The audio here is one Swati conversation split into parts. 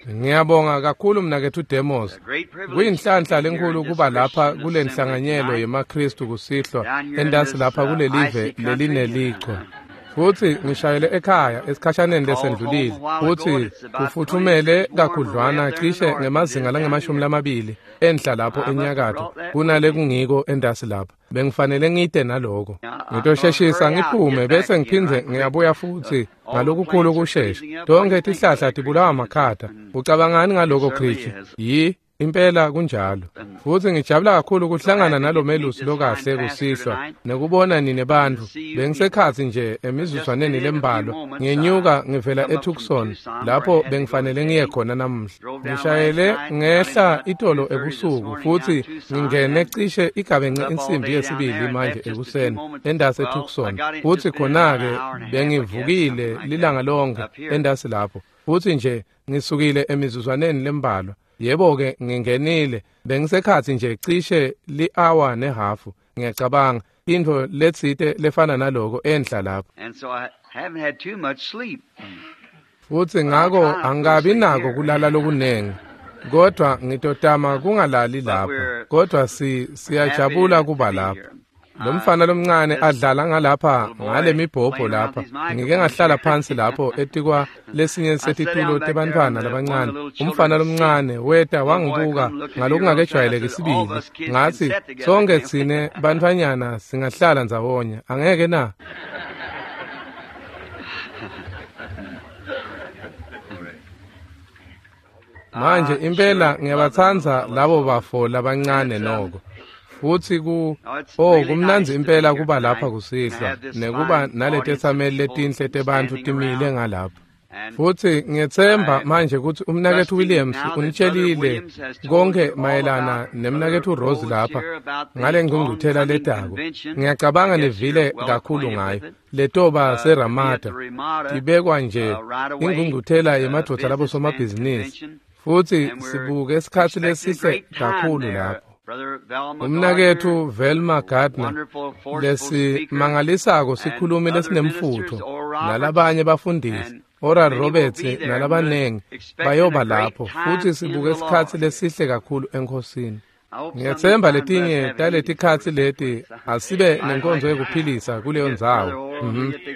Ngiyabonga kakhulu mnaketfu Demos. Kuyinhlanhla lenkulu kuba lapha kule nhlanganyelo yemaKhristu kusihlwa entasi lapha kulelive lelinelichwa. Futhi ngishayele ekhaya esikhashaneni lesendlulile futhi kufuthumele kakhudlwana cishe ngemazinga langama-20 enhla lapho enyakatho kunale kungiko entasi lapha. Bengifanele ngite naloko. Ngitosheshisa ngiphume bese ngiphindze ngiyabuya futhi ngalokukhulu kushesha. Tonke tihlahla tibulawa makhata. Ucabangani ngaloko Kristu? Yi impela kunjalo. Futhi ngijabula kakhulu kuhlangana nalomelusi lokahle kusihlwa nekubona nine bantfu. Bengisekhatsi nje emizuzwaneni lembalwa ngenyuka ngivela eTucson lapho bengifanele ngiye khona namuhla. Ngishayele ngehla itolo ebusuku futhi ngingene cishe igabence insimbi yesibili manje ekuseni endasi eTucson. Futhi khona-ke bengivukile lilanga lonke endasi lapho. Futhi nje ngisukile emizuzwaneni lembalwa. Yebo-ke ngingenile bengisekhatsi nje cishe li-hour nehafu ngiyacabanga intfo letsite lefana naloko enhla lapho. Futhi ngako angikabi nako kulala lokunengi kodwa ngitotama kungalali lapho kodwa siyajabula kuba lapho. Lo mfana lomncane adlala ngalapha ngale mibhobho lapha. Ngike ngahlala phansi lapho etikwa lesinye setitulo tebantfwana labancane. Umfana lomncane weta wangibuka ngalokungakejwayeleki sibili. Ngathi sonke tsine bantfwanyana singahlala ndzawonye angeke na? Manje impela ngiyabatsandza labo bafo labancane noko. Futhi kumnandzi impela kuba lapha kusihlwa nekuba naletetsameli letinhle tebantfu timile ngalapha. Futhi ngiyetsemba manje ukuthi umnaketfu Williams unitshelile konke mayelana nemnaketfu Rose lapha ngale ngqungquthela letako. Ngiyacabanga nivile kakhulu ngayo. Letoba seRamada ibekwa nje ingqungquthela yemadvodza labosomabhizinisi. Futhi sibuke isikhatsi lesihle kakhulu lapho. Umnaketfu Velma Gardner lesimangalisako sikhulumi lesinemfutho nalabanye bafundisi Oral Roberts nalabanengi bayoba lapho futhi sibuke isikhatsi lesihle kakhulu eNkhosini. Ngiyethemba letinye taletikhatsi leti asibe nenkonzo yekuphilisa kuleyo ndzawo.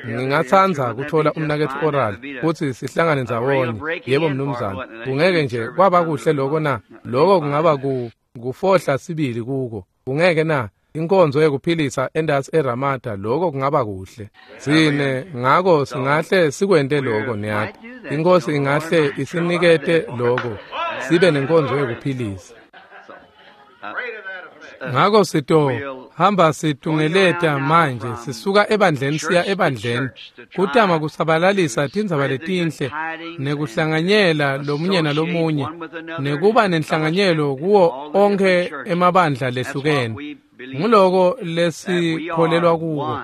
Ngingatsandza kuthola umnaketfu Oral futhi sihlangane ndzawonye. Yebo mnumzane, kungeke nje kwaba kuhle loko na? Loko kungaba kufohla sibili kuko. Kungeke na? Inkonzo yekuphilisa endasi eRamada lokho kungaba kuhle. Sine ngako singahle sikwente lokho niyati. Inkosi ingahle isinikete lokho sibe nenkonzo yekuphilisa. Ngako sito hamba situngeleta manje sisuka ebandleni siya ebandleni kutama kusabalalisa tindzaba letinhle nekuhlanganyela lomunye nalomunye nekuba nenhlanganyelo kuwo onke emabandla lehlukene. Nguloko lesikholelwa kuko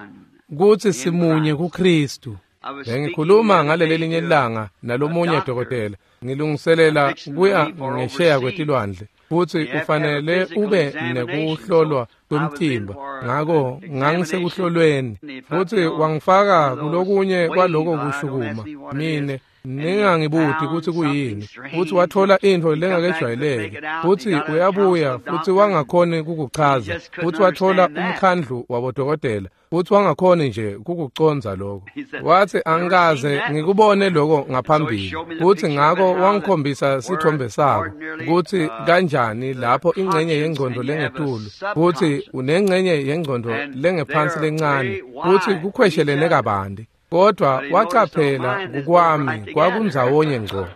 kutsi simunye kuKhristu. Bengikhuluma ngalelelinye ilanga nalomunye dokotela ngilungiselela kuya ngesheya kwetilwandle. Futhi ufanele ube nekuhlolwa kwemtimba ngako ngangisekuhlolweni futhi wangifaka kulokunye kwaloko kushukuma mine ningangibuti kutsi kuyini. Futhi wathola intfo lengakejwayeleki futhi uyabuya futhi wangakhoni kukuchaza futhi wathola umkhandlu wabodokotela futhi wangakhoni nje kukucondza lokho. Wathi angikaze ngikubone lokho ngaphambili. Futhi ngako wangikhombisa sithombe sako kutsi kanjani lapho ingcenye yengcondo lengetulu futhi unengcenye yengcondo lengephansi lencane futhi kukhweshelene kabanti. Kodwa wacaphela kukwami kwakundzawonye ngco.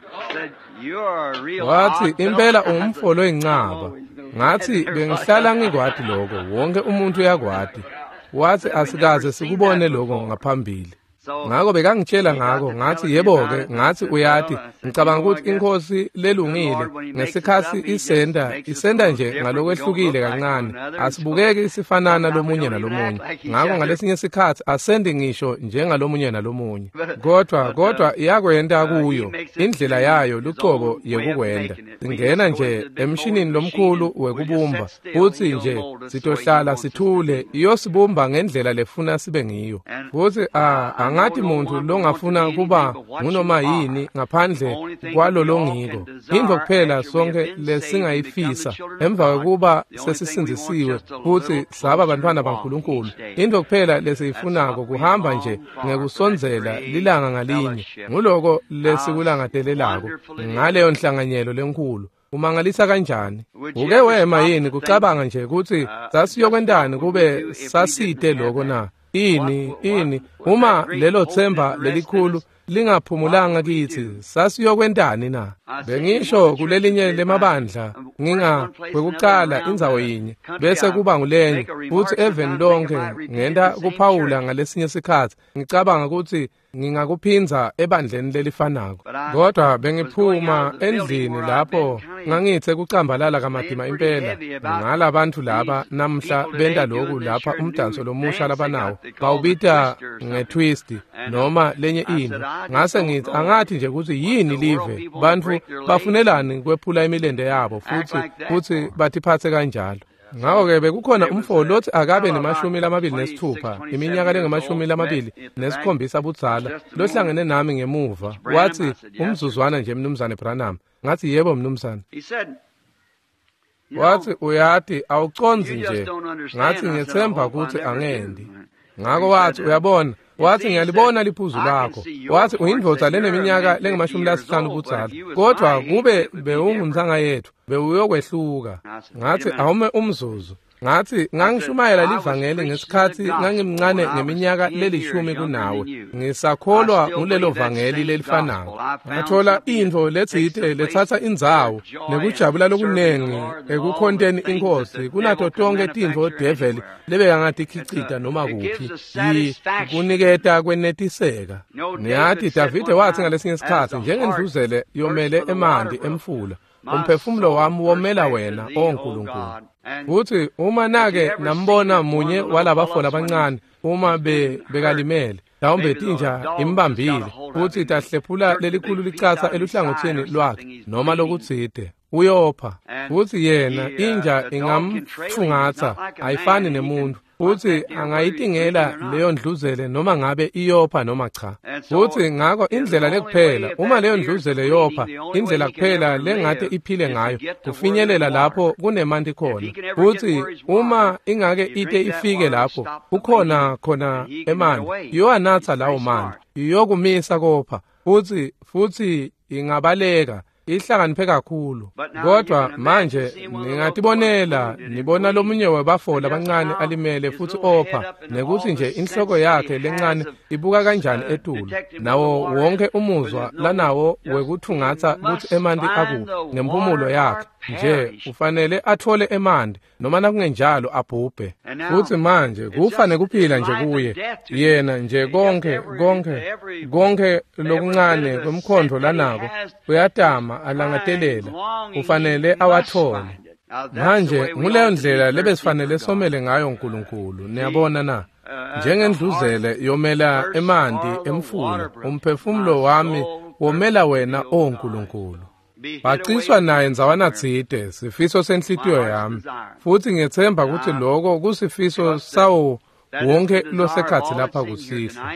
Wathi impela ungumfo loyincaba. Ngathi bengihlala ngikwati lokho, wonke umuntu uyakwati. Wathi asikaze sikubone lokho ngaphambili. Ngako bekangitshela ngako ngathi yebo-ke ngathi uyati ngicabanga ukuthi inkosi lelungile ngesikhatsi isenda nje ngalokwehlukile kancane asibukeki sifanana lomunye nalomunye. Ngako ngalesinye isikhatsi asendi ngisho njengalomunye nalomunye kodwa iyakwenta kuyo indlela yayo lucobo yekukwenda. Singena nje emshinini lomkhulu wekubumba futsi nje sitohlala sithule iyosibumba ngendlela lefuna sibe ngiyo. Futsi Angati muntu longafuna kuba ngunoma yini ngaphandle kwalolongiko. Intfo kuphela sonke lesingayifisa emva kwekuba sesisindzisiwe futsi saba bantfwana baNkulunkulu. Intfo kuphela lesiyifunako kuhamba nje ngekusondzela lilanga ngalinye. Nguloko lesikulangatelelako ngaleyo nhlanganyelo lenkhulu. Umangalisa kanjani? Uke wema yini kucabanga nje kutsi sasiyokwentani kube sasite lokho na? Ini uma lelo themba lelikhulu lingaphumulanga kithi sasiyokwentani na? Bengisho kulelinye lemabandla nginga kwekucala indzawo yinye bese kuba ngulenye futhi even lonke ngenta kuphawula ngalesinye sikhathi ngicabanga ukuthi ngingakuphindza ebandleni lelifanako. Kodwa bengiphuma endlini lapho ngangithe kucambalala kamatima impela ngalabantu laba namhla benta lokhu lapha umdanso lomusha labanawo bawubita ngetwist noma lenye into. Ngase ngithi angathi nje ukuthi yini live bantu bafunelani kwephula imilende yabo futhi batiphathe kanjalo. Ngakho-ke bekukhona umfo lothi akabe ne-26 iminyaka lengama-27 budzala lohlangene nami ngemuva. Wathi umzuzwana nje mnumzane Branham. Ngathi yebo mnumzane. Wathi uyati awucondzi nje. Ngathi ngiyethemba ukuthi angendi. Ngakho wathi uyabona, wathi ngiyalibona liphuzu lakho. Wathi uyindvodza leneminyaka lengama-50 budzala, kodwa kube bewungumntanga yethu bewuyokwehluka. Ngathi awume umzuzu. Ngathi ngangishumayela livangeli ngesikhathi ngangimncane ngeminyaka lelishumi kunawe. Ngisakholwa ngulelo vangeli lelifanako. Ngathola intfo letsite letsatsa indzawo nekujabula lokunengi ekukhonteni inkosi kunato tonke tintfo devil lebekangatikhichita noma kuphi. Kuniketa kwenetiseka. Niyathi Davide wathi ngalesinye isikhathi njengendluzele yomele emanti emfula, umphefumulo wami womela wena, O Nkulunkulu. Futhi uma nake nambona munye walabafo labancane uma bekalimele mhlawumbe tinja imbambile futhi tahlephula lelikhulu licatsa eluhlangothini lwakhe noma lokutsite, uyopha. Futhi yena inja ingamfungatsa, ayifani nemuntu, futhi angayitingela leyo ndluzele noma ngabe iyopha noma cha. Futhi ngakho indlela lekuphela uma leyo ndluzele yopha, indlela kuphela lengate iphile ngayo kufinyelela lapho kunemanti khona. Futhi uma ingake ite ifike lapho kukhona khona emanti, iyowanatsa lawo manti, iyokumisa kopha, futhi ingabaleka. Ihlakaniphe kakhulu. Kodwa manje ningatibonela nibona lomunye webafo labancane alimele futhi opha, nekuthi nje inhloko yakhe lencane ibuka kanjani etulu, nawo wonke umuzwa lanawo wekuthungatsa kutsi emanti akuphi ngemphumulo yakhe nje ufanele athole emanti noma nakungenjalo abhubhe. Futhi manje kufa nekuphila nje kuye yena nje konke konke konke lokuncane kwemkhondvo lanako uyatama alangatelela, ufanele awathole. Manje nguleyo ndlela lebesifanele somele ngayo uNkulunkulu. Niyabona na? Njengendluzele yomela emanti emfula, umphefumulo wami womela wena, O Nkulunkulu. Baciswa naye ndzawana tsite sifiso senhlitiyo yami, futhi ngiyethemba ukuthi lokho kusifiso sawo wonke losekhatsi lapha kusihlwa.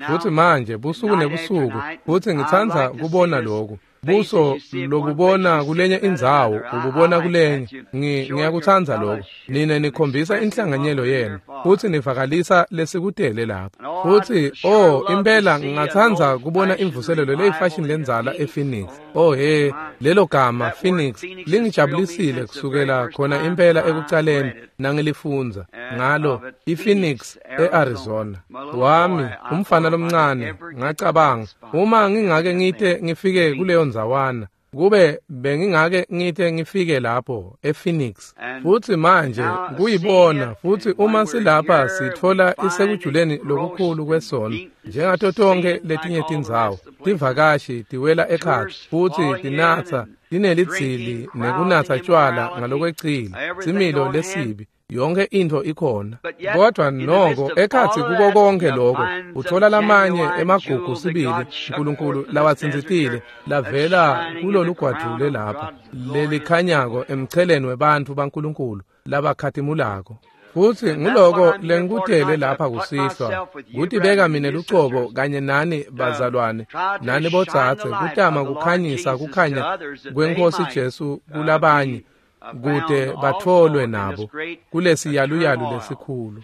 Futhi manje busuku nebusuku, futhi ngitsandza kubona lokhu buso lobubona kulenye indzawo ububona kulenye. Ngiyakutsandza lokho. Nine nikhombisa inhlanganyelo yenu futhi nivakalisa lesikutele lapho. Futhi oh impela ngingatsandza kubona imvuselelo leyifashion lenzala ePhoenix. Oh he, lelo gama Phoenix lingijabulisile kusukela khona impela ekucaleni nangilifunza ngalo iPhoenix eArizona. Wami umfana lomncane ngacabanga uma ngingake ngite ngifike kuleyo ndzawana, kube bengingake ngite ngifike lapho ePhoenix. Futhi manje kuyibona futhi uma silapha sithola isekujuleni lokukhulu kwesono njengato tonke letinye tindzawo. Tivakashi tiwela ekhatsi futhi tinatsa tinelidzili nekunatsa tshwala ngalokwecile, similo lesibi, yonke intfo ikhona. Kodwa noko ekhatsi kuko konke lokho uthola lamanye emagugu sibili uNkulunkulu lawatsintsitile lavela kulolu gwadule lapha lelikhanyako emcheleni webantfu baNkulunkulu labakhatimulako. Futsi nguloko lengikutele lapha kusihlwa, kutibeka mine lucobo kanye nani bazalwane, nani bodzadze, kutama kukhanyisa kukhanya kweNkhosi Jesu kulabanye, kute batfolwe nabo kulesiyaluyalu lesikhulu.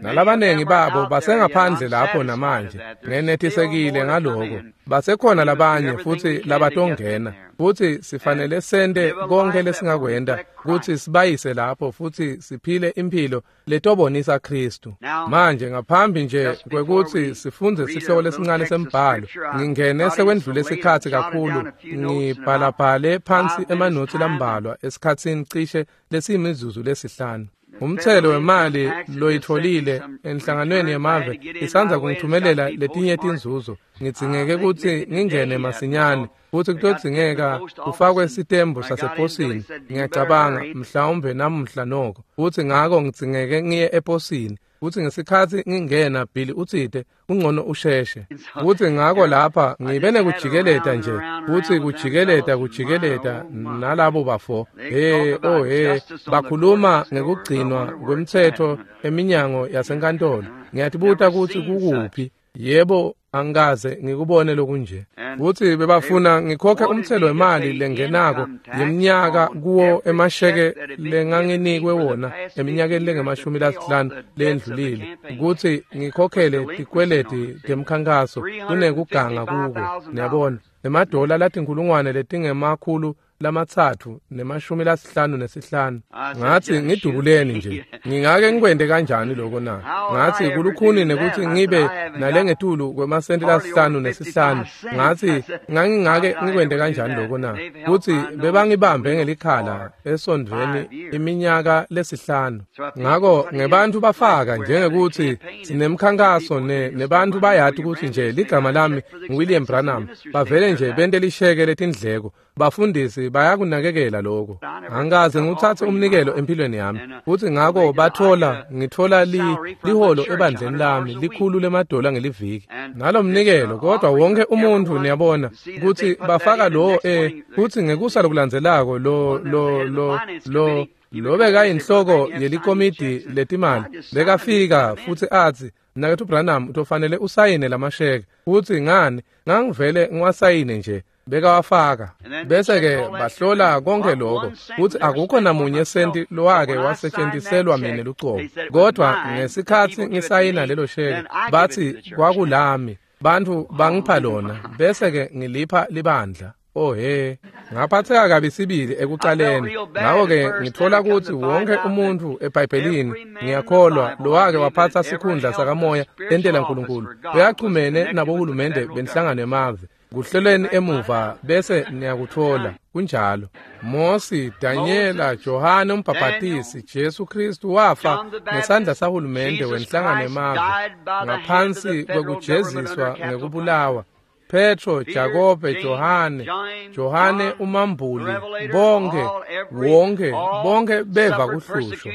Nalabanengi babo basengaphandle lapho namanje, ngenetisekile ngaloko. Basekhona labanye futsi labatongena, futsi sifanele sente konke lesingakwenta kutsi sibayise lapho futsi siphile imphilo letobonisa Khristu. Manje ngaphambi nje kwekutsi sifundze sihloko lesincane sembhalo, ngingene sekwendlule sikhatsi kakhulu, ngibhalabhale phansi emanotsi lambalwa esikhatsini cishe lesiyimizuzu lesihlanu. Umthelo wemali loyitfolile enhlanganweni yemave isandza kungithumelela letinye tinzuzo. Ngidzingeke kutsi ngingene masinyane, futsi kutodzingeka kufakwe sitembu saseposini. Ngiyacabanga mhlawumbe namuhla noko, futsi ngako ngidzingeke ngiye eposini. Futsi ngesikhatsi ngingena, Billy utsite kungcono usheshe. Futsi ngako lapha ngibe nekujikeleta nje, futsi kujikeleta nalabo bafo. He, oh he, bakhuluma ngekugcinwa kwemtsetfo eminyango yasenkantolo. Ngiyatibuta kutsi kukuphi. Yebo, angikaze ngikubone lokunje. Futsi bebafuna ngikhokhe umthelo wemali lengenako yeminyaka kuwo emasheke lenganginikwe wona eminyakeni lengama-50 lendlulile, kutsi ngikhokhele tikweleti temkhankaso kunekuganga kuko. Niyabona, emadola latinkhulungwane letingama-355. Ngathi ngidubuleni nje, ngingake ngikwente kanjani lokho na? Ngathi kulukhuni nekuthi ngibe nalengetulu kwemasenti la-55. Ngathi ngangingake ngikwente kanjani lokho na? Kutsi bebangibambe ngelikhala esondvweni iminyaka lesihlanu. Ngako ngebantfu bafaka njengekuthi sinemkhankaso nebantfu bayati kutsi nje ligama lami nguWilliam Branham, bavele nje bente lisheke letindleko. Bafundisi bayakunakekela lokho. Angikaze ngitsatse umnikelo empilweni yami. Futsi ngako bathola ngithola liholo ebandleni lami likhulu lemadola ngeliviki. Nalomnikelo kodwa wonke umuntu niyabona kutsi bafaka lo kutsi ngekusa lokulandzelako lo lobekayinhloko yelikomidi letimali bekafika futsi atsi, Mnaketfu Branham, utofanele usayine lamasheke. Futsi ngani ngangivele ngiwasayine nje, bekawafaka. Bese-ke bahlola konke lokho, futsi akukho namunye senti lowake wasetshentiselwa mine lucobo. Kodwa ngesikhatsi ngisayina lelo sheke, batsi kwakulami, bantfu bangipha lona, bese-ke ngilipha libandla. Oh he, ngaphatheka kabi sibili ekuqaleni. Ngako-ke ngithola kutsi wonke umuntfu eBhayibhelini, ngiyakholwa, lowake waphatsa sikhundla sakamoya entela Nkulunkulu, uyachumene nabohulumende benhlangano yemave. Kuhleleni emuva bese niyakuthola. Kunjalo. Mosi, Danyela, Johane umbhabhatisi, Jesu Kristu wafa ngesandla sahulumende wenhlangano yemave ngaphansi kwekujeziswa ngekubulawa. Petro, Jakobe, Johane umambuli, bonke, wonke, bonke beva kuhlushwa.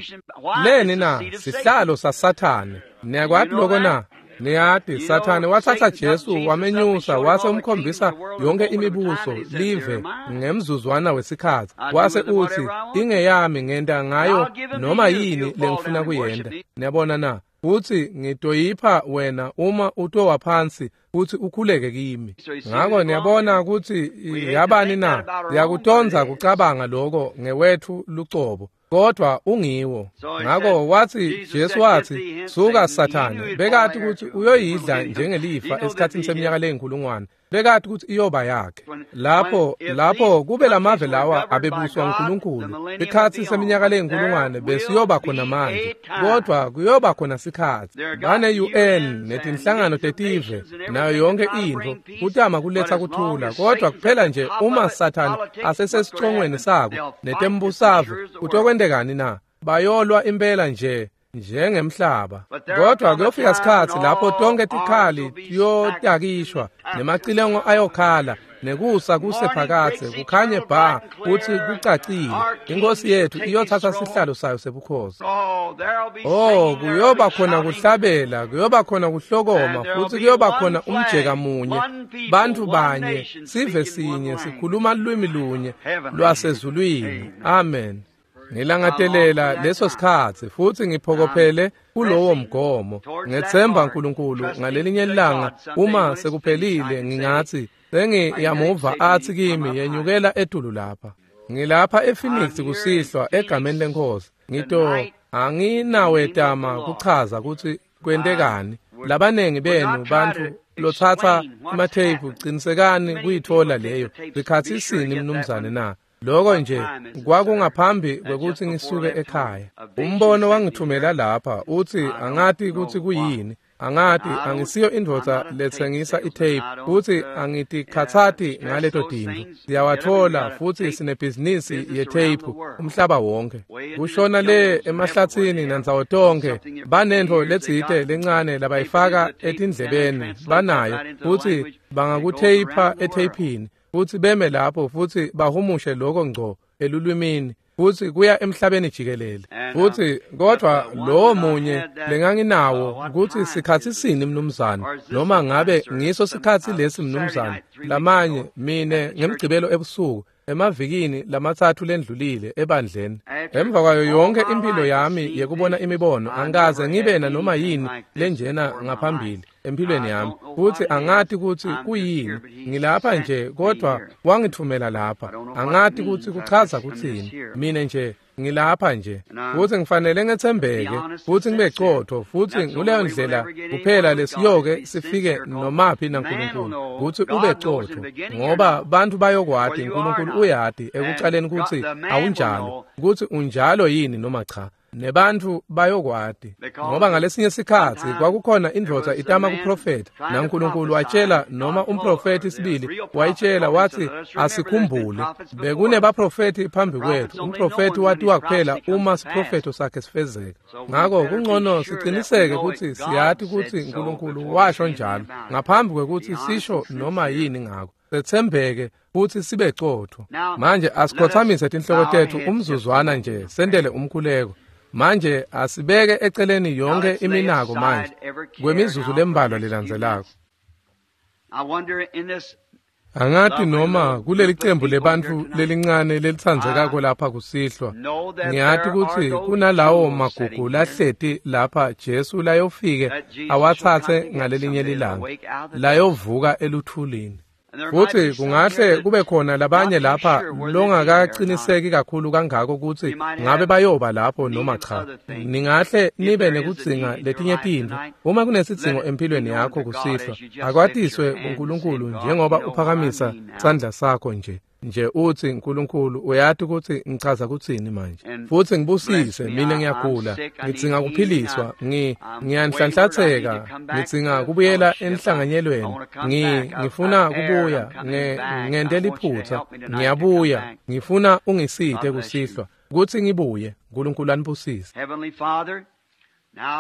Leni na? Sihlalo saSathane. Niyakwati lokho na? Niyati, Sathane wathatha Jesu wamenyusa wase umkhombisa yonke imibuso live ngemzuzwana wesikhatsi. Wase utsi, ingeyami, ngenta ngayo noma yini lengifuna kuyenta. Niyabona na? Futsi ngitoyipha wena uma utowa phansi futsi ukhuleke kimi. Ngako niyabona kutsi yabani na? Yakutonza kucabanga lokho ngewethu lucobo, kodwa ungiwo. Ngako watsi, Jesu watsi, suka Sathane. Bekati kutsi uyoyidla njengelifa esikhatsini seminyaka leyinkulungwane. Bekati kutsi iyoba yakhe. Lapho kube lamave lawa abebuswa uNkulunkulu, ikhatsi seminyaka leyinkulungwane besiyoba khona manje, kodwa kuyoba khona sikhatsi. Bane UN netinhlangano tetive nayo yonke intfo kutama kuletsa kuthula, kodwa kuphela nje uma Sathane asesesicongweni sako netembusave, kutokwentekani na? Bayolwa impela nje njengemhlaba. Kodwa kuyofika sikhatsi lapho tonke tikhali tiyotakishwa nemacilengo ayokhala, nekusa kusephakatse kukhanye bha kutsi kucacile. Inkosi yethu iyothatha sihlalo sayo sebukhosi. Oh, kuyoba khona kuhlabela, kuyoba khona kuhlokoma, futsi kuyoba khona umjeka munye, bantfu banye, sive sinye, sikhuluma lulwimi lunye lwasezulwini. Amen. Ngilangatelela leso sikhatsi futsi ngiphokophele kulowo mgomo. Ngethemba uNkulunkulu ngalelinye ilanga uma sekuphelile ngingathi sengiyamuva athi kimi yenyukela etulu lapha. Ngilapha ePhoenix kusihlwa egameni lenkosi. Ngito anginawetama kuchaza ukuthi kwentekani. Labanengi benu bantu lothatha ematheyiphu qinisekani kuyithola leyo. Sikhathi sini mnumzane na? Lokho nje kwakungaphambi kwekuthi ngisuke ekhaya. Umbono wangithumela lapha uthi angathi ukuthi kuyini. Angathi angisiyo indvodza letsengisa itape futhi angitikhathati ngaleto tintfo. Siyawathola futhi sinebhizinisi yetape umhlaba wonke. Kushona le emahlathini nandzawo tonke banentfo letsite lencane labayifaka etindlebeni banayo futhi bangakutheyipha etheyphini futhi beme lapho futhi bahumushe lokho ngco elulwimini futhi kuya emhlabeni jikelele. Futhi kodwa lo munye lenganginawo ukuthi sikhathi sini mnumzane noma ngabe ngiso sikhathi lesi mnumzane lamanye mine ngemgcibelo ebusuku emavikini lamathathu lendlulile ebandleni. Emva kwayo yonke impilo yami yekubona imibono angikaze ngibe na noma yini lenjena ngaphambili empilweni yami futhi angathi ukuthi kuyini. Ngilapha nje kodwa wangithumela lapha. Angathi ukuthi kuchaza kuthini. Mina nje ngilapha nje futhi ngifanele ngethembeke futhi ngibe qotho futhi nguleyo ndlela kuphela lesiyoke sifike nomaphi naNkulunkulu ukuthi ube qotho ngoba bantu bayokwati uNkulunkulu uyati ekuqaleni ukuthi awunjalo ukuthi unjalo yini noma cha. Nebantu bayokwati ngoba ngalesinye sikhatsi kwakukhona indvodza itama kuprofeta naNkulunkulu watshela noma umprofeti sibili wayitshela wathi asikhumbule bekunebaprofeti phambi kwethu. Umprofeti watiwa kuphela uma siprofeto sakhe sifezeka. Ngakho kungcono siqiniseke ukuthi siyati ukuthi uNkulunkulu washo njalo ngaphambi kwekuthi sisho noma yini ngakho. Sethembeke futhi sibe qotho. Manje asikhothamise tinhloko tethu umzuzwana nje sendele umkhuleko. Manje asibeke eceleni yonke iminako manje kwemizuzu lembalwa lelandzelako. Angathi noma kuleli cembu lebantu lelincane lelitsandzekako lapha kusihlwa ngiyati ukuthi kunalawo magugu lahleti lapha Jesu layofike awatsatse ngalelinye lilanga layovuka eluthulini. Futhi kungahle kube khona labanye lapha longakaqiniseki kakhulu kangako ukuthi ngabe bayoba lapho noma cha. Ningahle nibe nekudzinga letinye tintfo. Uma kunesidzingo empilweni yakho kusihlwa akwatiswe uNkulunkulu njengoba uphakamisa sandla sakho nje. Nje uthi uNkulunkulu uyati ukuthi ngichaza kuthini manje futhi ngibusise mina ngiyagula ngidzinga kuphiliswa ngiyanhlanhlatheka ngidzinga kubuyela enhlanganyelweni ngifuna kubuya ngente liphutha ngiyabuya ngifuna ungisite kusihlwa ukuthi ngibuye. uNkulunkulu anibusise.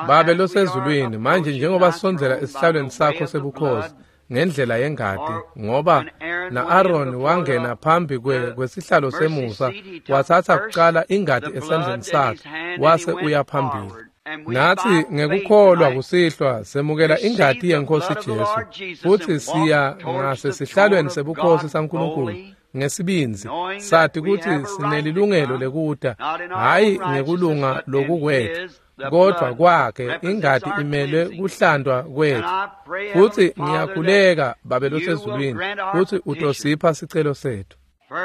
Babe losezulwini manje njengoba sisondzela esihlalweni sakho sebukhosi ngendlela yengati ngoba na-Aaron wangena phambi kwesihlalo semusa wathatha kuqala ingati esandleni sakhe wase uya phambili. Nathi ngekukholwa kusihlwa semukela ingati yenkosi Jesu futhi siya ngasesihlalweni sebukhosi saNkulunkulu ngesibinzi sathi ukuthi sinelilungelo lekuta hayi ngekulunga lokukwethu kodwa kwakhe ingati imelwe kuhlandwa kwethu. Futhi ngiyakhuleka Babe losezulwini ukuthi utosipha sicelo sethu.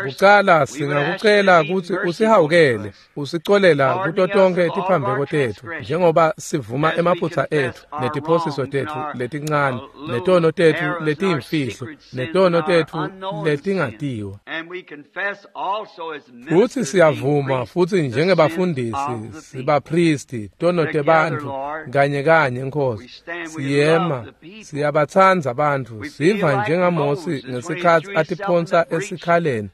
Kuqala singakucela ukuthi usihawukele usicolela kuto tonke tiphambeko tethu njengoba sivuma emaphutha ethu netiphosiso tethu letincane netono tethu letiyimfihlo netono tethu letingatiwa. Futhi siyavuma futhi njengebafundisi sibapristi tono tebantfu kanye kanye Nkosi siyema siyabatsandza bantfu siva njengaMosi ngesikhatsi atiphonsa esikhaleni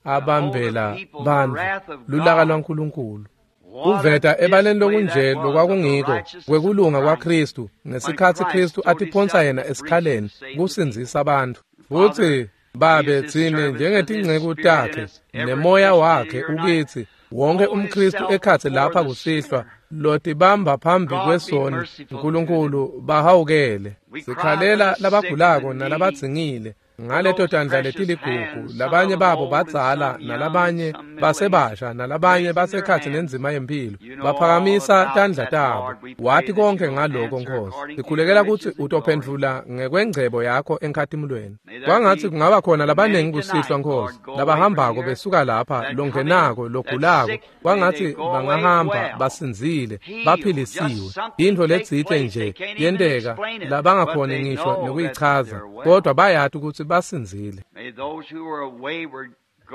abambela bantfu lulaka lwaNkulunkulu. Uveta ebaleni lokunje lokwakungiko kwekulunga kwaKristu ngesikhatsi Kristu atiphonsa yena esikhaleni kusindzisa abantu. Futhi Babe tsine njengetinceku takhe nemoya wakhe ukithi wonke umKristu ekhatsi lapha kusihlwa lotibamba phambi kwesoni uNkulunkulu bahawukele. Sikhalela labagulako nalabadzingile ngaleto tandla letiligugu labanye babo badzala nalabanye basebasha nalabanye basekhatsi nenzima yempilo baphakamisa tandla tabo. Wati konke ngaloko Nkosi. Sikhulekela kutsi utophendvula ngekwengcebo yakho enkhatimulweni. Kwangatsi kungaba khona labanengi kusihlwa Nkosi, labahambako besuka lapha, longenako, logulako, kwangatsi bangahamba basindzile, baphilisiwe. Intfo letsite nje yenteka labangakhoni ngisho nekuyichaza, kodwa bayati kutsi basindzile.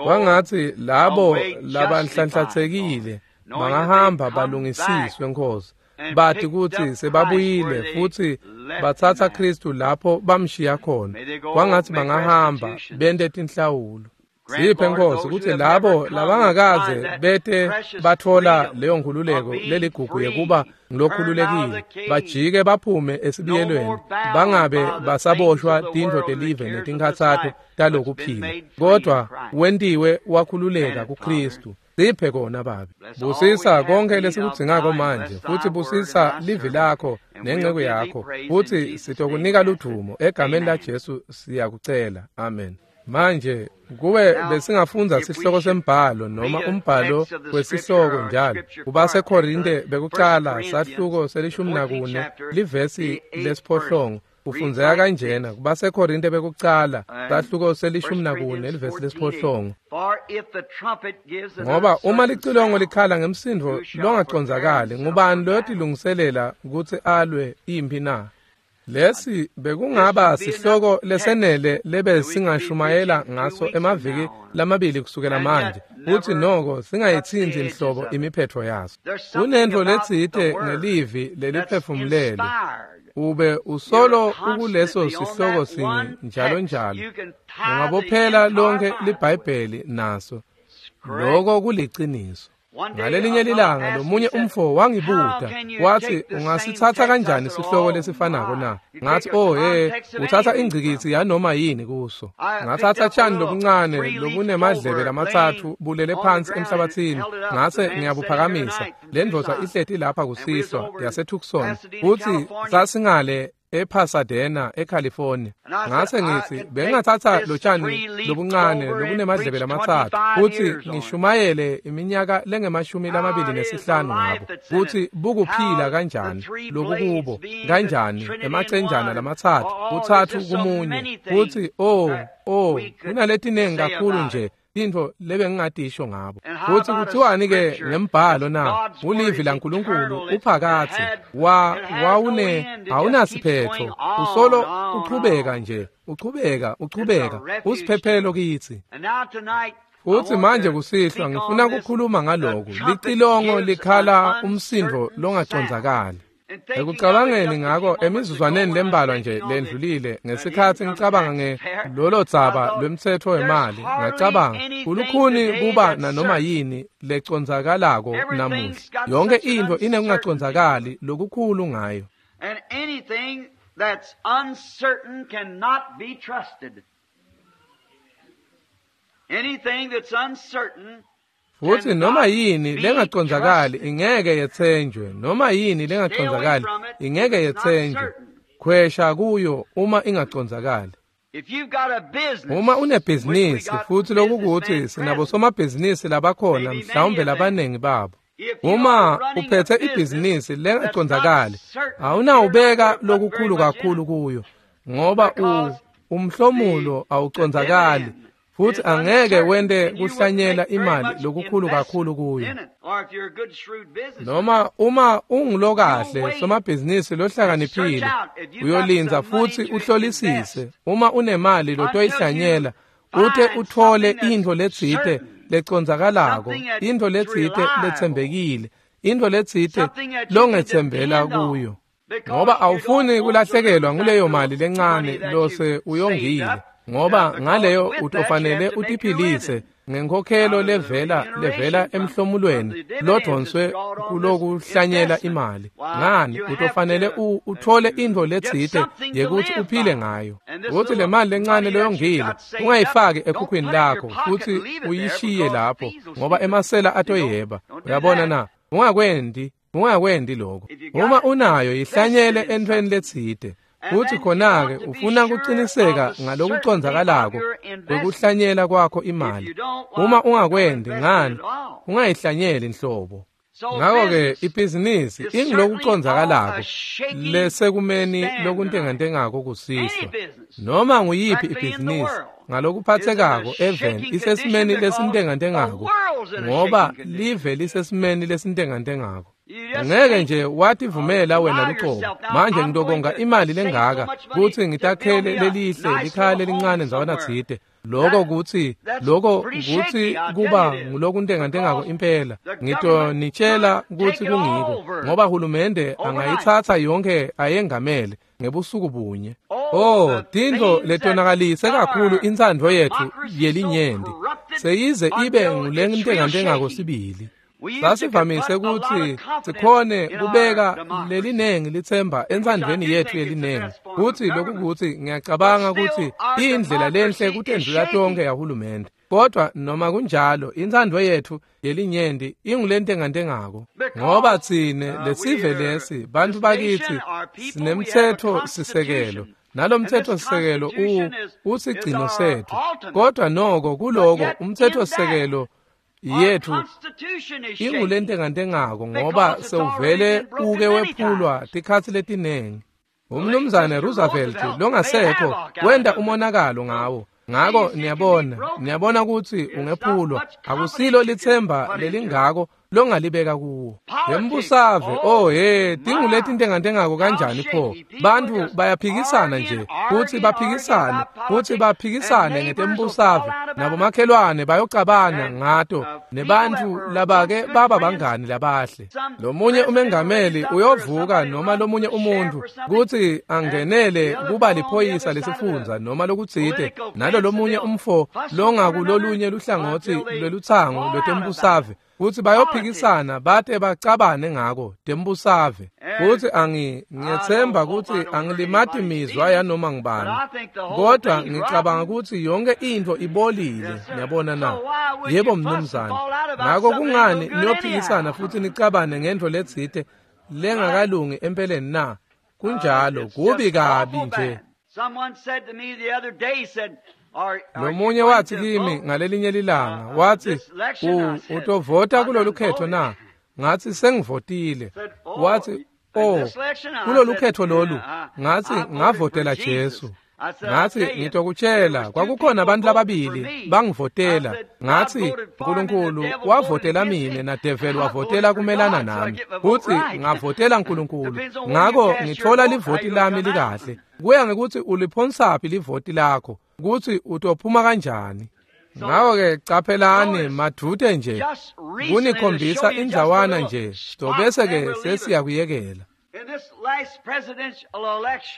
Kwangatsi labo labanhlanhlatsekile bangahamba balungisiswe Nkosi, bati kutsi sebabuyile futsi batsatsa Kristu lapho bamshiya khona. Kwangatsi bangahamba bente tinhlawulo. Siphe Nkosi kutsi labo labangakaze bete batfola leyo nkhululeko leligugu yekuba ngilokhululekile bajike baphume esibiyelweni, bangabe basaboshwa tintfo telive netinkhatsato talokuphila, kodwa wentiwe wakhululeka kuKristu. Siphe kona Babe. Busisa konke lesikudzingako manje, futsi busisa livi lakho nenceku yakho, futsi sitokunika ludvumo egameni laJesu siyakucela. Amen. Manje kube besingafundza sihloko sembhalo noma umbhalo wesihloko njalo kubaseKorinte bekucala sahluko se-14 livesi lesiphohlongo kufundzeka kanjena. KubaseKorinte bekucala sahluko se-14 livesi lesiphohlongo. Ngoba uma licilongo likhala ngemsindvo longacondzakali, ngubani loyotilungiselela kutsi alwe imphi na? Lesi bekungaba sihloko lesenele lebe singashumayela ngaso emaviki lamabili kusukela manje, futsi noko singayitsintsi nhlobo imiphetfo yaso. Kunentfo letsite ngelivi leliphefumulelwe, ube usolo ukuleso sihloko sinye njalo njalo. Ungabophela lonke liBhayibheli naso. Loko kuliciniso. Ngalelinye lilanga lomunye umfo wangibuta wathi, ungasitsatsa kanjani sihloko lesifanako na? Ngathi, oh he, uthatha ingcikitsi yanoma yini kuso. Ngatsatsa tshani lobuncane lobunemadlebe lamatsatfu bulele phansi emhlabathini, ngase ngiyabuphakamisa. Le ndvodza ihleti lapha kusihlwa yaseTucson, futsi sasingale ePasadena eCalifornia. Ngase ngitsi bengingatsatsa lotshani lobuncane lobunemadlebe lamatsatfu futsi ngishumayele iminyaka lengemashumi 25 ngabo, kutsi bukuphila kanjani lokukubo, kanjani emacenjana lamatsatfu, kutsatfu kumunye, futsi oh kunaletinengi kakhulu nje tintfo lebengingatisho ngabo. Futsi kutsiwani-ke ngembhalo na? Ulivi laNkulunkulu uphakatsi wawune awunasiphetho, usolo uchubeka nje, uchubeka, usiphephelo kitsi. Futsi manje kusihlwa ngifuna kukhuluma ngaloku, licilongo likhala umsindvo longacondzakali. Ekucabangeni ngako emizuzwaneni lembalwa nje lendlulile, ngesikhatsi ngicabanga ngelolo dzaba lwemtsetfo wemali, ngacabanga kulukhuni kuba nanoma yini lecondzakalako namuhla. Yonke intfo inekungacondzakali lokukhulu ngayo. And anything that's uncertain cannot be trusted. Anything that's uncertain. Futsi noma yini lengacondzakali ingeke yetsenjwe, noma yini lengacondzakali ingeke yetsenjwe. Khwesha kuyo uma ingacondzakali. Uma unebhizinisi, futsi lokukutsi sinabosomabhizinisi labakhona, mhlawumbe labanengi babo. Uma uphethe ibhizinisi lengacondzakali, awunawubeka lokukhulu kakhulu kuyo, ngoba umhlomulo awucondzakali, futsi angeke wente kuhlanyela imali lokukhulu kakhulu kuyo. Noma uma ungulokahle somabhizinisi lohlakaniphile, uyolindza futsi uhlolisise uma unemali lotoyihlanyela, ute utfole intfo letsite lecondzakalako, intfo letsite letsembekile, intfo letsite longetsembela kuyo. Ngoba awufuni kulahlekelwa nguleyo mali lencane lose uyongile, ngoba ngaleyo utofanele utiphilise ngenkhokhelo levela emhlomulweni lodvonswe kulokuhlanyela imali. Ngani utofanele utfole intfo letsite yekuthi uphile ngayo. Kutsi le mali lencane loyongile ungayifaki ekhukhwini lakho futsi uyishiye lapho, ngoba emasela atoyeba. Uyabona na? Ungakwendi lokho. Uma unayo yihlanyele entfweni letsite. Futsi khona-ke ufuna kuciniseka ngalokuconzakalako kwekuhlanyela kwakho imali. Uma ungakwendi ngani, ungayihlanyeli nhlobo. Ngako-ke ibhizinisi ingulokuconzakalako lesekumeni lokuntengantengako kusihlwa. Noma nguyiphi ibhizinisi ngalokuphathekako eveni isesimeni lesintengantengako ngoba live lisesimeni lesintengantengako. Ngeke nje wativumela wena lucobo. Manje ngitokonga imali lengaka kutsi ngitakhele lelihle likhaya lelincane ndzawana tsite. Lokho kutsi kuba ngulokuntengantengako impela. Ngitonitshela kutsi kungiko ngoba hulumende angayitsatsa yonkhe ayengamele ngebusuku bunye. Oh, tintfo letonakalise kakhulu intsandvo yetfu yelinyenti seyize ibe ngulentengantengako sibili. Sasivamise kutsi sikhone kubeka lelinengi litsemba entsandvweni yetfu yelinengi. Kutsi lokukuthi ngiyacabanga kutsi indlela lenhle kutendlula tonkhe yahulumende. Kodwa noma kunjalo intsandvo yetfu yelinyenti ingulentengantengako ngoba tsine lesive lesi bantfu bakitsi sinemtsetfo sisekelo. Nalomtsetfo sisekelo usigcino setfu. Kodwa noko kuloko umtsetfo sisekelo yethu ingulentengantengako ngoba sewuvele uke wephulwa tikhatsi letinengi. Umnumzane Roosevelt longasekho wenta umonakalo ngawo. Ngako niyabona kutsi ungephulwa akusilo litsemba lelingako longalibeka kuwo. Lembusave, oh he, tinguletintengantengako kanjani pho? Bantfu bayaphikisana nje, kutsi baphikisane ngetembusave, nabomakhelwane bayocabana ngato, nebantfu labake baba bangani labahle. Lomunye umengameli uyovuka noma lomunye umuntu kutsi angenele kuba liphoyisa lesifundza noma lokutsite, nalo lomunye umfo longakulolunye luhlangotsi lwelutsango lwetembusave. Kutsi bayophikisana bate bacabane ngako tembusave. Kutsi ngiyetsemba kutsi angilimati mizwa yanoma ngubani. Kodwa ngicabanga kutsi yonke intfo ibolile, niyabona na? Yebo mnumzane. Ngako kungani niyophikisana futsi nicabane ngentfo letsite lengakalungi empeleni na? Kunjalo, kubi kabi nje. Lomunye watsi kimi ngalelinye lilanga, watsi, utovota kulolu khetho na? Ngatsi sengivotile. Watsi, oh, kulolu khetho lolu, ngatsi ngavotela Jesu. Ngatsi ngitokutshela, kwakukhona abantu lababili bangivotela. Ngatsi Nkulunkulu wavotela mine na devil wavotela kumelana nami. Kutsi ngavotela Nkulunkulu, ngako ngitfola livoti lami likahle. Kuya ngekuthi uliphonsaphi livoti lakho, kutsi utophuma kanjani. Ngako-ke caphelani madvute nje kunikhombisa indzawana nje, tobese-ke sesiyakuyekela.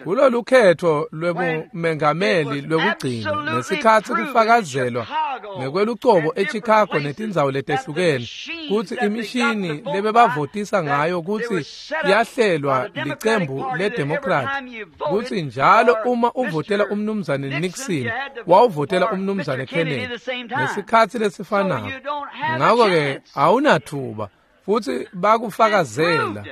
Kulolu khetho lwebumengameli lwekugcina ngesikhatsi kufakazelwa ngekwelucobo eChicago netindzawo letehlukene kutsi imishini lebebavotisa ngayo kutsi yahlelwa licembu leDemocrat, kutsi njalo uma uvotela umnumzane Nixon wawuvotela umnumzane Kennedy ngesikhatsi lesifanako. Ngako-ke awunathuba futsi bakufakazela.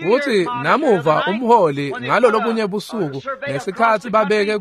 Futsi namuva umholi ngalo lobunye busuku ngesikhatsi babeke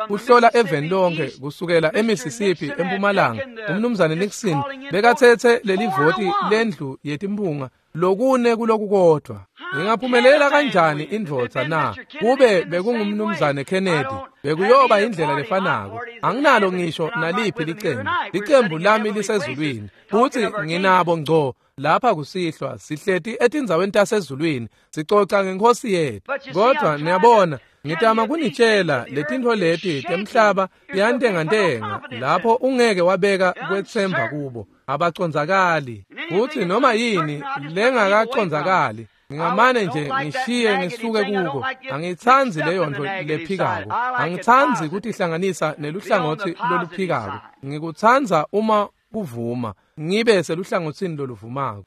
kuhlola eveni lonke kusukela eMississippi empumalanga, umnumzane Nixon bekatsetse lelivoti lendlu yetimphunga lokune kulokukodwa. Ingaphumelela kanjani indvodza na? Kube bekungumnumzane Kennedy bekuyoba indlela lefanako. Anginalo ngisho naliphi licembu. Licembu lami lisezulwini futsi nginabo ngco lapha kusihlwa sihleti etindzaweni tasezulwini sicoca ngenkosi yethu. Kodwa niyabona, ngitama kunitshela letintfo leti temhlaba tiyantengantenga lapho ungeke wabeka kwetsemba kubo, abacondzakali. Futsi noma yini lengakacondzakali ngingamane nje ngishiye ngisuke kuko. Angitsandzi leyo ntfo lephikako, angitsandzi kutihlanganisa neluhlangotsi loluphikako. Ngikutsandza uma kuvuma ngibe seluhlangotsini loluvumako.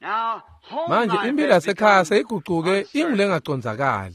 Manje impilo yasekhaya seyigucuke ingulengacondzakali.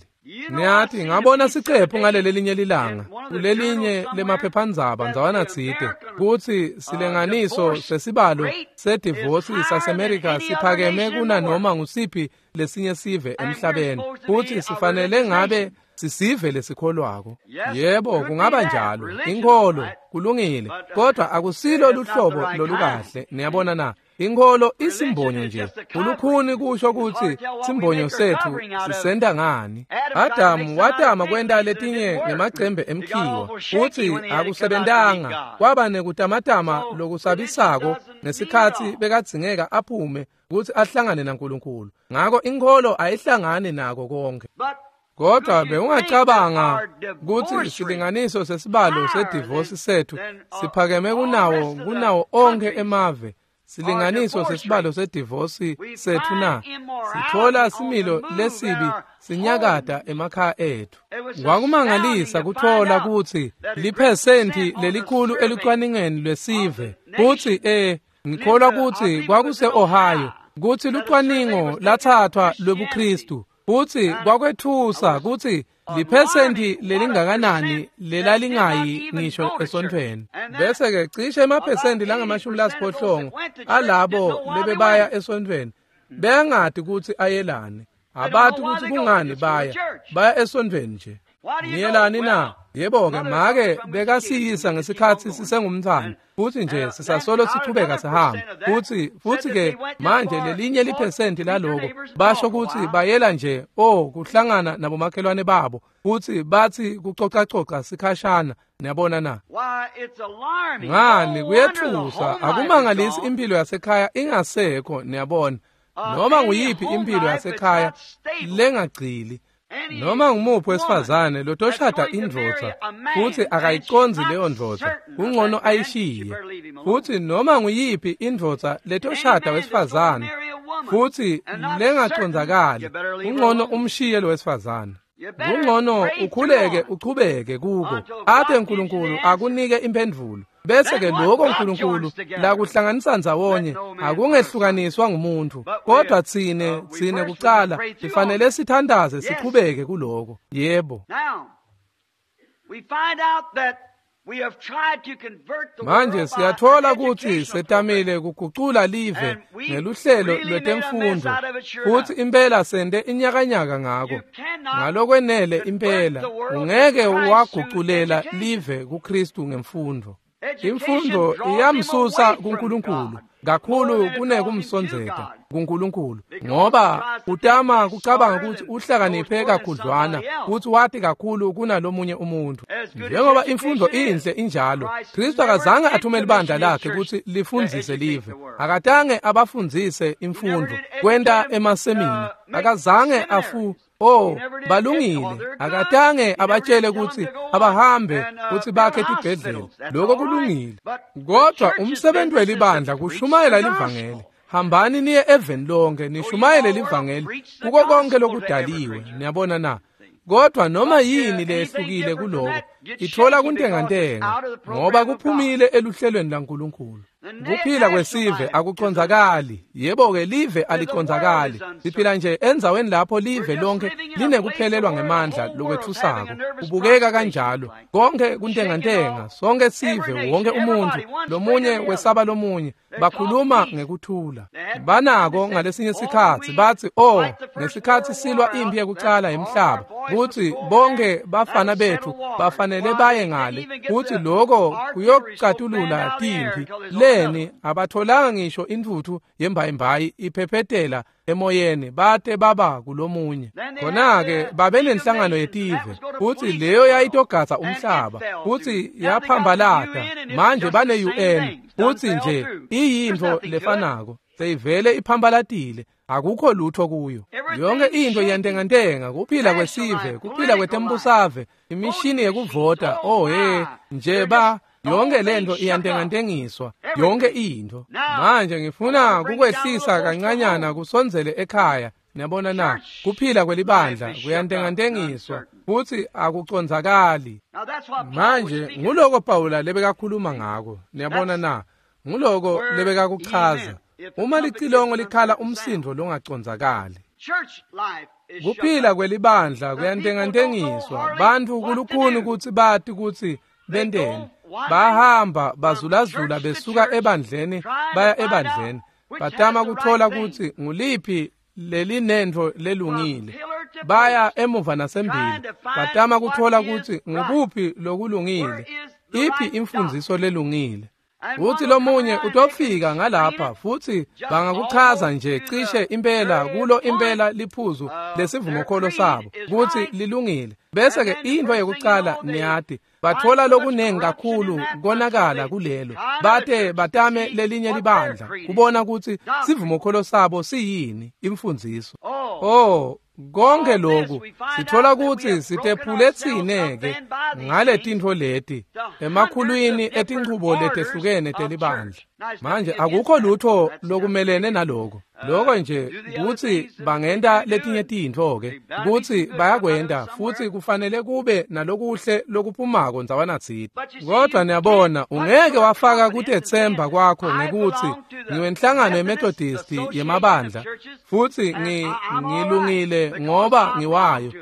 Ngiyathi ngabona sicephu ngalelelinye lilanga kulelinye lemaphephandzaba ndzawana tsite kutsi silinganiso sesibalo sedivosi saseMerika siphakeme kunanoma ngusiphi lesinye sive emhlabeni, kutsi sifanele ngabe Sisive lesikholwako. Yebo, kungaba njalo. Inkholo kulungile, kodwa akusilo luhlobo lolukahle. Niyabona na? Inkholo isimbonyo nje. Ulukhuni kusho ukuthi simbonyo sethu sisenta ngani. Adamu watama kwenta letinye ngemacembe emkhiwa, futhi akusebentanga. Kwaba nekutamatama lokusabisako ngesikhatsi bekadzingeka aphume ukuthi ahlangane naNkulunkulu. Ngako inkholo ayihlangani nako konke. Kodwa bewungacabanga ukuthi silinganiso sesibalo sedivosi sethu siphakeme kunawo onke emave. Silinganiso sesibalo sedivosi sethu na sithola similo lesibi sinyakata emakhaya ethu. Kwakumangalisa kuthola ukuthi liphesenti lelikhulu elucwaningeni lwesive kuthi ngikholwa ukuthi kwakuse-Ohio kuthi lucwaningo lathathwa lwebuKristu futhi kwakwethusa ukuthi liphesenti lelingakanani lelalingayi ngisho esontweni. Bese-ke cishe emaphesenti langama-80 alabo lebebaya esontweni bengadi ukuthi ayelane. Abathi ukuthi kungani baya esontweni nje. Niyelani na? Yebo-ke make bekasiyisa ngesikhathi sisengumntwana futhi nje sisasolo sichubeka sihamba. Futhi-ke manje lelinye liphesenti laloko basho ukuthi bayela nje kuhlangana nabomakhelwane babo futhi bathi kucocacoca sikhashana. Niyabona na? Ngani kuyethusa. Akumangalisi impilo yasekhaya ingasekho. Niyabona, noma nguyiphi impilo yasekhaya lengagcili. Noma ngumuphi wesifazane lotoshada indvodza futhi akayiconzi leyo ndvodza, kungcono ayishiye. Futhi noma nguyiphi indvodza letoshada wesifazane futhi lengacondzakali, kungcono umshiye lo wesifazane. Kungcono ukhuleke uchubeke kuko ate uNkulunkulu akunike impendvulo. Bese ke lokho uNkulunkulu lakuhlanganisa ndzawonye akungehlukaniswa ngumuntu. Kodwa tsine kucala sifanele sithandaze sichubeke kuloko. Yebo. Manje siyathola ukuthi setamile kugucula live ngeluhlelo lwetemfundo futhi impela sente inyakanyaka ngako. Ngalokwenele impela ungeke waguculela live kuKristu ngemfundo. Imfundo iyamsusa kuNkulunkulu kakhulu kunekumsondzeta kuNkulunkulu, ngoba utama kucabanga ukuthi uhlakaniphe kakhudlwana futhi wati kakhulu kunalomunye umuntu. Njengoba imfundo inhle injalo, Kristu akazange athumele ibandla lakhe ukuthi lifundzise live. Akatange abafundzise imfundo kwenta emasemina. Akazange balungile. Akatange abatshele ukuthi abahambe ukuthi bakhe tibhedlela. Lokho kulungile. Kodwa umsebenzi welibandla kushumayela livangeli. Hambani niye eveni lonke nishumayele livangeli kuko konke lokudaliwe. Niyabona na? Kodwa noma yini lehlukile kuloko ithola kuntengantenga ngoba kuphumile eluhlelweni laNkulunkulu. Kuphila kwesive akucondzakali. Yebo-ke live alicondzakali. Siphila nje endzaweni lapho live lonke linekuphelelwa ngemandla lokwethusako. Kubukeka kanjalo. Konke kuntengantenga, sonke sive, wonke umuntu, lomunye wesaba lomunye, bakhuluma ngekuthula. Banako ngalesinye sikhatsi bathi ngesikhatsi silwa impi yekucala yemhlaba, kuthi bonke bafana bethu bafanele baye ngale, kuthi lokho kuyocatulula timpi. Leni abatholanga ngisho intuthu yembayimbayi iphephetela emoyeni bate baba kulomunye. Khona-ke babe nenhlangano yetive futhi leyo yayitogatsa umhlaba futhi yaphambalata. Manje bane-UN futhi nje iyintfo lefanako, seyivele iphambalatile, akukho lutho kuyo. Yonke into iyantengantenga, kuphila kwesive, kuphila kwetembusave, imishini yekuvota, nje ba yonke lento iyantengantengiswa, yonke into. Manje ngifuna kukwehlisa kancanyana kusondzele ekhaya. Niyabona na? Kuphila kwelibandla kuyantengantengiswa futhi akucondzakali. Manje nguloko Pawula lebekakhuluma ngako. Niyabona na? Nguloko lebekakuchaza. Uma licilongo likhala umsindo longacondzakali. Kuphila kwelibandla kuyantengantengiswa. Bantfu kulukhuni kutsi bati kutsi benteni. Bahamba bazulazula besuka ebandleni baya ebandleni, batama kuthola kutsi nguliphi lelinentfo lelungile. Baya emuva nasembili, batama kutfola kutsi ngukuphi lokulungile, iphi imfundziso lelungile. Uthi lomunye utofika ngalapha futhi bangakuchaza nje cishe impela kulo impela liphuzu lesivumokholo sabo kutsi lilungile. Bese ke intfo yekucala niyati bathola lokunengi kakhulu konakala kulelo, bate batame lelinye libandla kubona kutsi sivumokholo sabo siyini imfundziso. Oh, konke lokhu sithola kutsi sitephule tsine-ke ngaletintfo leti emakhulwini etinchubo letehlukene telibandla. Manje akukho lutho lokumelene naloko. Loko nje kutsi bangenta letinye tintfo-ke, kutsi bayakwenta futsi kufanele kube nalokuhle lokuphumako ndzawanatsite. Kodvwa niyabona, ungeke wafaka kutetsemba kwakho ngekutsi ngiwenhlangano yeMethodisti yemabandla futsi ngilungile ngoba ngiwayo,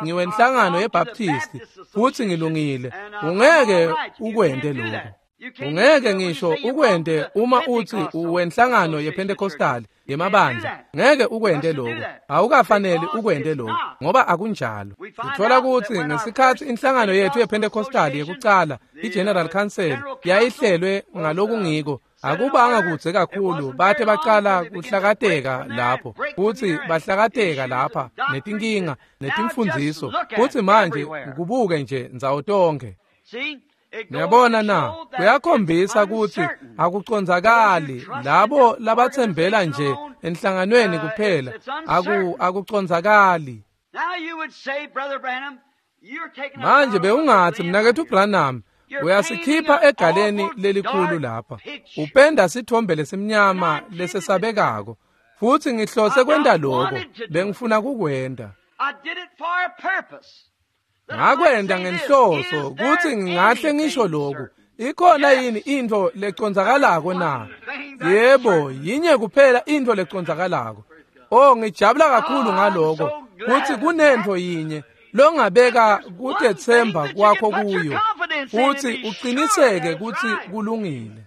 ngiwenhlangano yeBaptisti futsi ngilungile. Ungeke ukwente lokho. Ungeke ngisho ukwente uma uthi uwenhlangano yePentecostal yemabandla. Ngeke ukwente lokho. Awukafaneli ukwente lokho ngoba akunjalo. Sithola kutsi ngesikhatsi inhlangano yethu yePentecostal yekucala, iGeneral Council, yayihlelwe ngalokungiko, akubanga kudze kakhulu bate bacala kuhlakateka lapho, futsi bahlakateka lapha netinkinga netimfundziso, futsi manje kubuke nje ndzawo tonkhe. Niyabona na, kuyakhombisa kutsi akucondzakali labo labatsembela nje enhlanganweni kuphela, akucondzakali. Manje bewungatsi mnaketfu Branham, uyasikhipha egaleni lelikhulu lapha, upenda sithombe lesimnyama lesesabekako, futsi ngihlose kwenta lokho, bengifuna kukwenta. Ngakwenta ngenhloso kutsi ngingahle ngisho lokhu. Ikhona yini intfo lecondzakalako na? Yebo, yinye kuphela intfo lecondzakalako. Oh, ngijabula kakhulu ngaloko kutsi kunentfo yinye longabeka kutetsemba kwakho kuyo futsi uqiniseke kutsi kulungile.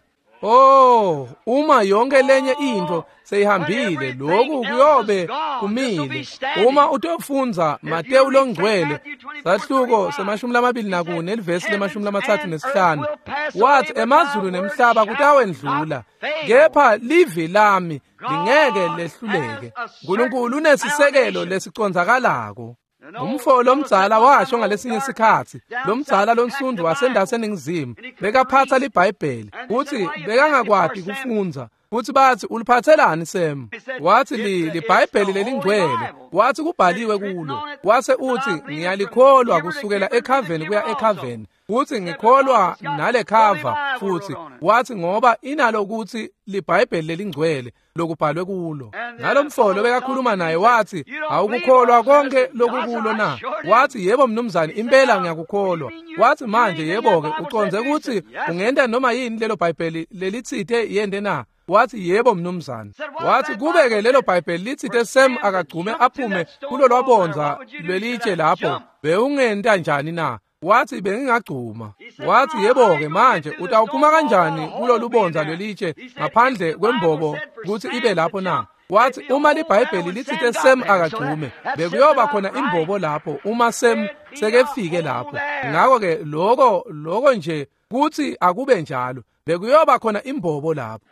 Oh, uma yonke lenye intfo seyihambile, lokhu kuyobe kumile. Uma utofundza Matewu longcwele sahluko se-24 nelivesi le-35, wathi emazulu nemhlaba kutawendlula, kepha livi lami lingeke lehluleke. Nkulunkulu unesisekelo lesicondzakalako. Umfo lomdzala washo ngalesinye sikhatsi, lomdzala lonsundu wasendase eNingizimu bekaphatsa liBhayibheli, kutsi bekangakwati kufundza, futsi batsi uliphatselani Sam? Watsi liBhayibheli lelingcwele, watsi kubhaliwe kulo, wase utsi ngiyalikholwa kusukela ekhaveni kuya ekhaveni, futsi ngikholwa nale khava futsi, watsi ngoba inalo kutsi liBhayibheli lelingcwele lokubhalwe kulo. Nalomfolo bekakhuluma naye wathi awukukholwa konke lokukulo na? Wathi yebo mnumzane, impela ngiyakukholwa. Wathi manje yebo-ke ucondze kutsi ungenta noma yini lelo Bhayibheli lelitsite yente na? Wathi yebo mnumzane. Wathi kube-ke lelo Bhayibheli litsite Sam akagcume aphume kulo lwabondza lwelitshe lapho, bewungenta njani na? Wathi bengingagcuma. Wathi yebo-ke manje utawuphuma kanjani kulo lubondza lwelitshe ngaphandle kwembobo kutsi ibe lapho na? Wathi uma liBhayibheli litsite Sam akagcume, bekuyoba khona imbobo lapho uma Sam sekefike lapho. Ngakho-ke lokho nje kutsi akube njalo, bekuyoba khona imbobo lapho.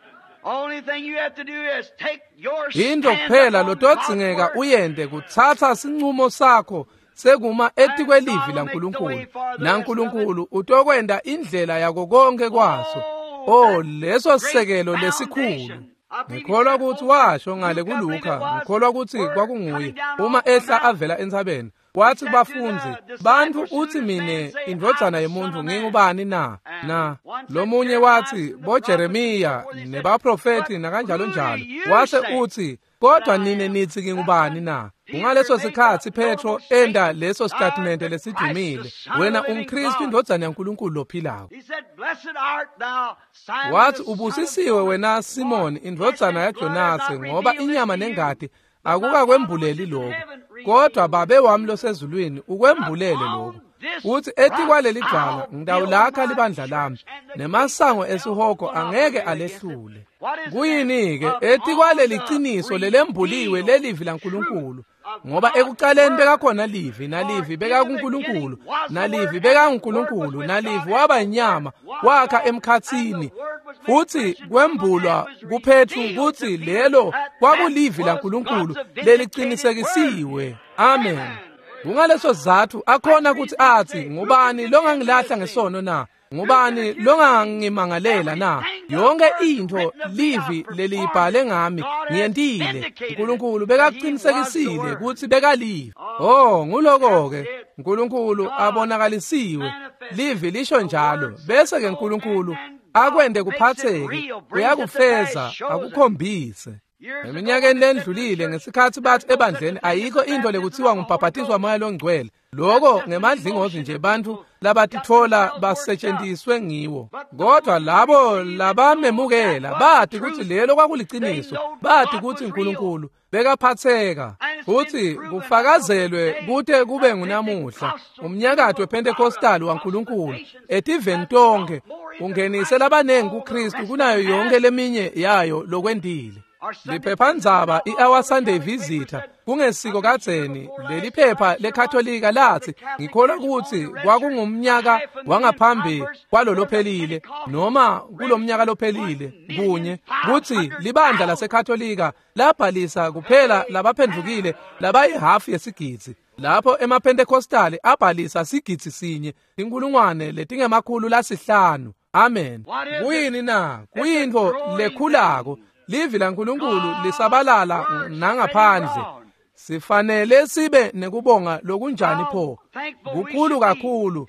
Into kuphela lotodzingeka uyente kutsatsa sincumo sakho sekuma etikwelivi laNkulunkulu, naNkulunkulu utokwenta indlela yako konke kwaso. Oh, leso sisekelo lesikhulu. Ngikholwa kutsi washo ngale kuLuka, ngikholwa kutsi kwakunguye uma ehla avela entsabeni, wathi kubafundzi, bantfu uthi mine indvodzana yemuntfu ngingubani na? Na lomunye wathi boJeremiya nebaprofethi nakanjalo njalo. Wase uthi kodwa nine nithi ngingubani na? Kungaleso sikhatsi Petro enda leso statement lesidumile, wena umKristu indvodzana yaNkulunkulu lophilako. Wathi ubusisiwe wena Simoni indvodzana yaJonase, ngoba inyama nengati akukakwembuleli lokho, kodwa Babe wami losezulwini ukwembulele lokho. Uthi etikwaleli dwala ngitawulakha libandla lami, nemasango esihogo angeke alehlule. Kuyini-ke etikwaleli qiniso lelembuliwe lelivi laNkulunkulu? Ngoba ekuqaleni bekakhona Livi, naLivi bekakuNkulunkulu, naLivi bekanguNkulunkulu, naLivi waba inyama, wakha emkhatsini. Futhi kwembulwa kuPetru kutsi lelo kwakulivi laNkulunkulu leliqinisekisiwe. Amen. Kungaleso sizatfu akhona kutsi atsi, ngubani longangilahla ngesono na? Ngubani longangimangalela na? Yonke intfo Livi leliyibhale ngami ngiyentile. Nkulunkulu bekaqinisekisile kutsi bekalivi. Oh, nguloko-ke Nkulunkulu abonakalisiwe. Livi lisho njalo. Bese ke Nkulunkulu akwente kuphatseke, uyakufeza, akukhombise. Eminyakeni lendlulile ngesikhatsi bathi ebandleni ayikho intfo lekutsiwa ngumbhabhatiso waMoya loNgcwele. Loko ngemadlingozi nje bantfu labatitfola basetjentiswe ngiwo. Kodwa labo labamemukela bati kutsi lelo kwakuliciniso, bati kutsi Nkulunkulu bekaphatseka futsi kufakazelwe kute kube ngunamuhla. Umnyakato wePentecostal waNkulunkulu etiveni tonkhe ungenise labanengi kuKristu kunayo yonke leminye yayo lokwentile. Liphephandzaba i-Our Sunday Visitor kungesiko kadzeni leli phepha lekatholika lathi ngikholwa kutsi kwakungumnyaka wangaphambi kwalolophelile noma kulomnyaka lophelile kunye kutsi libandla lasekatholika labhalisa kuphela labaphendvukile labayihafu yesigidzi lapho emaPentecostali abhalisa 1,500 500. Amen. Kuyini na? Kuyintfo lekhulako. Livi laNkulunkulu lisabalala nangaphandle. Sifanele sibe nekubonga lokunjani pho? Kukhulu kakhulu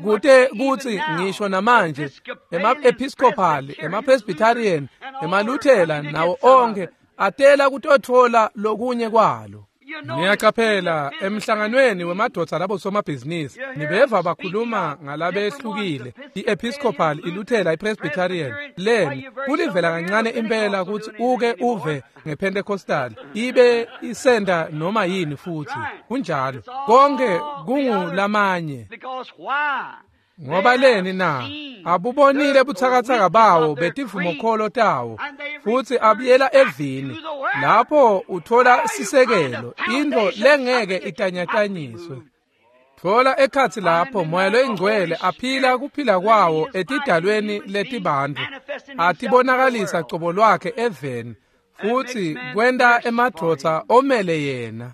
kute kutsi ngisho namanje ema-Episcopal, ema-Presbyterian, emaLuthela nawo onke atela kutotfola lokunye kwalo. Niyaqaphela emhlanganweni wemadvodza labosomabhizinisi nibeva bakhuluma ngalabehlukile i-Episcopal, iLuthela, iPresbyterian. Leni kulivela kancane impela kutsi uke uve ngePentecostal ibe isenda noma yini futhi kunjalo konke kungulamanye. Ngoba leni na? Abubonile butsakatsaka bawo betivumokholo tawo futhi abuyela evini lapho uthola sisekelo into lengeke itanyatanyiswe. Thola ekhatsi lapho Moya loyiNgcwele aphila kuphila kwawo etidalweni letibantfu atibonakalisa cobo lwakhe eveni futhi kwenta emadvodza omele yena.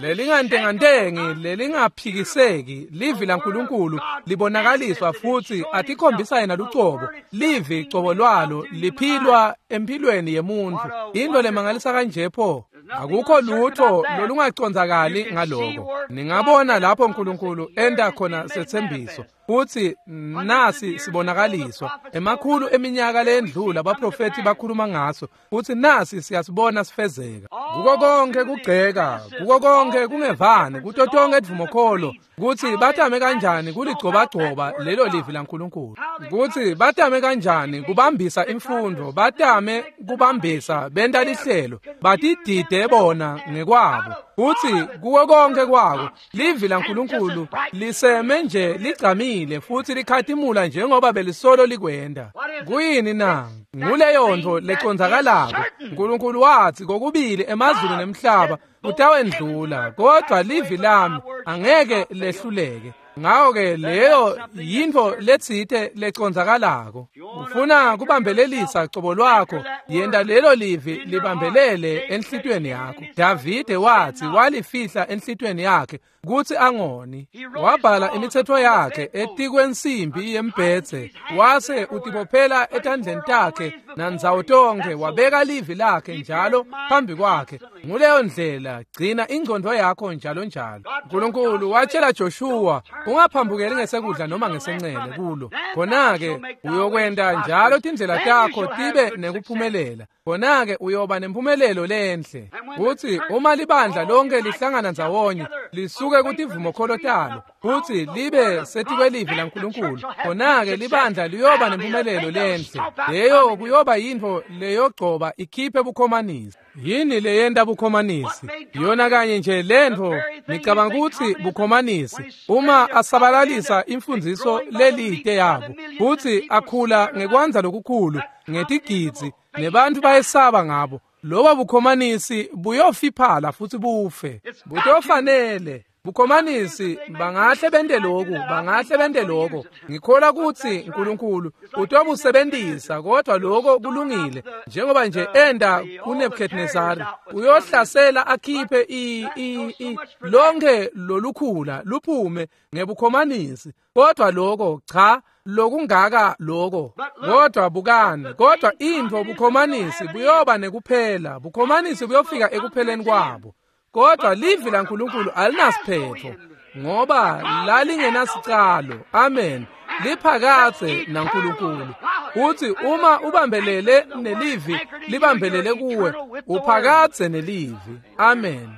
Lelingantengantengi, lelingaphikiseki, livi laNkulunkulu libonakaliswa futhi atikhombisa yena lucobo. Livi cobo lwalo liphilwa emphilweni yemuntfu. Into lemangalisa kanje pho. Akukho lutho lolungacondzakali ngaloko. Ningabona lapho Nkulunkulu enta khona setsembiso futhi nasi sibonakaliswa. Emakhulu eminyaka lendlula abaprofethi bakhuluma ngaso futhi nasi siyasibona sifezeka. Kuko konke kugceka, kuko konke kungevani, kuto tonke tivumokholo kutsi batame kanjani kuligcobagcoba lelo livi laNkulunkulu, kutsi batame kanjani kubambisa imfundo, batame kubambisa benta lihlelo, batidide bona ngekwabo. Kutsi kuko konke kwako livi laNkulunkulu liseme nje ligcamile futhi likhatimula njengoba belisolo likwenda. Kuyini na? Nguleyo ntfo lecondzakalako. Nkulunkulu wathi kokubili emazulu nemhlaba kutawendlula, kodwa livi lami angeke lehluleke. Ngako-ke leyo yintfo letsite lecondzakalako. Ufuna kubambelelisa cobo lwakho, yenta lelo livi libambelele enhlitiyweni yakho. Davide wathi walifihla enhlitiyweni yakhe kutsi angoni. Wabhala imitsetfo yakhe etikwensimbi yembhedze, wase utibophela etandleni takhe nandzawo tonkhe, wabeka livi lakhe njalo phambi kwakhe. Nguleyo ndlela gcina ingcondvo yakho njalo njalo. Nkulunkulu watshela Joshua, ungaphambukeli ngesekudla noma ngesencele kulo. Khona-ke uyokwenta njalo tindlela takho tibe nekuphumelela. Khona-ke uyoba nempumelelo lenhle. Kutsi uma libandla lonke lihlangana ndzawonye lisuke kutivumokholo talo futsi libe setikwelivi laNkulunkulu, khona-ke libandla liyoba nempumelelo lenhle. Leyo kuyoba yintfo leyogcoba ikhiphe bukhomanisi. Yini leyenta bukhomanisi? Yona kanye nje lentfo nicabanga kutsi bukhomanisi uma asabalalisa imfundziso lelite yabo futsi akhula ngekwandza lokukhulu ngetigidzi nebantfu bayesaba ngabo. Loba bukhomanisi buyofiphala futhi bufe. Butofanele bukhomanisi bangahle bente lokhu, bangahle bente lokho. Ngikholwa kutsi uNkulunkulu utobusebenzisa, kodwa lokho kulungile. Njengoba nje enda kuNebuchadnezzar, uyohlasela akhiphe i lonke lolukhula luphume ngebukhomanisi. Kodwa lokho cha, lokungaka lokho. Kodwa bukani, kodwa intfo bukhomanisi buyoba nekuphela. Bukhomanisi buyofika ekupheleni kwabo. Kodwa livi laNkulunkulu alinasiphetho, ngoba lalingenasicalo. Amen. Liphakathe naNkulunkulu. Uthi uma ubambelele nelivi, libambelele kuwe, uphakathe nelivi. Amen.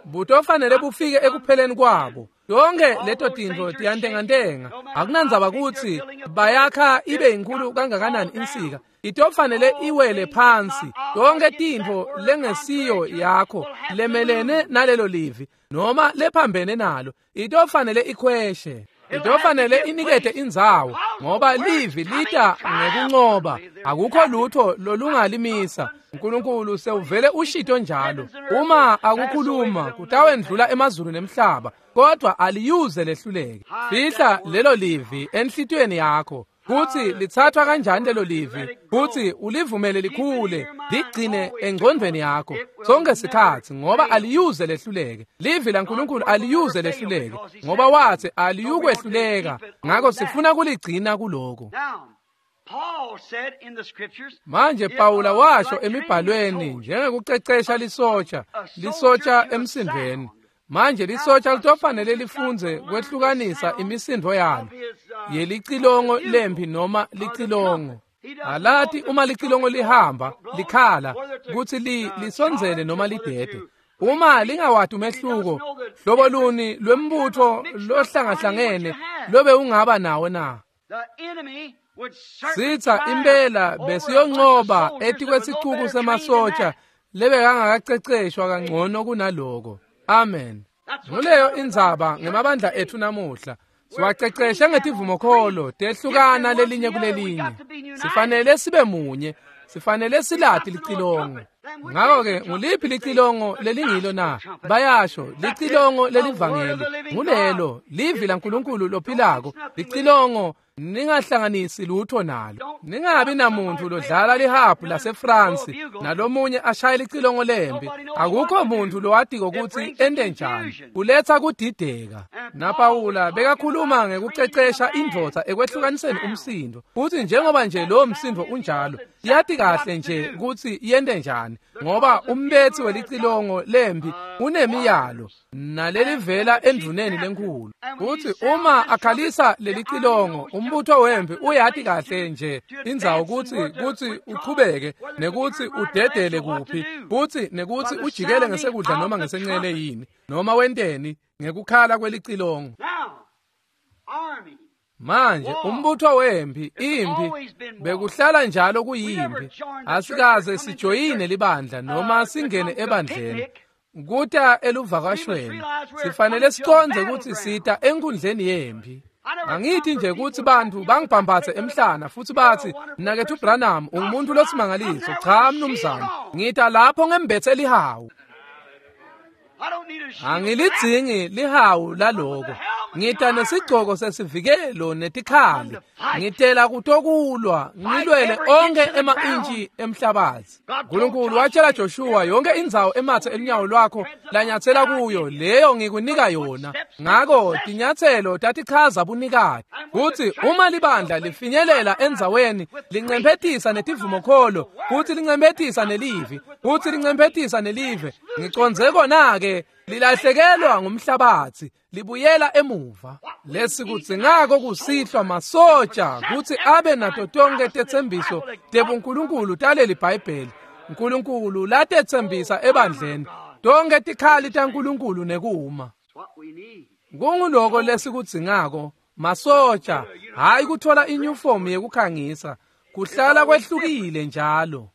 Butofanele bufike ekupheleni kwabo. Yonke leto tintfo tiyantengantenga. Akunandzaba kutsi bayakha ibe inkulu kangakanani insika, itofanele iwele phansi. Yonke tintfo lengesiyo yakho lemelene nalelo livi noma lephambene nalo, itofanele ikhweshe. Itofanele inikete indzawo, ngoba livi lita ngekuncoba. Akukho lutho lolungalimisa. uNkulunkulu sewuvele ushito njalo. Uma akukhuluma kutawendlula emazulu nemhlaba, kodwa aliyuze lehluleke. Fihla lelo livi enhlitiyweni yakho. Kutsi lithathwa kanjani lelo livi, kutsi ulivumele likhule, ligcine engcondvweni yakho sonke sikhatsi, ngoba aliyuze lehluleke. Livi laNkulunkulu aliyuze lehluleke, ngoba wathi aliyukwehluleka. Ngakho sifuna kuligcina kuloko. Manje Pawula washo emibhalweni njengekucecesha lisotsha, lisotsha emsindvweni. Manje lisotsha litofanele lifunze kwehlukanisa imisindvo yalo yelicilongo lempi noma licilongo. Alati uma licilongo lihamba likhala kutsi lisondzele noma lidede. Uma lingawati umehluko, hlobo luni lwembutfo lohlangahlangene lobe ungaba nawo na? Sitha impela besiyoncoba etikwesicuku semasotsha lebekangakaceceshwa kangcono kunaloko. Amen. Nguleyo indzaba ngemabandla ethu namuhla. Siwaceceshe ngetivumokholo tehlukana lelinye kulelinye. Sifanele sibe munye, sifanele silati licilongo. Ngakho-ke nguliphi licilongo lelingilo na? Bayasho licilongo lelivangeli. Ngulelo livi laNkulunkulu lophilako, licilongo. Ningahlanganisi lutho nalo. Ningabi namuntu lodlala lihabhu laseFrance nalomunye ashaye licilongo lempi. Akukho muntu lowatiko kutsi ente njani. Kuletha kudideka. NaPawula bekakhuluma ngekucecesha indvodza ekwehlukaniseni umsindo. Futhi njengoba nje lowo msindo unjalo, yati kahle nje kutsi yente njani, ngoba umbethi welicilongo lempi unemiyalo nalelivela endvuneni lenkhulu. Futhi uma akhalisa lelicilongo, umbutho wempi uyati kahle nje indzawo kutsi uchubeke nekutsi udedele kuphi, futhi nekutsi ujikele ngesekudla noma ngesencele yini, noma wenteni ngekukhala kwelicilongo. Manje umbutho wempi, impi bekuhlala njalo kuyimpi. Asikaze sijoyine libandla noma singene ebandleni. Kuta eluvakashweni sifanele sicondze kutsi sita enkundleni yempi. Angithi nje kutsi bantfu bangibhambathe emhlana futhi bathi, "Mnaketfu Branham ungumuntu losimangaliso." Cha mnumzane, ngita lapho ngembethe lihawu. Angilidzingi lihawu laloko. Ngita nesigcoko sesivikelo netikhali. Ngitela kutokulwa, ngilwele onke ema-intshi emhlabathi. uNkulunkulu watshela Joshua, yonke indzawo emathe elunyawo lwakho lanyathela kuyo, leyo ngikunika yona. Ngako tinyathelo tatichaza bunikati. Kutsi uma libandla lifinyelela endzaweni, lincemphetisa netivumokholo, kutsi lincemphetisa nelivi, kutsi lincemphetisa nelive. Ngicondze kona-ke lilahlekelwa ngumhlabathi, libuyela emuva. Lesikudzingako kusihlwa masotsha kutsi abe nato tonke tetsembiso tebuNkulunkulu taleli Bhayibheli. uNkulunkulu latetsembisa ebandleni, tonke tikhali taNkulunkulu nekuma. Kunguloko lesikudzingako masotsha, hayi kuthola inyufomu yekukhangisa, kuhlala kwehlukile njalo.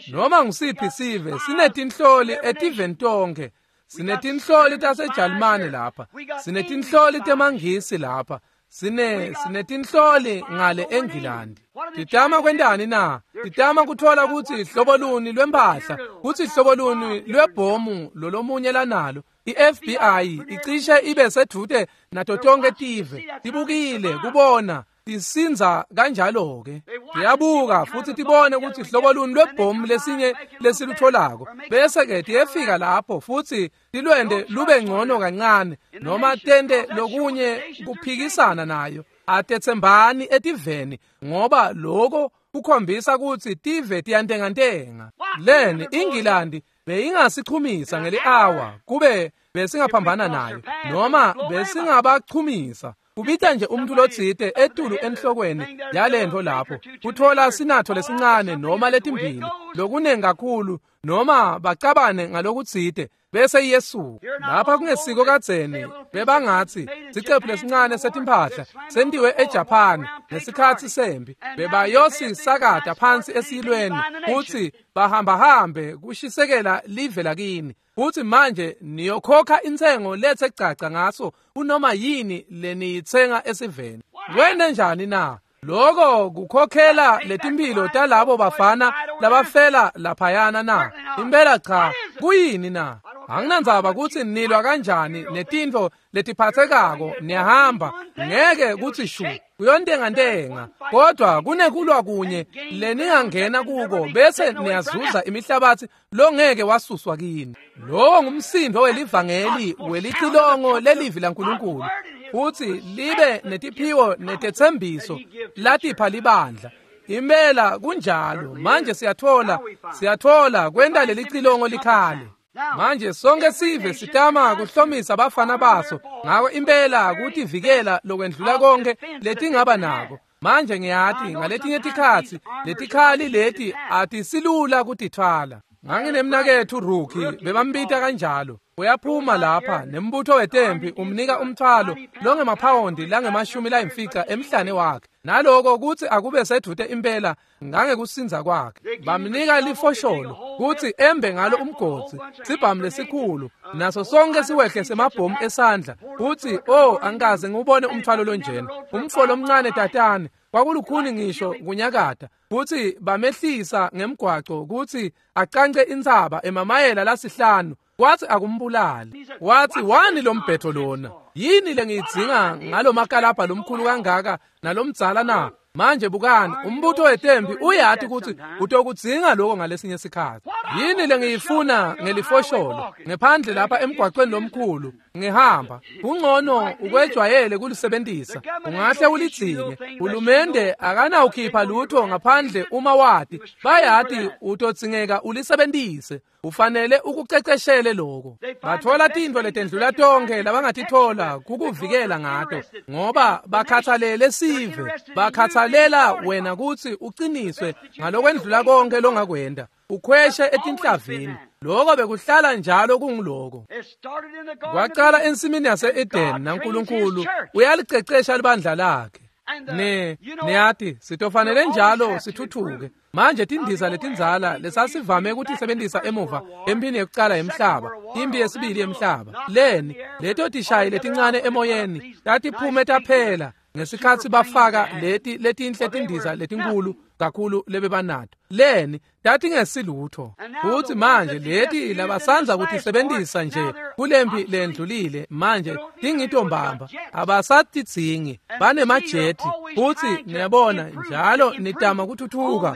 Noma ngusiphi sive sinetinhloli etiveni tonke. Sinetinhloli taseJalimane lapha, sinetinhloli temaNgisi lapha, Sinetinhloli ngale eNgilandi. Titama kwentani na? Titama kuthola kutsi hlobo luni lwempahla, kutsi hlobo luni lwebhomu lolomunye lanalo. I-FBI icishe ibe sedvute nato tonke tive. Tibukile kubona tisinza kanjalo-ke. Tiyabuka futsi tibone kutsi hlobo luni lwebhomu lesinye lesilutholako. Bese-ke tiyefika lapho futsi tilwente lube ngcono kancane noma tente lokunye kuphikisana nayo. Atetsembani etiveni ngoba loko kukhombisa kutsi tive tiyantengantenga. Leni iNgilandi beyingasichumisa ngeli-awa kube besingaphambana nayo noma besingabachumisa. Kubita nje umuntu lotsite etulu enhlokweni yalento lapho kuthola sinatho lesincane noma letimbili lokunengi kakhulu noma bacabane ngalokutsite bese iyesuka. Lapha kungesiko kadzeni bebangatsi sicephu lesincane setimphahla sentiwe eJapan ngesikhatsi sempi bebayosisakata phansi esiyilweni kutsi bahambahambe kushisekela live lakini. Futsi manje niyokhokha intsengo lethe caca ngaso kunoma yini leniyitsenga esiveni. Kwente njani na? Loko kukhokhela letimphilo talabo bafana labafela laphayana na? Impela cha, kuyini na? Anginandzaba kutsi nilwa kanjani netintfo letiphathekako niyahamba ngeke kutsi shu kuyontengantenga, kodwa kunekulwa kunye leningangena kuko bese niyazuza imihlabatsi longeke wasuswa kini. Lowo ngumsindo welivangeli welicilongo lelivi laNkulunkulu futsi libe netiphiwo netetsembiso latipha libandla. Impela kunjalo. Manje siyathola kwenta lelicilongo likhale. Manje sonke sive sitama kuhlomisa abafana baso ngako impela kutivikela lokwendlula konke letingaba nako. Manje ngiyati ngaletinye tikhatsi letikhali leti atisilula kutithwala. Nganginemnaketfu Rookie bebambita kanjalo. Uyaphuma lapha nembutho wetempi umnika umthwalo longemaphawundi langama-50 emhlane wakhe. Naloko kutsi akube sedvute impela ngangekusinza kwakhe. Bamnika lifosholo kutsi embe ngalo umgodzi, sibhamu lesikhulu, naso sonke siwehle semabhomu esandla. Kutsi angikaze ngiwubone umthwalo lonjena. Umfo lomncane tatane kwakulukhuni ngisho kunyakata. Kutsi bamehlisa ngemgwaco kutsi acance intsaba emamayela lasihlanu. Wathi akumbulali. Wathi wani lombhetho lona? Yini lengiyidzinga ngalomakalabha lomkhulu kangaka nalomdzala na? Manje bukani, umbutho wetempi uyati kutsi utokudzinga lokho ngalesinye sikhatsi. Yini lengiyifuna ngelifosholo ngephandle lapha emgwaqweni lomkhulu ngihamba? Kungcono ukwejwayele kulisebentisa, ungahle ulidzinge. Hulumende akanawukhipha lutho ngaphandle uma wati bayati utodzingeka ulisebentise. Ufanele ukuceceshele lokho. Bathola tintfo letendlula tonke labangatithola kukuvikela ngato ngoba bakhathalele sive, bakhathalela wena kutsi uqiniswe ngalokwendlula konke longakwenda. Ukhweshe etinhlavini. Lokho bekuhlala njalo kunguloko. Kwaqala ensimini yase-Eden naNkulunkulu uyalicecesha libandla lakhe. Niyati sitofanele njalo sithuthuke. Manje tindiza letindzala lesasivame kutisebentisa emuva empini yekucala yemhlaba, impi yesibili yemhlaba. Leni leto tishayi letincane emoyeni tatiphume taphela ngesikhatsi bafaka leti letinhle tindiza letinkulu kakhulu lebebanato. Leni tatingesilutho. Futsi manje leti labasanza kutisebentisa nje kulempi lendlulile manje tingitombamba abasatidzingi, banemajeti. Futsi niyabona njalo nitama kuthuthuka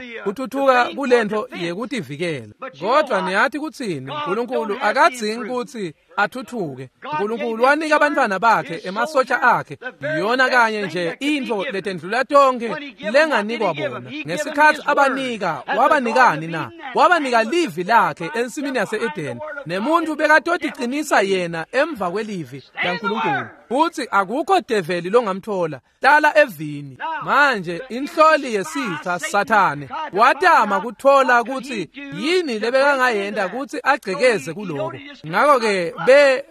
kulento yekutivikela. Kodwa niyati kutsini? uNkulunkulu akadzingi kutsi athuthuke. uNkulunkulu wanika abantwana bakhe emasotsha akhe yona kanye nje intfo letendlula tonke lenganikwa bona. Ngesikhatsi abanika, wabanikani na? Wabanika livi lakhe ensimini yase-Eden. Nemuntu bekatotiqinisa yena emva kwelivi laNkulunkulu. Futsi akukho develi longamthola, hlala evini. Manje inhloli yesitha Sathane watama kuthola kutsi yini lebekangayenta kutsi agcekeze kuloko. Ngakho-ke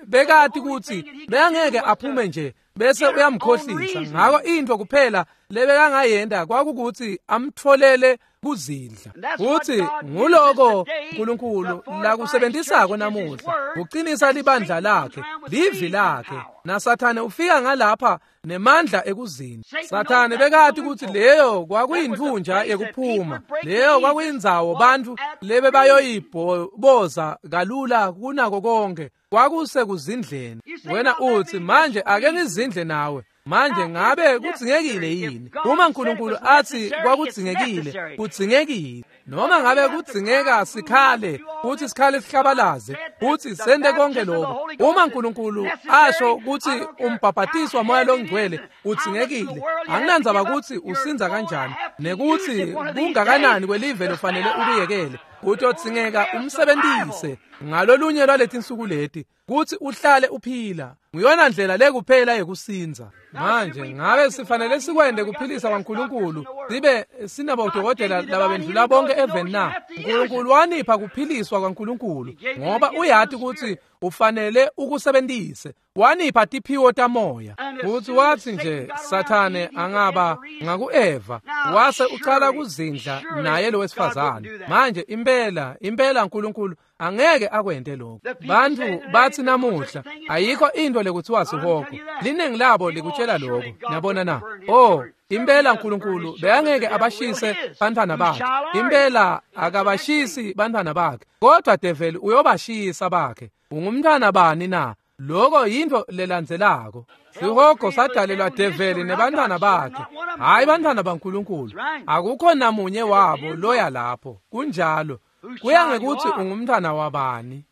bekati kutsi bekangeke aphume nje bese uyamkhohlisa. Ngako intfo kuphela lebekangayenta kwakukutsi amtfolele Kuzindla. Futsi nguloko uNkulunkulu lakusebenzisako namuhla, kuqinisa libandla lakhe, livi lakhe. NaSathane ufika ngalapha nemandla ekuzindla. Sathane bekati ukuthi leyo kwakuyindvunja yekuphuma, leyo kwakuyindzawo bantfu lebebayoyiboza kalula kunako konke, kwakusekuzindleni. Wena uthi, manje ake ngizindle nawe. Manje ngabe kudzingekile yini? Uma uNkulunkulu athi kwakudzingekile, kudzingekile. Noma ngabe kudzingeka sikhale, uthi sikhale sihlabalaze, uthi sende konke lokho. Uma uNkulunkulu asho ukuthi umbhabhatiso waMoya loNgcwele udzingekile, anginandzaba ukuthi usinza kanjani nekuthi kungakanani kwelive lofanele ukuyekele, kutodzingeka umsebenzise ngalolunye lwaletinsuku leti kuthi uhlale uphila. Nguyona ndlela lekuphela yekusinza. Manje ngabe sifanele sikwende kuphilisa kwaNkulunkulu sibe sinabodokotela lababendlula bonke eveni na? uNkulunkulu wanipha kuphiliswa kwaNkulunkulu ngoba uyati ukuthi ufanele ukusebenzise. Wanipha tiphiwo tamoya. Futhi wathi nje Sathane angaba ngakuEva wase ucala kuzindla naye lo wesifazane. Manje impela impela uNkulunkulu angeke akwente lokho. Bantu bathi namuhla ayikho into lekuthiwa sihogo. Liningi labo likutshela lokho. Niyabona na? Oh, impela uNkulunkulu bekangeke abashise bantwana bakhe. Impela akabashisi bantwana bakhe. Kodwa develi uyobashisa bakhe. Ungumntwana bani na? Lokho yinto lelandzelako. Sihogo sadalelwa develi nebantwana bakhe, hayi bantwana baNkulunkulu. Akukho namunye wabo loya lapho. Kunjalo. Kuya ngekuthi ungumntwana wabani.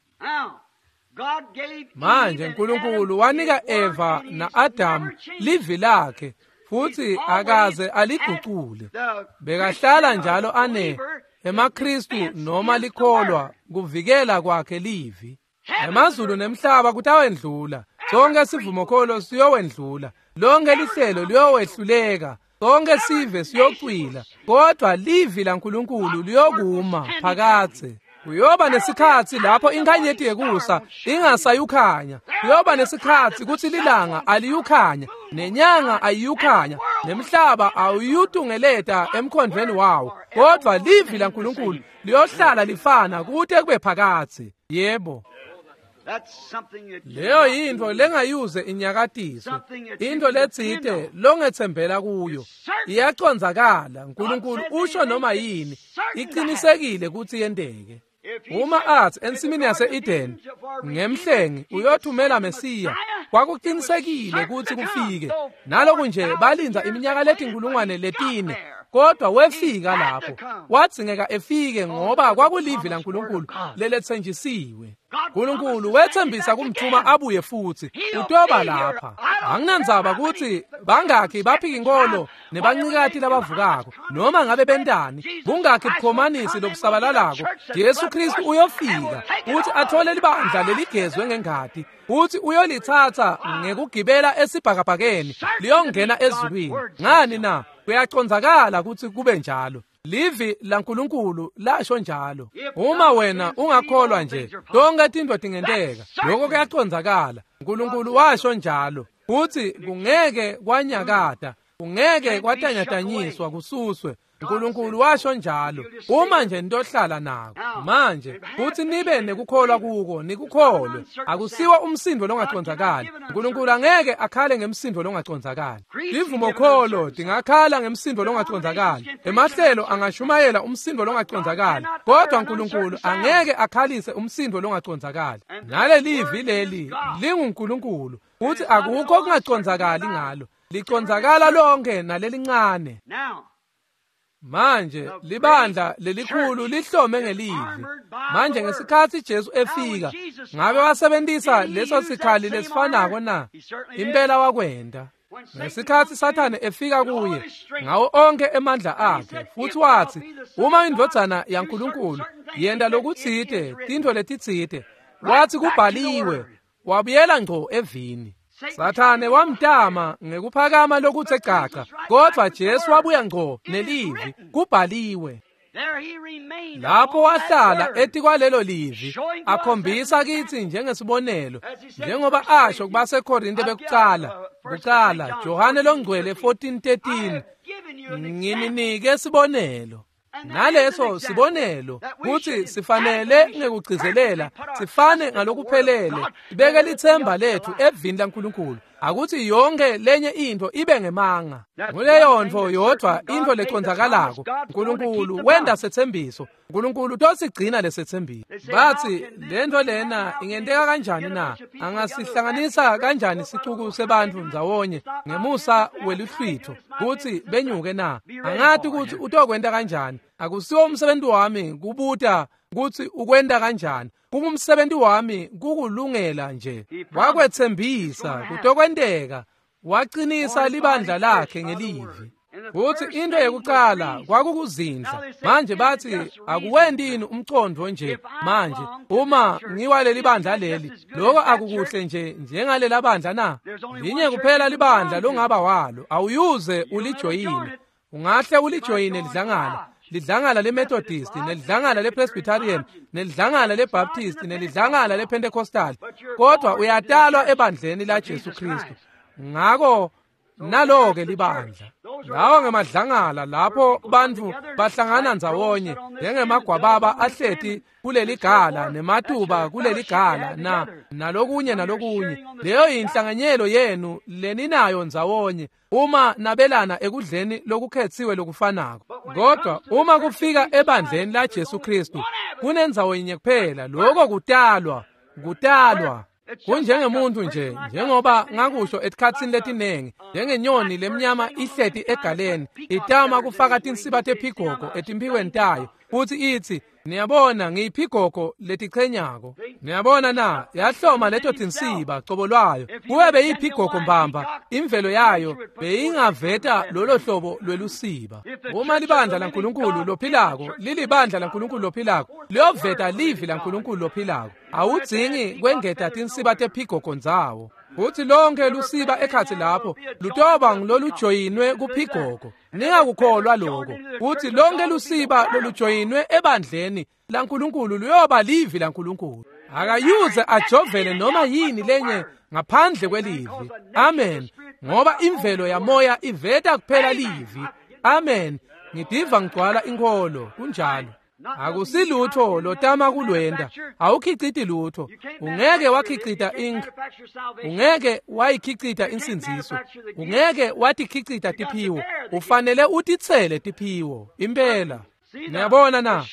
Manje uNkulunkulu wanika Eva na-Adamu livi lakhe futhi akaze aligucule. Bekahlala njalo ane emaKristu noma likholwa kuvikela kwakhe livi. Emazulu nemhlaba kutawendlula, sonke sivumokholo siyowendlula, lonke lihlelo liyowehluleka, sonke sive siyocwila, kodwa livi laNkulunkulu liyokuma phakadze. Kuyoba nesikhatsi lapho inkhanyeti yekusa ingasayukhanya. Kuyoba nesikhatsi kutsi lilanga aliyukhanya, nenyanga ayiyukhanya, nemhlaba awuyutungeleta emkhondvweni wawo. Kodwa livi laNkulunkulu liyohlala lifana kute kube phakadze. Yebo. Leyo yintfo lengayuze inyakatiswe, into letsite longetsembela kuyo. Iyacondzakala. uNkulunkulu usho noma yini, iqinisekile kutsi yenteke. Uma athi ensimini yase-Eden ngemhlengi uyothumela Mesiya, kwakuqinisekile kutsi kufike. Naloku nje balindza iminyaka letinkulungwane 4, kodwa wefika lapho. Wadzingeka efike ngoba kwakulivi laNkulunkulu leletsenjisiwe. uNkulunkulu wethembisa kumthuma abuye futsi utoba lapha. Anginandzaba kutsi bangakhi baphika inkolo nebancikati labavukako, noma ngabe bentani, bungakhi bukhomanisi lobusabalalako, Jesu Kristu uyofika uthi athole libandla leligezwe ngengati, uthi uyolitsatsa ngekugibela esibhakabhakeni liyongena ezulwini. Ngani na? Kuyacondzakala kutsi kube njalo. Livi laNkulunkulu lasho njalo. Uma wena ungakholwa nje, tonke tintfo tingenteka. Lokho kuyacondzakala. uNkulunkulu washo njalo. Futsi kungeke kwanyakata, kungeke kwatanyatanyiswa kususwe. uNkulunkulu washo njalo. Uma nje nitohlala nako manje futhi nibe nekukholwa kuko, nikukholwe. Akusiwa umsindo longacondzakali. uNkulunkulu angeke akhale ngemsindo longacondzakali. Tivumokholo tingakhala ngemsindo longacondzakali, emahlelo angashumayela umsindo longacondzakali, kodwa uNkulunkulu angeke akhalise umsindo longacondzakali. Nalelivi leli linguNkulunkulu, futhi akukho okungacondzakali ngalo. Licondzakala lonke nalelincane. Manje libandla lelikhulu lihlome ngelivi. Manje ngesikhatsi Jesu efika, ngabe wasebenzisa leso sikhali lesifanako na? Impela wakwenta. Ngesikhatsi Sathane efika kuye ngawo onke emandla akhe, futhi wathi, uma indvodzana yaNkulunkulu yenta lokutsite, tintfo letitsite, wathi kubhaliwe, wabuyela ngco evini. Sathane wamtama ngekuphakama lokuthe caca, kodwa Jesu wabuya ngco nelivi, kubhaliwe. Lapho wahlala etikwalelo livi, akhombisa kitsi njengesibonelo, njengoba asho kubaseKorinte bekucala, kucala Johane longcwele 14:13, ngininike sibonelo. Naleso sibonelo kutsi sifanele ngekugcizelela sifane ngalokuphelele sibeke lithemba lethu evini laNkulunkulu, akuthi yonke lenye intfo ibe ngemanga. Nguleyo ntfo yodvwa intfo leconzakalako. Nkulunkulu wenta setsembiso, Nkulunkulu utosigcina lesetsembiso. Batsi lentfo lena ingenteka kanjani na? Angasihlanganisa kanjani sicuku sebantfu ndzawonye ngemusa weluhlwitho kutsi benyuke na? Angati kutsi utokwenta kanjani. Akusiwo umsebenzi wami kubuta kutsi ukwenta kanjani. Kungumsebenzi wami kukulungela nje. Wakwetsembisa kutokwenteka. Waqinisa libandla lakhe ngelivi. Futsi into yekucala kwakukuzindla. Manje batsi akuwentini umcondvo nje manje uma ngiwaleli bandla leli, lokho akukuhle nje njengalela bandla na? Linye kuphela libandla longaba walo, awuyuze ulijoyine. Ungahle ulijoyine lidlangala, lidlangala leMethodist, nelidlangala lePresbyterian, nelidlangala leBaptist, nelidlangala lePentecostal, kodwa uyatalwa ebandleni la Jesu Kristu. Ngako nalo-ke libandla. Lawo ngemadlangala lapho bantfu bahlangana ndzawonye njengemagwababa ahleti kuleligala nematuba kuleligala na nalokunye nalokunye. Leyo yinhlanganyelo yenu leninayo ndzawonye uma nabelana ekudleni lokukhetsiwe lokufanako. Kodwa uma kufika ebandleni la Jesu Kristu kunendzawo yinye kuphela, lokho kutalwa, kutalwa. Kunjengemuntu nje, njengoba ngakusho etikhatsini letinengi, njengenyoni lemnyama ihleti egaleni itama kufaka tinsiba tephigogo etimphikweni tayo futsi itsi, niyabona ngiyiphigogo letichenyako. Niyabona na, yahloma leto tinsiba cobo lwayo. Kube beyiphigogo mbamba, imvelo yayo beyingaveta lolo hlobo lwelusiba. Uma libandla laNkulunkulu lophilako lilibandla laNkulunkulu lophilako, liyoveta livi laNkulunkulu lophilako. Awudzingi kwengeta tinsiba tephigogo ndzawo. Futsi lonke lusiba ekhatsi lapho lutoba ngulolujoyinwe kuphigogo. Ningakukholwa lokho. Futsi lonke lusiba lolujoyinwe ebandleni laNkulunkulu luyoba livi laNkulunkulu. Akayuze ajovele noma yini lenye ngaphandle kwelivi. Amen. Ngoba imvelo yamoya iveta kuphela livi. Amen. Ngidiva ngigcwala inkholo. Kunjalo. Akusilutho lotama kulwenda. Awukhiciti lutho. Ungeke wakhicita ink. Ungeke wayikhicita insindziso. Ungeke watikhicita tiphiwo. Ufanele utitsele tiphiwo. Impela. Niyabona na,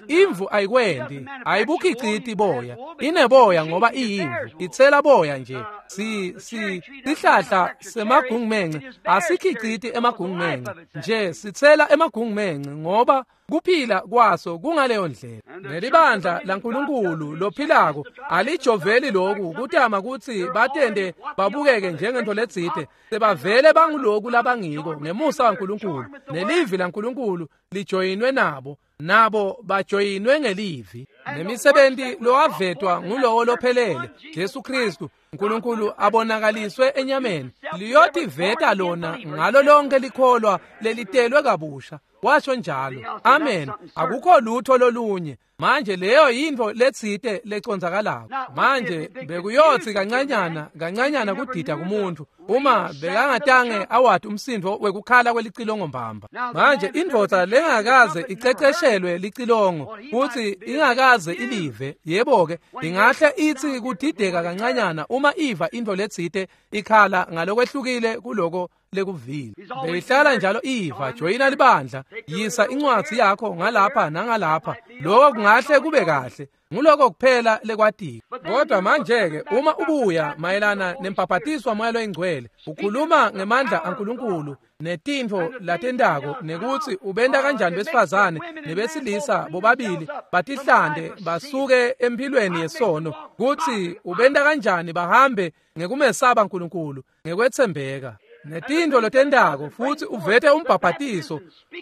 imvu ayikwendi, ayibukhiciti boya. Ineboya ngoba iyimvu, itsela boya nje. Sihlahla semagungumence asikhiciti emagungumence nje, sitsela emagungumence ngoba kuphila kwaso kungaleyo ndlela. Nelibandla laNkulunkulu lophilako alijoveli loku kutama kutsi batende babukeke njengento letsite. Sebavele banguloku labangiko ngemusa waNkulunkulu, nelivi laNkulunkulu lijoyinwe nabo, nabo bajoyinwe ngelivi. Nemisebenti lowavetwa ngulowo lophelele Jesu Kristu, uNkulunkulu abonakaliswe enyameni, liyotiveta lona ngalo lonke likholwa lelitelwe kabusha. Washo njalo. Amen. Akukho lutho lolunye. Manje leyo yintfo letsite leconzakalako. Manje bekuyotsi kancanyana kancanyana kudida kumuntu uma bekangatange awati umsindvo wekukhala kwelicilongo mbamba. Manje indvodza lengakaze iceceshelwe licilongo futsi ingakaze ilive, yebo-ke ingahle itsi kudideka kancanyana uma iva intfo letsite ikhala ngalokwehlukile kuloko lekuvile. Beyihlala njalo iva, joyina libandla, yisa incwadzi yakho ngalapha nangalapha, lokho kungahle kube kahle. Nguloko kuphela lekwatiko. Kodwa manje-ke uma ubuya mayelana nembhabhatiswa moya loyingcwele, ukhuluma ngemandla aNkulunkulu netintfo latentako, nekutsi ubenta kanjani besifazane nebesilisa bobabili batihlande basuke emphilweni yesono, kutsi ubenta kanjani bahambe ngekumesaba uNkulunkulu ngekwetsembeka netintfo lotentako, futsi uvete umbhabhatiso,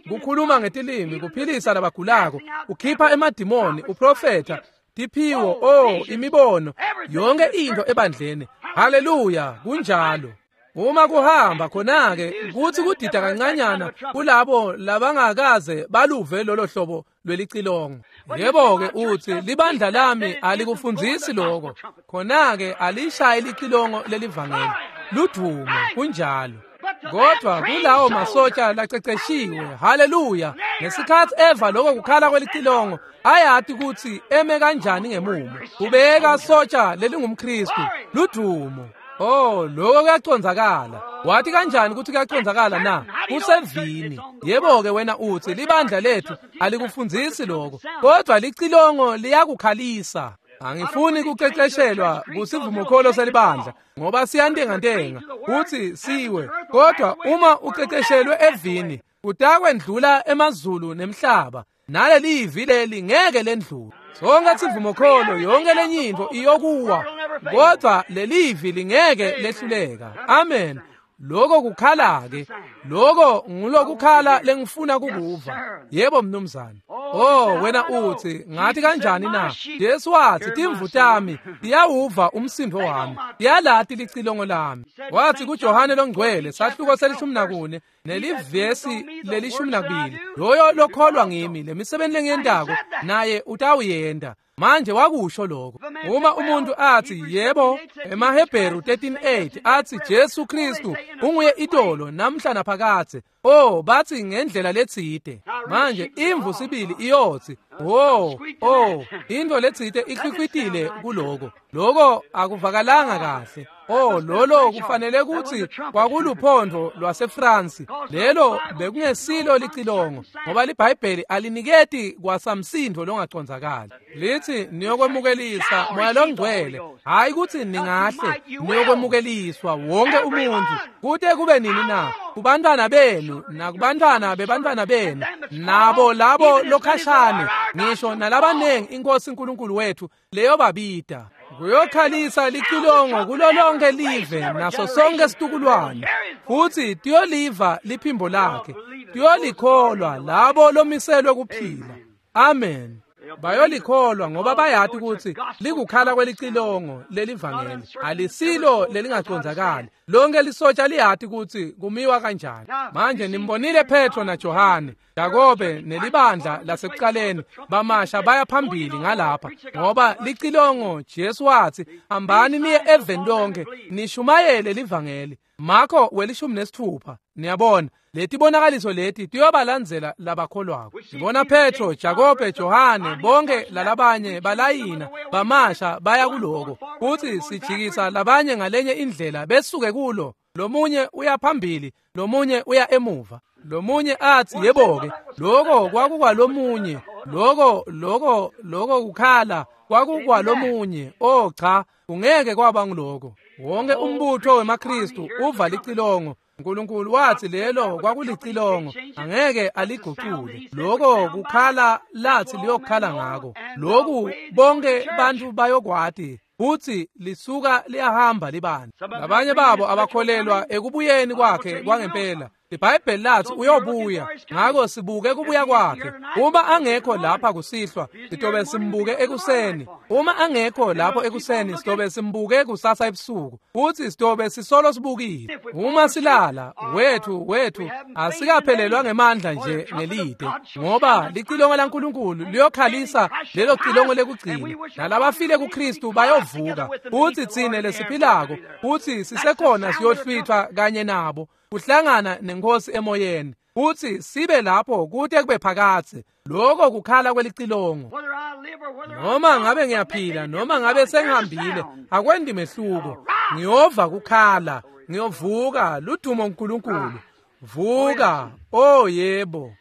kukhuluma ngetilimi, kuphilisa labagulako, ukhipha emadimoni, uprofetha, tiphiwo, oh, imibono, yonke intfo ebandleni. Haleluya, kunjalo. Uma kuhamba khona-ke kutsi kudida kancanyana kulabo labangakaze baluve lolo hlobo lwelicilongo. Yebo-ke utsi libandla lami alikufundzisi lokho, khona-ke alishayi licilongo lelivangeli. Ludvumo, kunjalo. Kodwa kulawo masotsha laceceshiwe, haleluya, ngesikhathi eva lokho kukhala kwelicilongo, ayati ukuthi eme kanjani ngemumo. Ubeka sotsha lelingumKristu, ludumo. Oh, lokho kuyacondzakala. Wathi kanjani ukuthi kuyacondzakala na? Kusevini. Yebo-ke wena uthi libandla lethu alikufundzisi lokho, kodwa licilongo liyakukhalisa. Angifuni kuceceshelwa kusivumokholo selibandla ngoba siyantengantenga uthi siwe, kodwa uma uceceshelwe evini utakwendlula emazulu nemhlaba, naleli ivi leli ngeke lendlule. Sonke sivumokholo, yonke lenye into iyokuwa, kodwa lelivi lingeke lehluleka. Amen. Lokho kukhala-ke, lokho ngulokukhala lengifuna kukuva. Yebo mnumzane. Oh, wena uthi ngathi kanjani na? Jesu wathi timvu tami tiyawuva umsindo wami, tiyalati licilongo lami. Wathi kuJohane longcwele sahluko se-14 nelivesi le-12, loyo lokholwa ngimi lemisebenzi lengiyentako naye utawuyenda. Manje wakusho lokho. Uma umuntu athi yebo, emaHebheru 13:8 athi Jesu Kristu unguye itolo namhla naphakadze. Oh, bathi ngendlela letsite. Manje imvu sibili iyothi, oh, oh, into letsite ikhwikhwitile kuloko. Lokho akuvakalanga kahle. Oh, lolo kufanele ukuthi kwakuluphondo lwaseFrance. Lelo bekungesilo licilongo ngoba liBhayibheli aliniketi kwasamsindo longacondzakali. Lithi niyokwemukelisa Moya longcwele, hayi ukuthi ningahle, niyokwemukeliswa wonke umuntu kute kube nini na? Kubantwana benu nakubantwana bebantwana benu nabo labo lokhashane, ngisho nalabanengi iNkosi uNkulunkulu wethu leyo babida. Kuyokhalisa licilongo kulo lonke live naso sonke situkulwane, futhi tiyoliva liphimbo lakhe, tiyolikholwa labo lomiselwe kuphila. Amen. Bayolikholwa ngoba bayati ukuthi likukhala kwelicilongo lelivangeli, alisilo lelingacondzakali. Lonke lisotsha liyati ukuthi kumiwa kanjani. Manje nimbonile Petro naJohane, Jakobe nelibandla lasekuqaleni bamasha baya phambili ngalapha, ngoba licilongo Jesu wathi hambani niye eveni lonke nishumayele livangeli. Marko 16. Niyabona letibonakaliso leti tiyobalandzela labakholwako. Sibona Petro, Jakobe, Johane bonke lalabanye balayina bamasha baya kuloko, futhi sijikisa labanye ngalenye indlela besuke kulo. Lomunye uya phambili, lomunye uya emuva. Lomunye athi yebo-ke lokho kwakukwalomunye, lokho lokho lokho kukhala kwakukwalomunye. Oh cha, kungeke kwaba ngiloko. Wonke umbutho wemaKristu uva licilongo. uNkulunkulu wathi lelo kwakulicilongo, angeke aliguqule. Lokho kukhala lathi liyokhala ngako. Lokhu bonke bantu bayokwati futhi lisuka liyahamba libandla. Labanye babo abakholelwa ekubuyeni kwakhe kwangempela. iBhayibheli lathi uyobuya, ngakho sibuke kubuya kwakhe. Uma angekho lapha kusihlwa, sitobe simbuke ekuseni. Uma angekho lapho ekuseni, sitobe simbuke kusasa ebusuku. Futhi sitobe sisolo sibukile. Uma silala, wethu asikaphelelwa ngemandla nje ngelide, ngoba licilongo laNkulunkulu liyokhalisa lelo cilongo lekugcina. Nalabafile kuKristu bayovuka. Futhi tsine lesiphilako, futhi sisekhona siyohlwithwa kanye nabo, kuhlangana nenkosi emoyeni, futhi sibe lapho kute kube phakadze. Lokho kukhala kwelicilongo. Noma ngabe ngiyaphila noma ngabe sengihambile, akwendi mehluko. Ngiyova kukhala, ngiyovuka. Ludumo uNkulunkulu. Vuka. Oh yebo.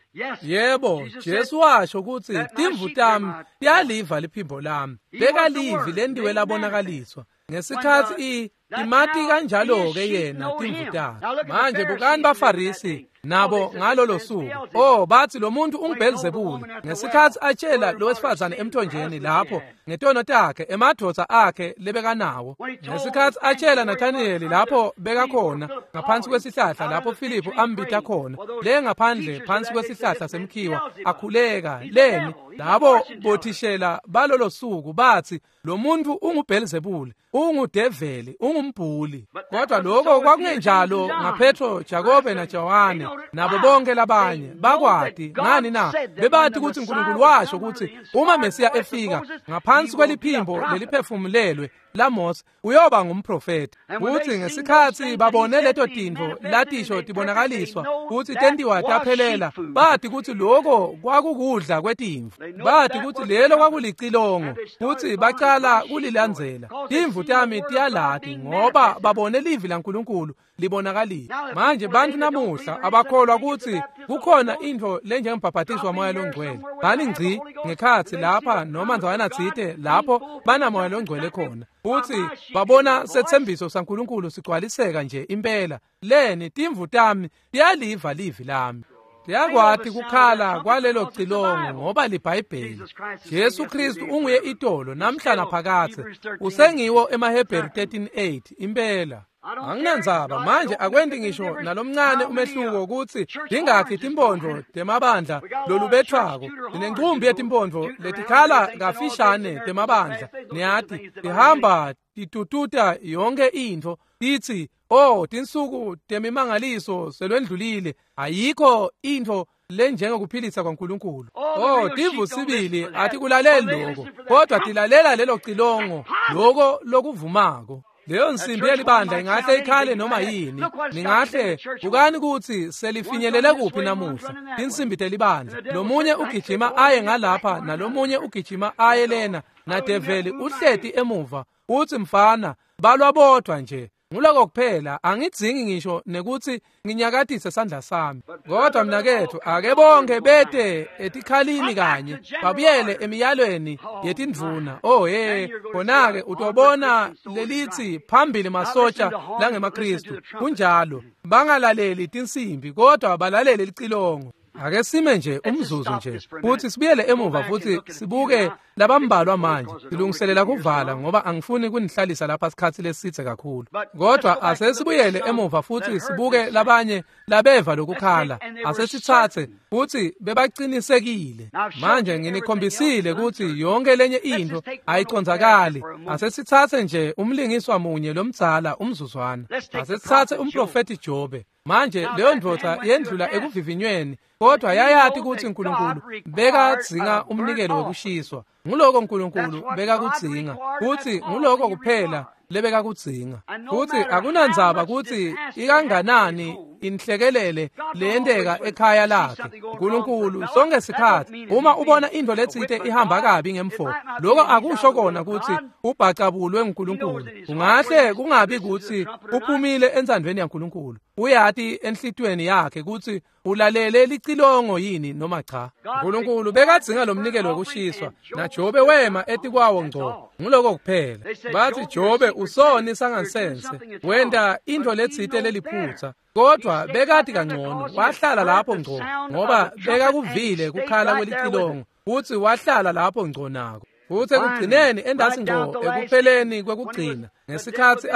Yebo, Jesu washo ukuthi timvu tami tiyaliva liphimbo lami. Bekalivi lendiwe labonakaliswa ngesikhathi imati kanjalo-ke yena timvu takhe. Manje bukani baFarisi nabo ngalolo suku. Oh, bathi lo muntu unguBelzebuli. Ngesikhathi atshela lo wesifazane emthonjeni lapho ngetono takhe, emadvodza akhe lebekanawo. Ngesikhathi atshela Nathanieli lapho bekakhona ngaphansi kwesihlahla lapho Philip ambita khona, le ngaphandle phansi kwesihlahla semkhiwa akhuleka leni, labo bothishela balolo suku bathi lo muntu unguBelzebuli, ungudeveli, ungumbhuli. Kodwa lokho kwakungenjalo ngaPetro, Jakobe naJohane nabo bonke labanye. Bakwati ngani na? Bebathi ukuthi uNkulunkulu washo ukuthi uma Mesiya efika ngaphansi kweliphimbo leliphefumulelwe laMose uyoba ngumprofeti. Futsi ngesikhatsi babone leto tintfo latisho tibonakaliswa futsi tentiwa taphelela, bati kutsi loko kwakukudla kwetimvu, bati kutsi lelo kwakulicilongo, futsi bacala kulilandzela. Timvu tami tiyalati ngoba babone livi laNkulunkulu libonakalile. Manje bantfu namuhla abakholwa kutsi kukhona intfo lenjengembhabhatiso waMoya loNgcwele. Bani ngci ngekhatsi lapha noma ndzawana tsite lapho banaMoya loNgcwele khona, futsi babona setsembiso saNkulunkulu sigcwaliseka nje impela. Leni timvu tami tiyaliva livi lami, tiyakwati kukhala kwalelo cilongo ngoba liBhayibheli. Jesu Kristu unguye itolo namhla naphakadze, usengiwo emaHebheru 13:8 impela. Anginandzaba manje, akwenti ngisho nalomncane umehluko kutsi tingakhi timphondvo temabandla lolubethwako. Sinencumbi yetimpondvo letikhala kafishane temabandla, niyati, tihamba titututa yonke intfo, titsi, "Oh, tinsuku temimangaliso selwendlulile, ayikho intfo lenjengokuphilisa kwaNkulunkulu." Oh, timvu sibili atikulaleli lokho, kodwa tilalela lelo cilongo, loko lokuvumako. Leyo nsimbi yelibandla ingahle ikhale noma yini. Ningahle bukani kutsi selifinyelele kuphi namuhla tinsimbi telibandla. Lomunye ugijima aye ngalapha nalomunye ugijima aye lena, nadeveli uhleti emuva utsi, "Mfana, balwa bodvwa nje." Nguloko kuphela, angidzingi ngisho nekutsi nginyakatise sandla sami. Kodwa mnaketfu, ake bonke bete etikhalini kanye, babuyele emiyalweni yetindvuna. Oh he, khona-ke utobona lelitsi phambili masotsha langemaKristu. Kunjalo, bangalaleli tinsimbi kodwa balalele licilongo. Ake sime nje umzuzu nje futhi sibuyele emuva futhi sibuke labambalwa manje. Silungiselela kuvala ngoba angifuni kunihlalisa lapha sikhatsi lesitse kakhulu. Kodwa asesibuyele emuva futhi sibuke labanye labeva lokukhala. Asesitsatse futhi bebacinisekile. Manje nginikhombisile kutsi yonke lenye intfo ayicondzakali. Asesitsatse nje umlingiswa munye lomdzala umzuzwana. Asesitsatse umprofeti Jobe. Manje leyo ndvodza yendlula ekuvivinyweni, kodwa yayati kutsi uNkulunkulu bekadzinga umnikelo wekushiswa. Nguloko uNkulunkulu bekakudzinga, futsi nguloko kuphela lebekakudzinga. Futsi akunandzaba kutsi ikanganani inhlekelele leyenteka ekhaya lakhe, uNkulunkulu sonke sikhatsi uma ubona intfo letsite ihamba kabi ngemfo, loko akusho kona kutsi ubhacabulwe nguNkulunkulu. Kungahle kungabi kutsi uphumile entsandvweni yaNkulunkulu. Uyati enhlitiyweni yakhe kutsi ulalele licilongo yini noma cha. uNkulunkulu bekadzinga lomnikelo wekushiswa, naJobe wema etikwawo ngco. Nguloko kuphela. Bathi, "Jobe usoni sangansense, wenta intfo letsite leliphutsa." Kodwa bekati kangcono, wahlala lapho ngco ngoba bekakuvile kukhala kwelicilongo, futsi wahlala lapho ngco nako. Futsi ekugcineni endasi ngco ekupheleni kwekugcina, ngesikhatsi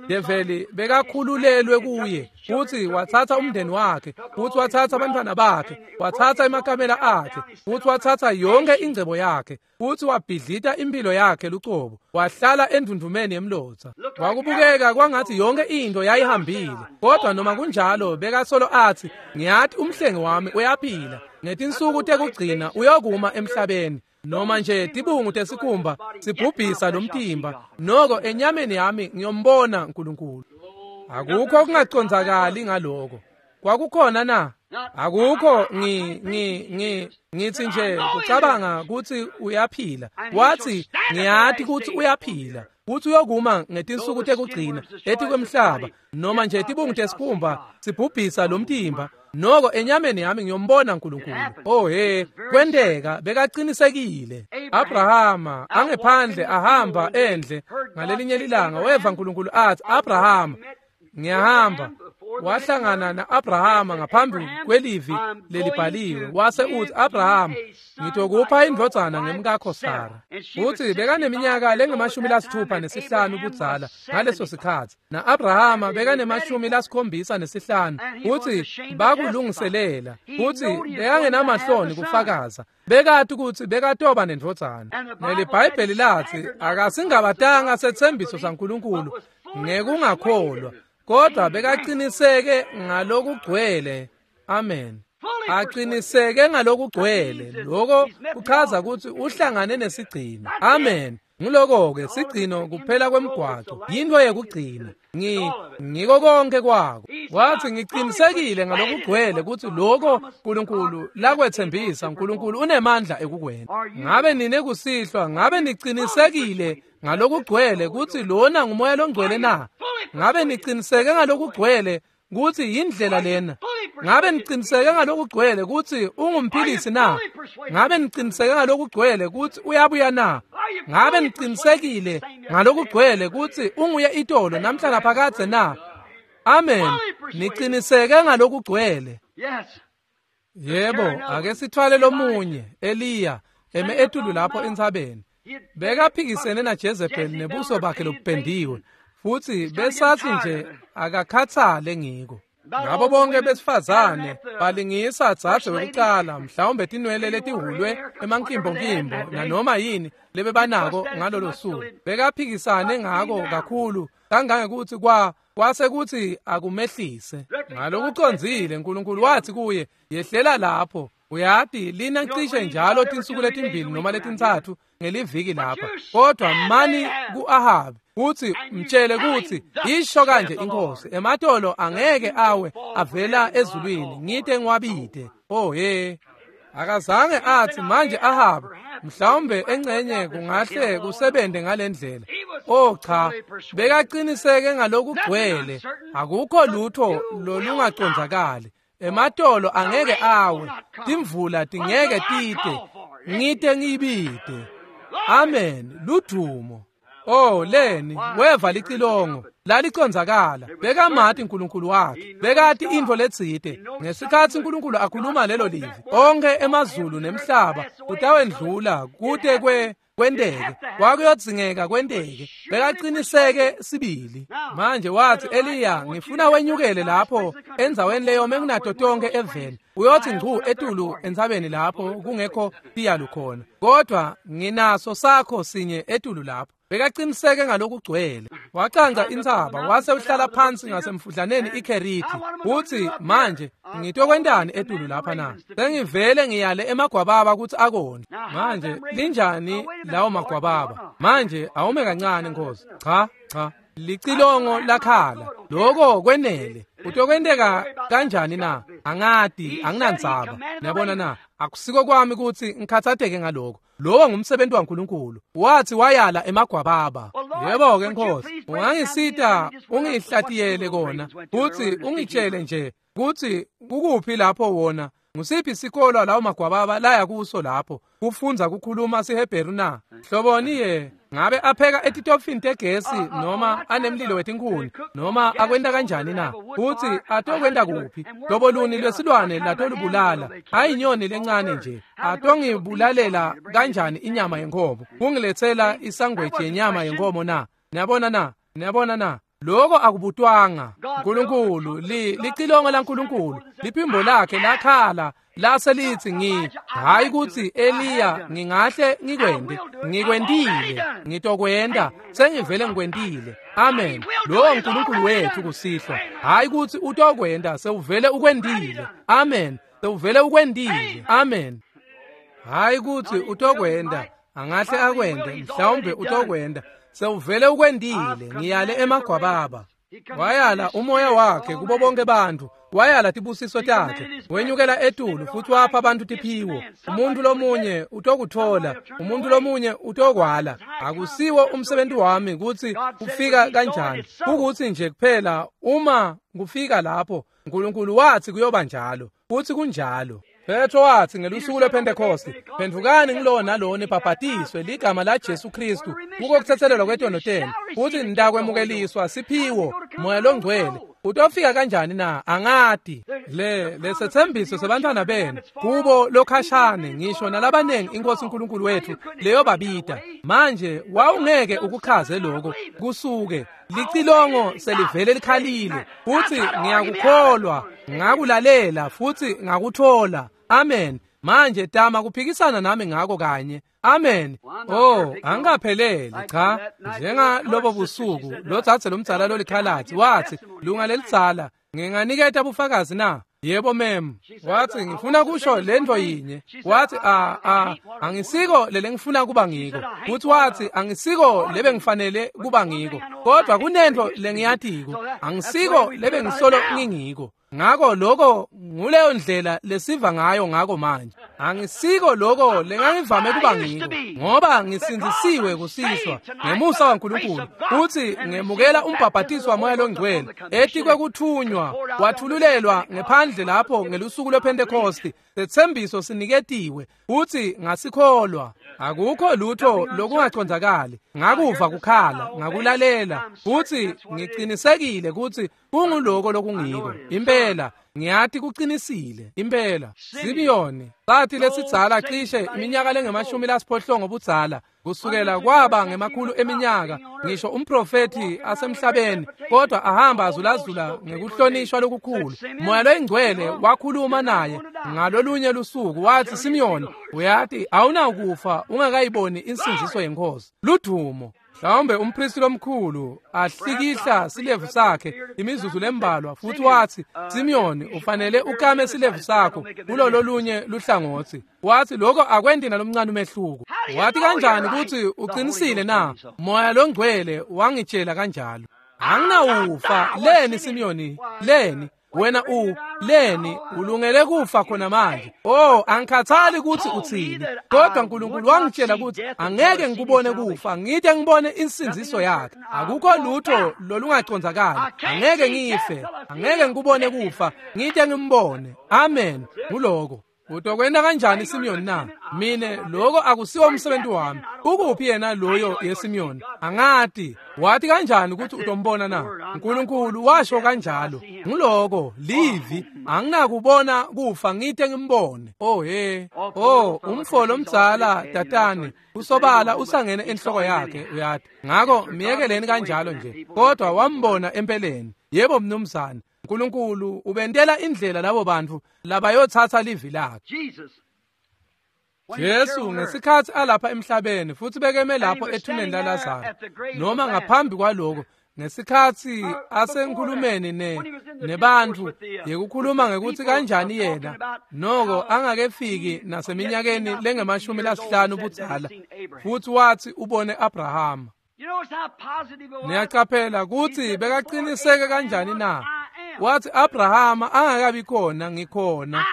develi bekakhululelwe kuye, futsi watsatsa umndeni wakhe, futsi watsatsa abantwana bakhe, watsatsa emakamela akhe, futsi watsatsa yonke ingcebo yakhe, futsi wabhidlita impilo yakhe lucobo, wahlala endvundvumeni yemlotsa. Kwakubukeka kwangatsi yonke intfo yayihambile, kodwa noma kunjalo bekasolo atsi, "Ngiyati umhlengi wami uyaphila, ngetinsuku tekugcina uyokuma emhlabeni. Noma nje tibungu tesikhumba sibhubhisa lomtimba, noko enyameni yami ngiyombona uNkulunkulu." Akukho kungacondzakali ngaloko. Kwakukhona na? Akukho. Ngithi nje kucabanga kutsi uyaphila. Wathi, "Ngiyati kutsi uyaphila, kutsi uyokuma ngetinsuku tekugcina etikwemhlaba. Noma nje tibungu tesikhumba sibhubhisa lomtimba, noko enyameni yami ngiyombona uNkulunkulu." Oh he, kwenteka, bekaqinisekile. Abrahama angephandle ahamba endle ngalelinye lilanga weva uNkulunkulu athi, "Abrahama, ngiyahamba." Wahlangana na-Abrahama ngaphambi kwelivi lelibhaliwe, wase uthi, "Abrahama, ngitokupha indvodzana ngemkakho Sara." Futsi bekaneminyaka lengu-65 budzala ngaleso sikhatsi, na-Abrahama bekane-75, futsi bakulungiselela, futsi bekangenamahloni kufakaza. Bekati kutsi bekatoba nendvodzana. NeliBhayibheli latsi akasingabatanga setsembiso saNkulunkulu ngekungakholwa, kodwa bekaqiniseke ngalokugcwele. Amen. Aqiniseke ngalokugcwele. Lokho kuchaza kutsi uhlangane nesigcino. Amen. Nguloko-ke sigcino kuphela kwemgwaco, yintfo yekugcina. Ngiko konke kwako. Wathi ngicinisekile ngalokugcwele kutsi loko Nkulunkulu lakwetsembisa, Nkulunkulu unemandla ekukwenta. Ngabe nine kusihlwa, ngabe nicinisekile ngalokugcwele kutsi lona ngumoya longcwele na? Ngabe niciniseke ngalokugcwele kutsi yindlela lena? Ngabe niciniseke ngalokugcwele kutsi ungumphilisi na? Ngabe niciniseke ngalokugcwele kutsi uyabuya na? Ngabe nicinisekile ngalokugcwele kutsi unguye itolo namhla naphakadze na? Amen. Niciniseke ngalokugcwele. Yebo, ake sithwale lomunye, Eliya, eme etulu lapho entsabeni. Bekaphikisene naJezebel nebuso bakhe lobupendiwe, futsi besathi nje akakhathale ngiko. Ngabo bonke besifazane balingisa dzadze wekucala, mhlawumbe tinwele letihulwe emankimbokimbo nanoma yini lebebanako ngalolo suku. Bekaphikisane ngako kakhulu kangangekutsi kwase kutsi akumehlise. Ngalokucondzile Nkulunkulu wathi kuye, yehlela lapho. Uyati lina cishe njalo tinsuku letimbili noma letintsatfu ngeliviki lapha, kodwa mani ku-Ahabi kutsi mtshele kutsi isho kanje inkosi, ematolo angeke awe avela ezulwini ngite ngiwabite. Oh he, akazange athi manje Ahabi mhlawumbe engcenye kungahle kusebente ngalendlela. Oh cha, bekaqiniseke ngalokugcwele, akukho lutho lolungacondzakali. Ematolo angeke awe, timvula tingeke tite, ngite ngibite. Amen, ludumo. Oh leni, weva licilongo, lalicondzakala. Bekamati uNkulunkulu wakhe, bekati intfo letsite. Ngesikhatsi uNkulunkulu akhuluma lelo livi, onke emazulu nemhlaba kutawendlula kute kwenteke, kwakuyodzingeka kwenteke. Bekaqiniseke sibili. Manje wathi Eliya, ngifuna wenyukele lapho endzaweni leyome kunato tonke eveni. Uyothi ngcu etulu entsabeni lapho kungekho tiyalu khona, kodwa nginaso sakho sinye etulu lapho. Bekaqiniseke ngalokugcwele. Wacanca intsaba wase uhlala phansi ngasemfudlaneni iKheriti. Uthi manje ngitokwentani etulu lapha na? Sengivele ngiyale emagwababa kutsi akondle. Manje linjani lawo magwababa? Manje awume kancane Nkosi. Cha, cha. Licilongo lakhala. Loko kwenele. Utokwenteka kanjani na? Angati, anginandzaba. Niyabona na? Akusiko kwami kutsi ngikhatsateke ngaloko. Lowo ngumsebenzi waNkulunkulu. Wathi wayala emagwababa. Yebo-ke Nkosi, ungangisita ungihlatiyele kona, kutsi ungitshele nje kutsi kukuphi lapho wona, ngusiphi sikolo lawo magwababa laya kuso lapho kufundza kukhuluma siHebheru na? Hloboni ye, ngabe apheka etitofini tegesi noma anemlilo wetinkhuni noma akwenta kanjani na? Kutsi atokwenta kuphi? Hlobo luni lwesilwane latolubulala? Ayinyoni lencane nje. Atongibulalela kanjani inyama yenkhomo? Kungiletsela isangweji yenyama yenkhomo na? Niyabona na? Niyabona na? Loko akubutwanga. Nkulunkulu, licilongo laNkulunkulu, liphimbo lakhe lakhala lase lithi hayi kutsi Eliya ngingahle ngikwente, ngikwentile, ngitokwenta, sengivele ngikwentile. Amen. Lowo uNkulunkulu wethu kusihlwa. Hayi kutsi utokwenta, sewuvele ukwentile. Amen. Sewuvele ukwentile. Amen. Hayi kutsi utokwenta, angahle akwente, mhlawumbe utokwenta, sewuvele ukwentile. Ngiyale emagwababa. Wayala umoya wakhe kubo bonke bantfu, wayala tibusiso takhe, wenyukela etulu futhi wapha abantu tiphiwo. Umuntu lomunye utokuthola, umuntu lomunye utokwala. Akusiwo umsebenzi wami kutsi kufika kanjani, kukutsi nje kuphela uma kufika lapho Nkulunkulu wathi kuyoba njalo, futhi kunjalo. Petro wathi ngelusuku lwePhentekoste, phendvukani ngilowo nalowo nibhabhatiswe ligama la Jesu Kristu kuko kuthethelelwa kwetono tenu, futhi nitakwemukeliswa siphiwo Moya Longcwele. Utofika kanjani na? Angati. Lesethembiso sebantwana benu kubo lokhashane ngisho nalabanengi inkosi uNkulunkulu wethu leyo babita. Manje wawungeke ukuchaze lokho kusuke licilongo selivele likhalile, futhi ngiyakukholwa, ngakulalela futhi ngakuthola. Amen. Manje tama kuphikisana nami ngako kanye. Amen. Oh, angikapheleli cha. Njengalobo busuku lotsatse lomdzala lolikhalatsi wathi, lunga lelidzala, nginganiketa bufakazi na? Yebo mem. Wathi ngifuna kusho lento yinye. Wathi angisiko lelengifuna kuba ngiko. Futhi wathi angisiko lebengifanele kuba ngiko. Kodwa kunento lengiyatiko. Angisiko lebengisolo ngingiko. Ngako lokho nguleyo ndlela lesiva ngayo ngako manje. Angisiko lokho lengangivame kuba ngiko ngoba ngisindzisiwe kusihlwa ngemusa waNkulunkulu futhi ngemukela umbhabhatiso waMoya loNgcwele etikwe kuthunywa wathululelwa ngephandle lapho ngelusuku lwePhentekosti. Sethembiso siniketiwe futhi ngasikholwa. Akukho lutho lokungacondzakali. Ngakuva kukhala, ngakulalela futhi ngiqinisekile ukuthi kunguloko lokungiko. Impela ngiyathi kuqinisile impela. Simiyoni sathi lesidzala cishe iminyaka lengemashumi lasiphohlongo budzala kusukela kwaba ngemakhulu eminyaka ngisho umprofethi asemhlabeni kodwa ahamba azulazula ngekuhlonishwa lokukhulu. Moya loyingcwele wakhuluma naye ngalolunye lusuku wathi Simiyoni uyathi awunakufa ungakayiboni insindziso yenkosi. Ludumo. Mhlawumbe umpristi lomkhulu ahlikihla silevu sakhe imizuzu lembalwa futhi wathi Simiyoni ufanele ukame silevu sakho kulololunye luhlangothi. Wathi lokho akwendi nalomncane umehluko. Wathi kanjani ukuthi uqinisile na? Moya loNgcwele wangitshela kanjalo. Anginawufa leni Simiyoni leni wena leni ulungele kufa khona manje. Oh angikhathali ukuthi uthini kodwa uNkulunkulu wangitshela ukuthi angeke ngikubone kufa ngide ngibone insindziso yakhe. Akukho lutho lolungacondzakali. Angeke ngife, angeke ngikubone kufa ngide ngimbone. Amen. Nguloko. Utokwenda kanjani Simiyoni na? Mine lokho akusiwo umsebenzi wami. Ukuphi yena loyo yeSimiyoni? Angati. Wathi kanjani ukuthi utombona na? uNkulunkulu washo kanjalo. Nguloko livi anginakubona kufa ngide ngimbone. Oh he. Oh umfo lomdzala Datani usobala usangene enhloko yakhe uyathi. Ngakho miyekeleni kanjalo nje. Kodwa wambona empeleni. Yebo mnumzane. uNkulunkulu ubentela indlela labo bantu labayothatha livi lakhe. Jesu ngesikhathi alapha emhlabeni futhi bekeme lapho ethuneni laLazaro noma ngaphambi kwaloko ngesikhathi asenkhulumeni nebantu yekukhuluma ngekuthi kanjani yena noko angakefiki naseminyakeni lengemashumi lasihlanu budzala futhi wathi ubone Abrahama. Niyacaphela ukuthi bekaqiniseke kanjani na? Wathi Abrahama angakabi khona ngikhona.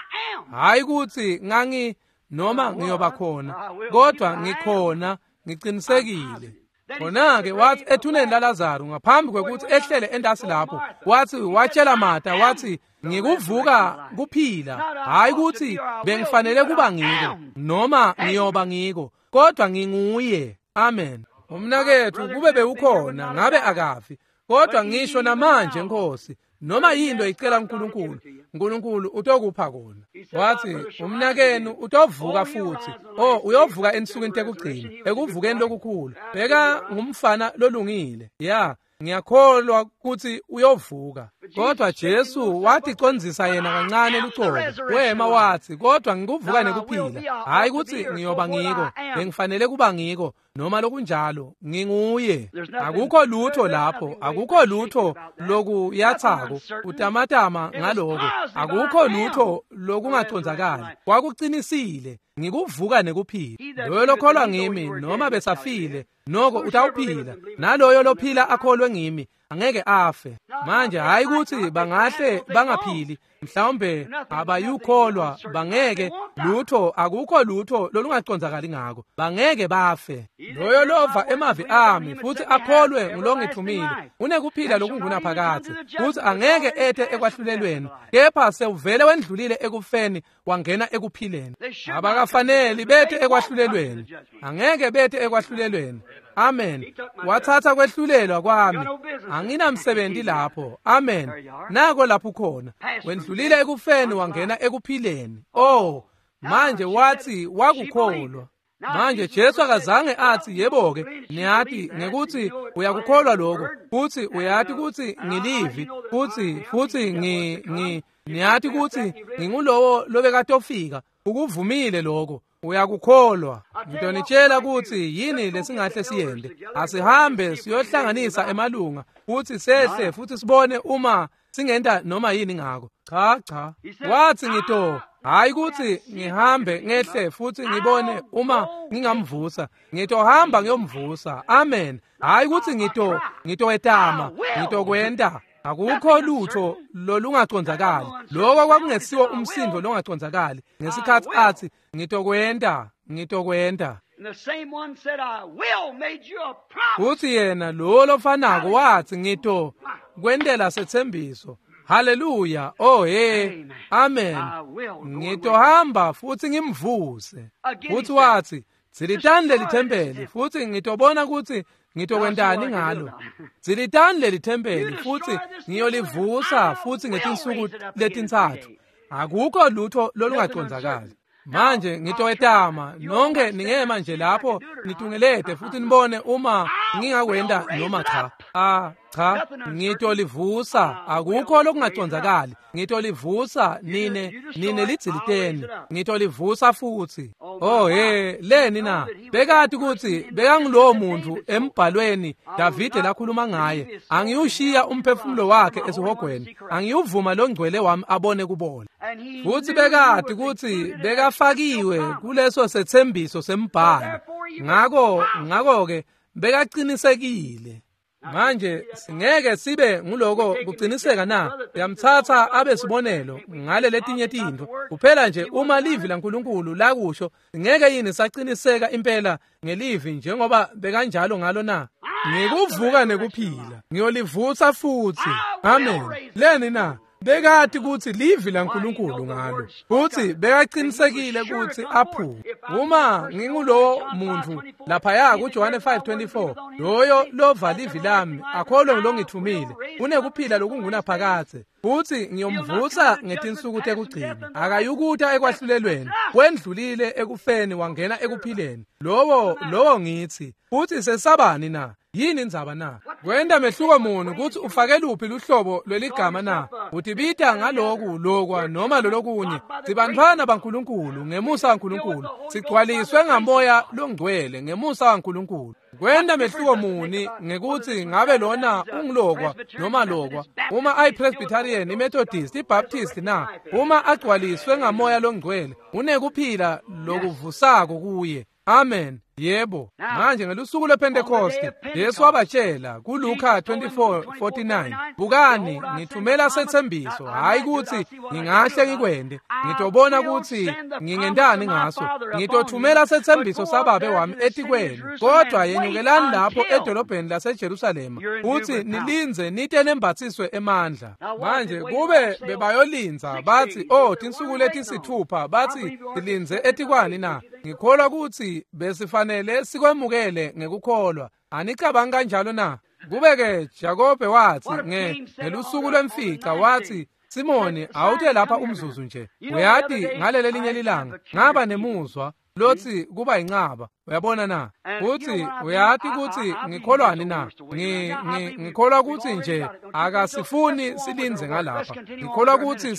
Hayi ukuthi ngangi noma ngiyoba khona kodwa ngikhona ngiqinisekile. Khona-ke wathi ethuneni laLazaro ngaphambi kwekuthi ehlele entasi lapho wathi watshela Martha wathi ngikuvuka kuphila. Hayi ukuthi bengifanele kuba ngiko noma ngiyoba ngiko kodwa nginguye. Amen. Umnakethu kube bewukhona ngabe akafi kodwa ngisho namanje Nkosi noma yinto icela uNkulunkulu uNkulunkulu utokupha kona. Wathi umnakenu utovuka futhi. Oh uyovuka ensukwini tekugcina ekuvukeni lokukhulu. Bheka ngumfana lolungile. Ya ngiyakholwa ukuthi uyovuka. Kodwa Jesu wathi condzisa yena kancane lucobo. Wema wathi kodwa ngikuvuka nekuphila. Hayi ukuthi ngiyoba ngiko bengifanele kuba ngiko noma lokunjalo nginguye. Akukho lutho lapho, akukho lutho lokuyathako utamatama ngaloko. Akukho lutho lokungacondzakali. Kwakuqinisile ngikuvuka nekuphila. Loyo lokholwa ngimi noma besafile noko utawuphila, naloyo lophila akholwe ngimi angeke afe. Manje hayi ukuthi bangahle bangaphili mhlawumbe abayukholwa bangeke lutho, akukho lutho lolungacondzakali ngako, bangeke bafe. Loyo lova emavi ami futhi akholwe ngulongithumile unekuphila lokungunaphakadze futhi angeke ete ekwahlulelweni kepha sewuvele wendlulile ekufeni wangena ekuphileni. Abakafaneli bethe ekwahlulelweni, angeke bethe ekwahlulelweni. Amen. Wathatha kwehlulelwa kwami. Anginamsebenzi lapho. Amen. Nako lapho khona. Wendlulile ekufeni wangena ekuphileni. Oh, manje wathi wakukholwa. Manje Jesu akazange athi yebo ke niyathi ngekuthi uyakukholwa lokho futhi uyathi ukuthi ngilivi futhi ngi niyathi ukuthi ngingulowo lobekatofika ukuvumile lokho. Uyakukholwa. Ngitonitshela kutsi yini lesingahle siyende. Asihambe siyohlanganisa emalunga futhi sehle futhi sibone uma singenta noma yini ngako. Cha cha. Wathi ngito hayi kuthi ngihambe ngehle futhi ngibone uma ngingamvusa. Ngitohamba ngiyomvusa. Amen. Hayi kuthi ngitowetama, ngitokwenta. Akukho lutho lolungacondzakali. Lokho kwakungesiwo umsindo longacondzakali. Ngesikhathi athi ngitokwenta, ngitokwenta. Futhi yena lo lofanako wathi ngito kwentela setsembiso. Haleluya. Oh hey. Amen. Ngitohamba futhi ngimvuse. Futhi wathi dzilitani leli thempeli futhi ngitobona ukuthi ngitokwentani ngalo. Dzilitani leli thempeli futhi ngiyolivusa futhi ngetinsuku letintsatfu. Akukho lutho lolungacondzakali. Manje ngitowetama nonke ningema nje lapho nitungelete futhi nibone uma ngingakwenta noma cha. Cha, ngitolivusa. Akukho lokungacondzakali. Ngitolivusa nine lidziliteni. Ngitolivusa futhi. Oh hey, leni na? Bekati kutsi bekangulowo muntu embhalweni Davide lakhuluma ngaye. Angiyushiya umphefumulo wakhe esihogweni. Angiyuvuma longcwele wami abone kubola. Futhi bekati kutsi bekafakiwe kuleso setsembiso sembhalo. Ngakho-ke bekaqinisekile. Manje singeke sibe nguloko kuqiniseka na? Uyamthatha abe sibonelo ngale letinye tintfo. Kuphela nje uma livi laNkulunkulu lakusho, ngeke yini saqiniseka impela ngelivi njengoba bekanjalo ngalo na? Ngikuvuka nekuphila, ngiyolivusa futhi. Amen. Leni na? Bekati kutsi livi laNkulunkulu ngalo. Futhi bekaqinisekile kutsi aphume. Uma ngingulowo muntu laphaya kuJohane 5:24, loyo lova livi lami akholwe ngilongithumile, unekuphila lokungunaphakadze. Futhi ngiyomvusa ngetinsuku tekugcina. Akayukuta ekwahlulelweni, wendlulile ekufeni wangena ekuphileni. Lowo ngithi, futhi sesabani na? Yini indzaba na? Kwenta mehluko muni kutsi ufake luphi luhlobo lweligama na? Utibita ngaloku lokwa noma lolokunye. Sibantfwana baNkulunkulu ngemusa waNkulunkulu. Sigcwaliswe ngamoya longcwele ngemusa waNkulunkulu. Kwenta mehluko muni ngekutsi ngabe lona ungilokwa noma lokwa? Uma ayiPresbyterian, iMethodist, iBaptist na? Uma agcwaliswe ngamoya longcwele, unekuphila lokuvusako kuye. Amen. Yebo. Manje ngelusuku lwePentecost, Jesu wabatshela kuLuka 24:49, bukani ngithumela setsembiso, hayi kutsi ngingahle ngikwende, ngitobona kutsi ngingentani ngaso. Ngitothumela setsembiso sababe wami etikwenu, kodwa yenyukelani lapho edolobheni laseJerusalema futhi nilindze nite nembatsiswe emandla. Manje kube bebayolindza bathi oh tinsuku letisithupha, bathi silindze etikwani na? Ngikholwa kutsi besifanele sikwemukele ngekukholwa. Anicabangi kanjalo na? Kube-ke Jakobe wathi ngelusuku lwemfica wathi, Simoni, awute lapha umzuzu nje. Uyati ngaleli linye lilanga ngaba nemuzwa lothi kuba incaba. Uyabona na? Uthi uyati kutsi ngikholwani na? Ngikholwa kutsi nje akasifuni silindze ngalapha. Ngikholwa kutsi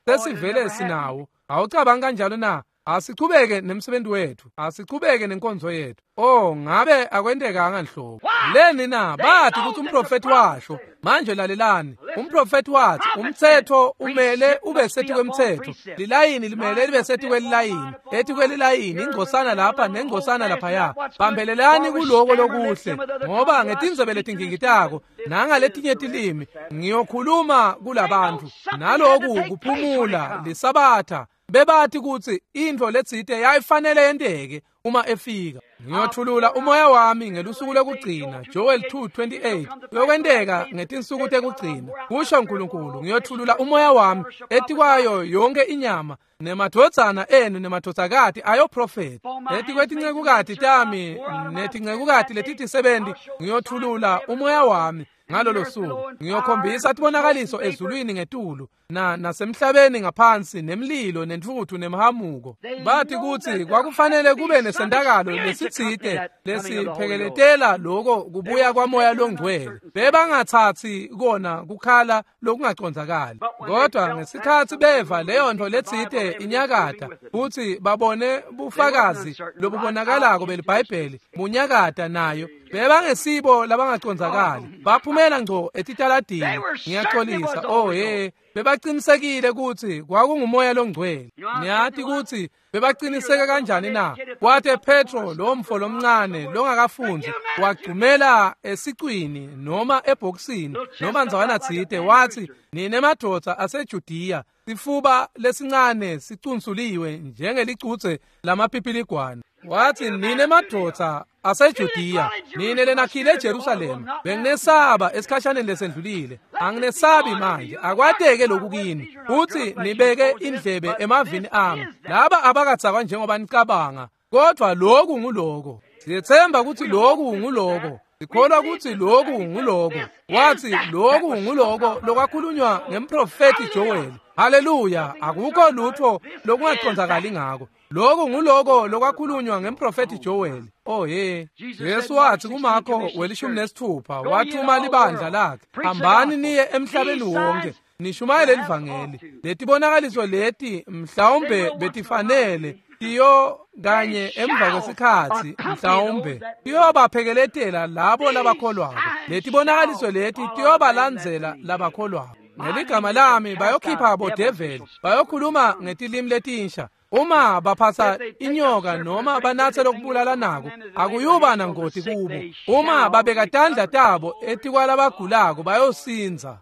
sesivele sinawo. Awucabangi kanjalo na? Asichubeke nemsebenzi wethu, asichubeke nenkonzo yethu. Oh, ngabe akwentekanga nhlobo. Leni na? Bathi ukuthi umprofeti washo. Manje lalelani, umprofeti wathi umthetho umele ube sethi kwemthetho, lilayini limele libe sethi kwelilayini, ethi kwelilayini ingcosana lapha nengcosana laphaya. Bambelelani kuloko lokuhle, ngoba ngetinzebe letingingitako nangaletinye tilimi ngiyokhuluma kulabantu. Naloku kuphumula lisabatha. Bebathi kutsi intfo letsite yayifanele yenteke uma efika. Ngiyothulula umoya wami ngelusuku lokugcina, Joel 2:28. Kuyokwenteka ngetinsuku tekugcina, kusho uNkulunkulu, ngiyothulula umoya wami etikwayo yonke inyama, nemadvodzana enu nemadvodzakati ayoprofetha. Etikwetincekukati tami netincekukati letitisebenti ngiyothulula umoya wami ngalolo suku. Ngiyokhombisa tibonakaliso ezulwini ngetulu nasemhlabeni ngaphansi, nemlilo nentfutfu nemhamuko. Bathi kutsi kwakufanele kube nesentakalo lesitsite lesiphekeletela lokho kubuya kwaMoya loNgcwele. Bebangathathi kona kukhala lokungacondzakali, kodwa ngesikhatsi beva leyo nto letsite inyakata futhi babone bufakazi lobubonakalako beliBhayibheli bunyakata nayo, bebangesibo labangacondzakali, baphumela ngco etitaladini. Ngiyaxolisa, oh he, bebaqinisekile ukuthi kwakunguMoya loNgcwele. Niyati ukuthi bebaqiniseke kanjani na? Kwathe Petro lo mfo lomncane longakafundi wagcumela esicwini noma ebhokisini noma ndzawana tsite, wathi, "Nine madvodza aseJudiya, sifuba lesincane sicunsuliwe njengelicutse lamaphipiligwane." Wathi, "Nine madvodza aseJudiya, nine lenakhile eJerusalema, benginesaba esikhashaneni lesendlulile, anginesabi manje, akwateke lokhu kini, futhi nibeke indlebe emavini ami. Laba abakadzakwa njengoba nicabanga, kodwa lokhu nguloko. Siyethemba ukuthi lokhu nguloko, sikholwa ukuthi lokhu nguloko." Wathi, "Lokhu nguloko lokwakhulunywa ngemprofethi Joel." Haleluya, akukho lutho lokungacondzakali ngako. Lokhu nguloko lokwakhulunywa ngemprofethi Joel. Oh he, Jesu wathi kuMarko 16 wathuma libandla lakhe, "Hambani niye emhlabeni wonke, nishumayele livangeli." Letibonakaliso leti mhlawumbe betifanele tiyo kanye emva kwesikhatsi, mhlawumbe tiyobaphekeletela labo labakholwako. Letibonakaliso leti tiyobalandzela labakholwako. Ngeligama lami bayokhipha bodeveli, bayokhuluma ngetilimi letinsha. Uma baphatsa inyoka noma banatse lokubulala nako, akuyuba nangoti kubo. Uma babeka tandla tabo etikwalabagulako bayosindza.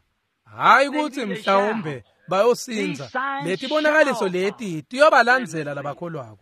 Hayi ukuthi mhlawumbe bayosindza. Letibonakaliso leti tiyobalandzela labakholwako.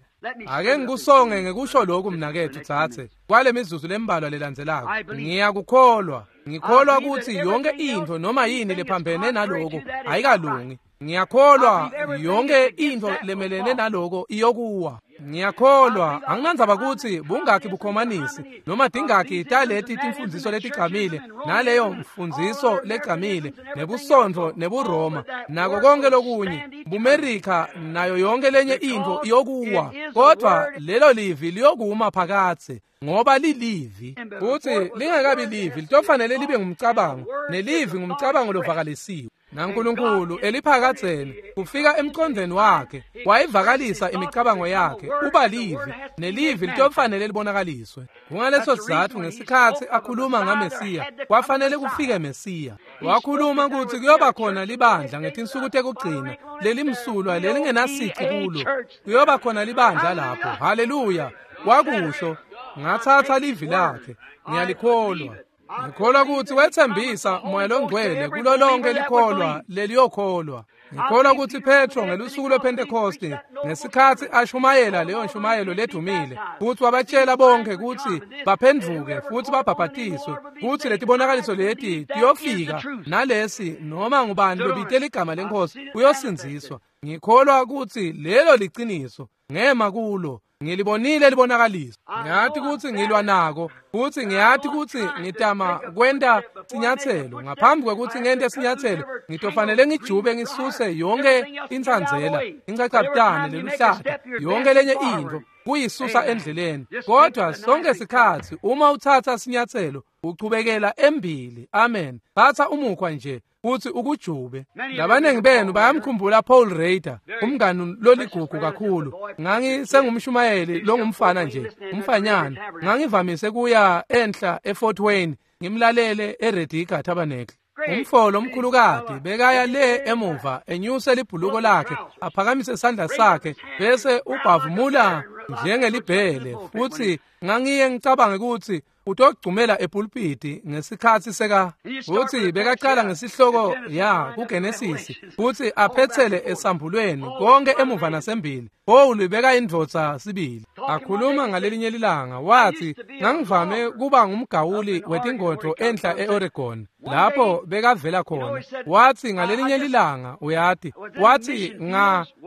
Ake ngikusonge ngekusho lokhu mnakethu tsatse kwale mizuzu lembalwa lelandzelako. Ngiyakukholwa. Ngikholwa ukuthi yonke into noma yini lephambene naloko ayikalungi. Ngiyakholwa yonke into lemelene naloko iyokuwa. Ngiyakholwa anginandzaba ukuthi bungakhi bukhomanisi noma dingakhi taleti timfundziso letigcamile naleyo mfundziso legcamile nebusontfo nebuRoma nako konke lokunye buMerika nayo yonke lenye into iyokuwa, kodwa lelo livi liyokuma phakathe ngoba lilivi. Futhi lingakabi livi litofanele libe ngumcabango, nelivi ngumcabango lovakalisiwe naNkulunkulu eliphakadzeni kufika emqondweni wakhe wayivakalisa imicabango yakhe uba livi, nelivi litofanele libonakaliswe. Kungaleso sizatfu ngesikhatsi akhuluma ngaMesiya kwafanele kufike Mesiya. Wakhuluma ukuthi kuyoba khona libandla ngetinsuku tekugcina lelimsulwa lelingenasici kulo, kuyoba khona libandla lapho. Haleluya, wakusho. Ngathatha livi lakhe, ngiyalikholwa. Ngikholwa ukuthi wethembisa Moya loNgcwele kulo lonke likholwa leliyokholwa. Ngikholwa ukuthi Petro ngelusuku lwePentecoste ngesikhatsi ashumayela leyo nshumayelo ledumile futhi wabatshela bonke ukuthi baphendvuke futhi babhabhatiswe, futhi letibonakaliso leti tiyofika nalesi noma ngubani lobite ligama lenkosi uyosindziswa. Ngikholwa ukuthi lelo liciniso, ngema kulo. Ngilibonile libonakaliswa. Ngiyati ukuthi ngilwa nako futhi ngiyati ukuthi ngitama kwenta sinyathelo. Ngaphambi kwekuthi ngente sinyathelo ngitofanele ngijube ngisuse yonke intsandzela, incacabutane leluhlata, yonke lenye into kuyisusa endleleni. Kodwa sonke sikhatsi uma uthatha sinyathelo uchubekela embili. Amen. Thatha umukhwa nje futhi ukujube. Labaningi benu bayamkhumbula Paul Rader, umngani loligugu kakhulu. Ngangisengumshumayeli longumfana nje, umfanyana. Ngangivamise kuya enhla eFort Wayne ngimlalele eRediga Tabernacle. Umfolo omkhulukati bekaya le emuva enyuse libhuluko lakhe aphakamise isandla sakhe bese ubhavumula njengelibhele, futhi ngangiye ngicabange ukuthi utogcumela epulpiti ngesikhatsi seka. Futhi bekaqala ngesihloko ya kuGenesis futhi aphetsele esambulweni konke emuva nasembili. Paul beka indvodza sibili. Akhuluma ngalelinye lilanga wathi, "Ngangivame kuba ngumgawuli wetingodvo enhla eOregon lapho bekavela khona." Wathi ngalelinye lilanga uyati, wathi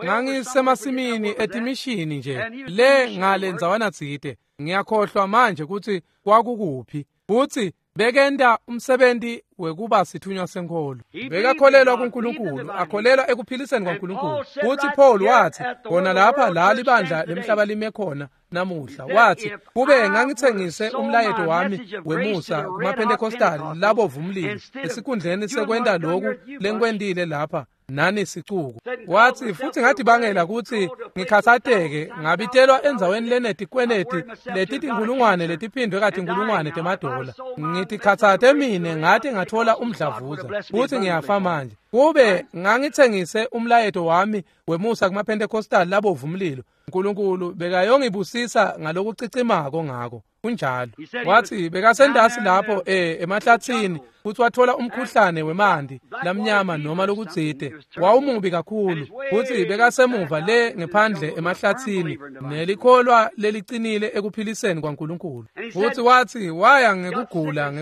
ngangisemasimini etimishini nje le ngale ndzawana tsite, ngiyakhohlwa manje ukuthi kwakukuphi, futhi bekenta umsebenzi wekuba sithunywa senkolo. Bekakholelwa kuNkulunkulu, akholelwa ekuphiliseni kwaNkulunkulu. Futhi Paul wathi, "Khona lapha la libandla lemhlaba lime khona namuhla. Wathi, kube ngangithengise umlayeto wami wemusa kumaPentecostal labovu umlilo esikhundleni sekwenta lokhu lengikwentile lapha nani sicuku. Wathi, futhi ngatibangela ukuthi ngikhathazeke ngabitelwa endzaweni lenetikweneti letitinkulungwane letiphindwe katinkulungwane temadola. Ngitikhathate mine ngathi ngathola umdlavuza futhi ngiyafa manje. Kube ngangithengise umlayeto wami wemusa kumaPentecostal labovu umlilo, uNkulunkulu bekayongibusisa ngalokucicimako ngako. Kunjalo. Wathi bekasendasi lapho emahlathini futhi wathola umkhuhlane wemanti lamnyama noma lokutsite, wawumubi kakhulu, futhi bekasemuva le ngephandle emahlathini nelikholwa lelicinile ekuphiliseni kwaNkulunkulu. Futhi wathi waya ngekugula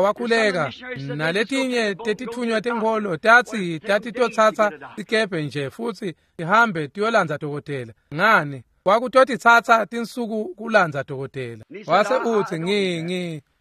wakhuleka naletinye tetithunywa tenkholo tatsi tatitothatha sikebhe nje futhi ihambe tiyolandza dokotela. Ngani? Kwakutotitsatsa tinsuku kulandza dokotela. Wase uthi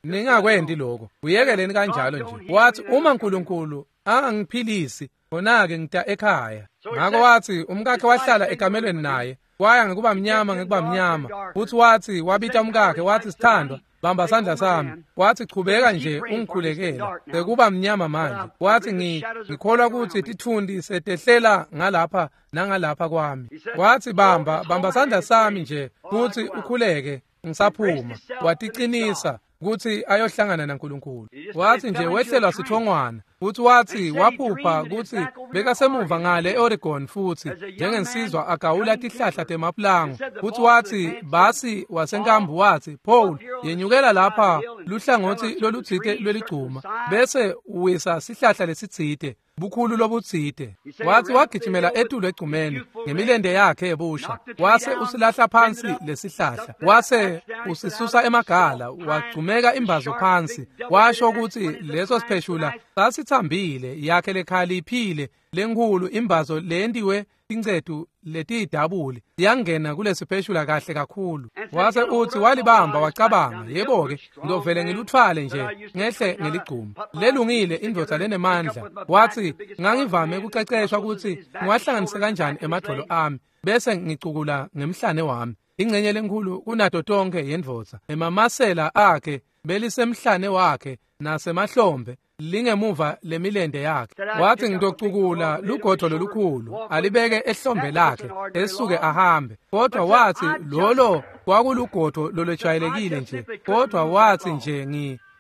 ningakwendi lokho, uyekeleni kanjalo nje. Wathi uma uNkulunkulu angangiphilisi khona-ke ngita ekhaya. Ngakho wathi umkakhe wahlala ekamelweni naye, waya ngekuba mnyama. Futhi wathi wabita umkakhe wathi, sithandwa, bamba sandla sami. Wathi chubeka nje ungikhulekela, sekuba mnyama manje. Wathi ngikholwa ukuthi tithundi setehlela ngalapha nangalapha kwami. Wathi bamba sandla sami nje futhi ukhuleke ngisaphuma. Watiqinisa ukuthi ayohlangana naNkulunkulu. Wathi nje wehlelwa sithongwana. Futhi wathi waphupha ukuthi bekasemuva ngale eOregon futhi njengensizwa agawula tihlahla temaplango. Futhi wathi basi wasenkambu wathi, Paul, yenyukela lapha luhlangothi lolutsite lweligcuma bese uwisa sihlahla lesitsite bukhulu lobutsite. Wathi wagijimela etulu egcumeni ngemilende yakhe ebusha, wase usilahla phansi lesihlahla, wase usisusa emagala, wagcumeka imbazo phansi. Washo ukuthi leso sipheshula sasithambile, yakhe lekhaliphile lenkhulu imbazo lentiwe tincetu letiyidabuli yangena kulesipheshula kahle kakhulu. Wase uthi walibamba wacabanga, yebo-ke ngizovele ngiluthwale nje ngehle ngeligcuma. Lelungile indvodza lenemandla. Wathi ngangivame ukuceceshwa ukuthi ngiwahlanganise kanjani emadvolo ami bese ngicukula ngemhlane wami. Ingcenye lenkhulu kunato tonke yendvodza, emamasela akhe belisemhlane wakhe nasemahlombe lingemuva lemilende yakhe. Wathi ngitocukula lugodo lolukhulu alibeke ehlombe lakhe esuke ahambe. Kodwa wathi lolo kwakulugodo lolwejwayelekile nje. Kodwa wathi nje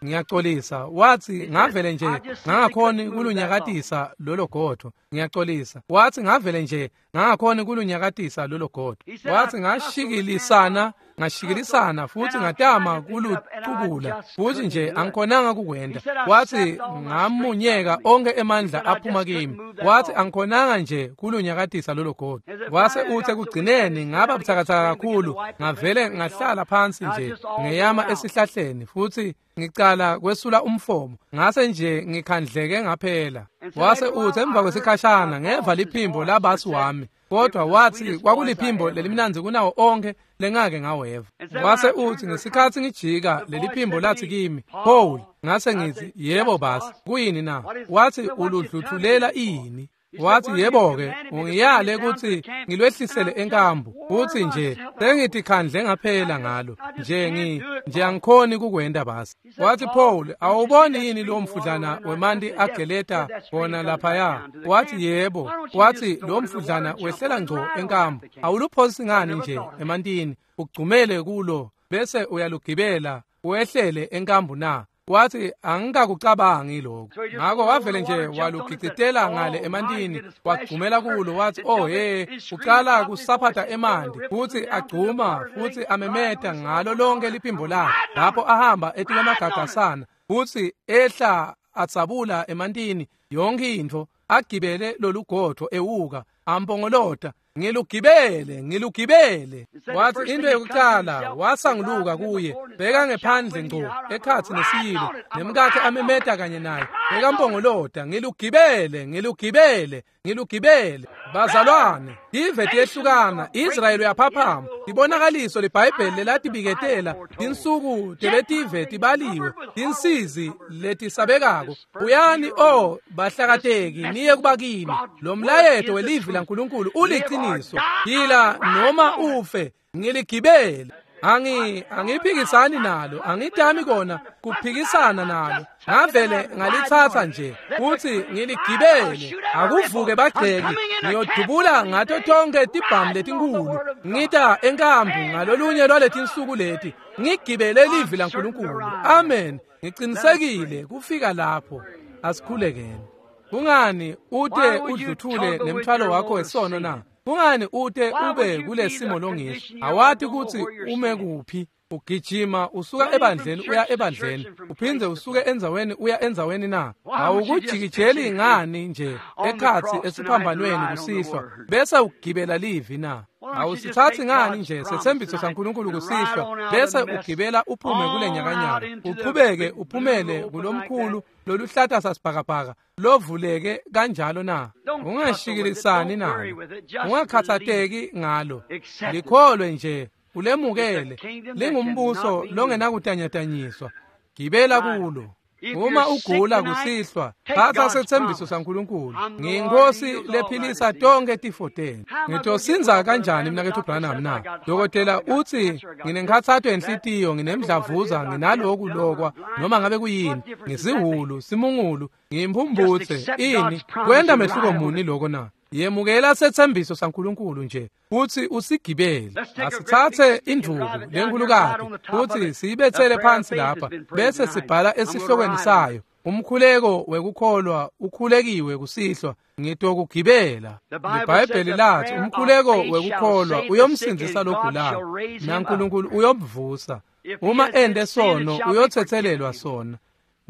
ngiyaxolisa. Wathi ngavele nje ngangakhoni kulunyakatisa lolo godo. Ngiyaxolisa. Wathi ngavele nje ngangakhoni kulunyakatisa lolo godo. Wathi ngashikilisana futhi ngatama kulucukula futhi nje angikhonanga kukwenda. Wathi ngamunyeka onke emandla aphuma kimi. Wathi angikhonanga nje kulunyakatisa lolo godo. Wase uthi ekugcineni ngaba buthakathaka kakhulu, ngavele ngahlala phansi nje ngeyama esihlahleni futhi ngicala kwesula umfomo, ngase nje ngikhandleke ngaphela. Wase uthi emva kwesikhashana ngeva liphimbo labasi wami, kodwa wathi kwakuliphimbo lelimnandzi kunawo onke lengake ngaweva. Wase uthi ngesikhathi ngijika leliphimbo lathi kimi, Paul. Ngase ngithi, yebo basi, kuyini na? Wathi uludluthulela ini? Wathi yebo-ke, ungiyale ukuthi ngilwehlisele enkambu. Uthi nje sengithi khandle ngaphela ngalo nje angikhoni kukwenda basi. Wathi Paul, awuboni yini lo mfudlana wemanti ageleta wona laphaya? Wathi yebo. Wathi lo mfudlana wehlela ngco enkambu, awuluphosi ngani nje emantini ugcumele kulo bese uyalugibela wehlele enkambu na? Wathi angikakucabangi lokho. Ngakho wavele nje walugicitela ngale emantini wagcumela kulo. Wathi oh hey, uqala kusaphatha emanti futhi agcuma futhi amemeta ngalo lonke liphimbo lakhe lapho ahamba etulamagagasana futhi ehla atsabula emantini yonke intfo, agibele lolugodvo ewuka ampongolota, ngilugibele ngilugibele. Wathi into yokuqala wasanguluka kuye, bheka ngephandle ngco ekhathi nesiyilo, nemkakhe amemeta kanye naye, bekampongolota, ngilugibele ngilugibele ngilugibele. Bazalwane, tive tiyehlukana, Israyeli uyaphaphama. Ibonakaliso leBhayibheli lelatibiketela tinsuku teletive tibaliwe, tinsizi letisabekako. Buyani o bahlakateki niye kubakini. Lo mlayeto welivi laNkulunkulu uliqiniso. Phila noma ufe, Ngiligibele. Angiphikisani nalo, angitami kona kuphikisana nalo. Ngavele ngalithatha nje futhi ngiligibele. Akuvuke bagxeki, ngiyodubula ngato tonke tibhamu letinkulu. Ngita enkambu ngalolunye lwaletinsuku leti, ngigibele livi laNkulunkulu. Amen. Ngiqinisekile kufika lapho. Asikhulekeni. Kungani ute udluthule nemthwalo wakho wesono na? Kungani ute ube kulesimo longisho? Awati ukuthi ume kuphi. Ugijima usuka ebandleni uya ebandleni, uphindze usuke endzaweni uya endzaweni na? Awukujikijeli ngani nje ekhatsi esiphambanweni kusihlwa bese ugibela livi na? Awusithathi ngani nje sethembiso saNkulunkulu kusihlwa bese ugibela uphume kule nyakanyaka, uqhubeke uphumele kulomkhulu loluhlata sasibhakabhaka lovuleke kanjalo na? Ungashikilisani nalo, ungakhathateki ngalo, likholwe nje, ulemukele. Lingumbuso longenakutanyatanyiswa, gibela kulo. Uma ugula kusihlwa, thatha sethembiso saNkulunkulu. Ngiyinkosi lephilisa tonke tifo tenu. Ngitosinza kanjani mnaketfu Branham na? Dokotela utsi nginenkhatsato yenhlitiyo, nginemdlavuza, nginaloku lokwa, noma ngabe kuyini, ngisihulu, simungulu, ngiyimphumphutse. Ini kwenta mehluko muni loko na? Yemukela sethembiso saNkulunkulu nje futhi usigibele. Asithathe indvuku lenkulukati futhi siyibethele phansi lapha bese sibhala esihlokweni sayo, umkhuleko wekukholwa ukhulekiwe kusihlwa, ngitokugibela. IBhayibheli lathi umkhuleko wekukholwa uyomsindzisa logulayo, naNkulunkulu uyomvusa. Uma ende sono uyothethelelwa sona.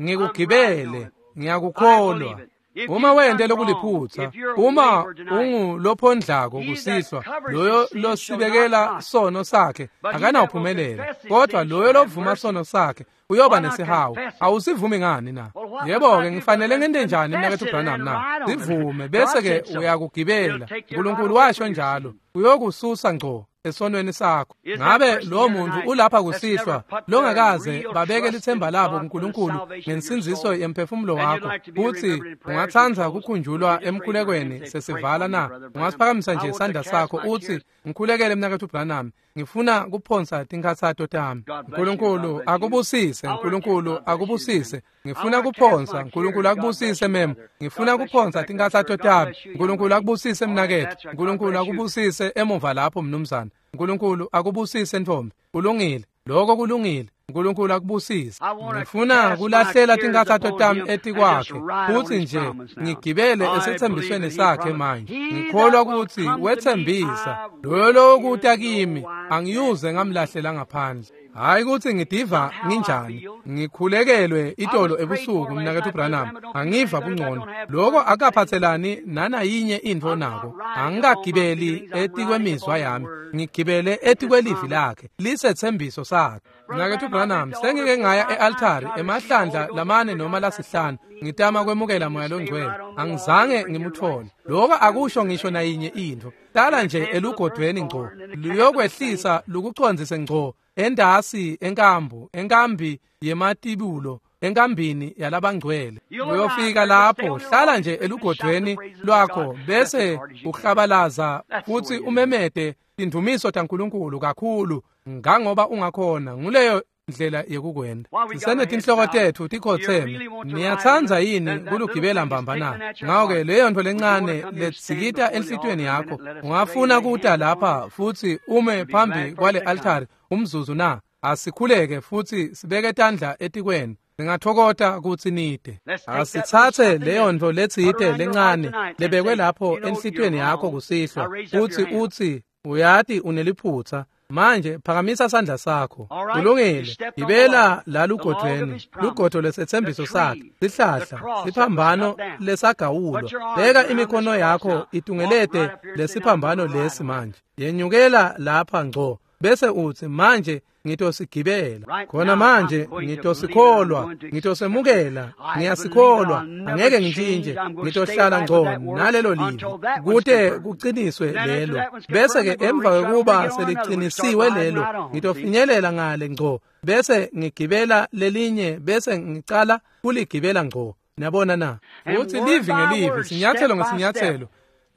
Ngikugibele, ngiyakukholwa. Uma wente lokuliphutha, uma ungulophondlako kusihlwa, loyo losibekela sono sakhe akanawuphumelela, kodwa loyo lovuma sono sakhe uyoba nesihawu. Awusivumi ngani na? Yebo-ke, ngifanele ngente njani mnaketfu Branham na? Sivume bese-ke uyakugibela. Nkulunkulu washo njalo, uyokususa ngco esonweni sakho. Ngabe lo muntu ulapha kusihlwa longakaze babeke lithemba labo kuNkulunkulu ngensindziso yemphefumulo wakho, futhi ungatsandza kukhunjulwa emkhulekweni sesivala na? Ungasiphakamisa nje isandla sakho uthi, ngikhulekele mnaketfu Branham, ngifuna kuphonsa tinkhatsato tami. Nkulunkulu akubusise, Nkulunkulu akubusise. Ngifuna kuphonsa, Nkulunkulu akubusise mem. Ngifuna kuphonsa tinkhatsato tami. Nkulunkulu akubusise mnaketfu. Nkulunkulu akubusise emuva lapho mnumzane. Nkulunkulu akubusise ntombi. Kulungile, lokho kulungile. Nkulunkulu akubusise. Ngifuna kulahlela tinkhatsato tami etikwakhe futhi nje ngigibele esethembisweni sakhe manje. Ngikholwa ukuthi wethembisa loyo lokuta kimi angiyuze ngamlahlela ngaphandle. Hayi ukuthi ngidiva nginjani, ngikhulekelwe itolo ebusuku mnaketfu Branham, angiva bungcono. Lokho akaphathelani nanayinye intfo nako. Angikagibeli etikwemizwa yami, ngigibele etikwelivi lakhe, lisethembiso sakhe. Mnaketfu Branham, sengike ngaya e-altari emahlandla lamane noma lasihlanu ngitama kwemukela moya longcwele, angizange ngimutfole. Lokho akusho ngisho nayinye intfo. Tala nje elugodweni ngco, luyokwehlisa lukucondzise ngco endasi enkambu, enkambi yematibulo, enkambini yalabangcwele. Uyofika lapho, hlala nje elugodweni lwakho bese uhlabalaza futhi umemete tindumiso taNkulunkulu kakhulu ngangoba ungakhona. Nguleyo ndlela yekukwenda. Sisenetinhloko tetfu tikhotseme. Niyatsandza yini kulugibela mbamba na? Ngako-ke leyo ntfo lencane letsikita enhlitiyweni yakho, ungafuna kuta lapha futhi ume phambi kwale altari umzuzu na? Asikhuleke futhi sibeke tandla etikwenu. Singathokota kutsi nide. Asithathe leyo ntfo letsite lencane lebekwe lapho enhlitiyweni yakho kusihlwa futhi utsi, uyati uneliphutsa. Manje phakamisa sandla sakho. Kulungile. Gibela la lugodweni, lugodo lesethembiso sakhe, sihlahla, siphambano lesagawulwa. Beka imikhono yakho itungelete lesiphambano lesi manje. Yenyukela lapha ngco bese utsi, manje ngitosigibela khona manje, ngitosikholwa, ngitosemukela, ngiyasikholwa, angeke ngitshintshe, ngitohlala ngco nalelo livi kute kuqiniswe lelo. Bese-ke emva kwekuba seliqinisiwe lelo, ngitofinyelela ngale ngco bese ngigibela lelinye bese ngicala kuligibela ngco. Niyabona na? Uthi livi ngelivi, sinyathelo ngesinyathelo,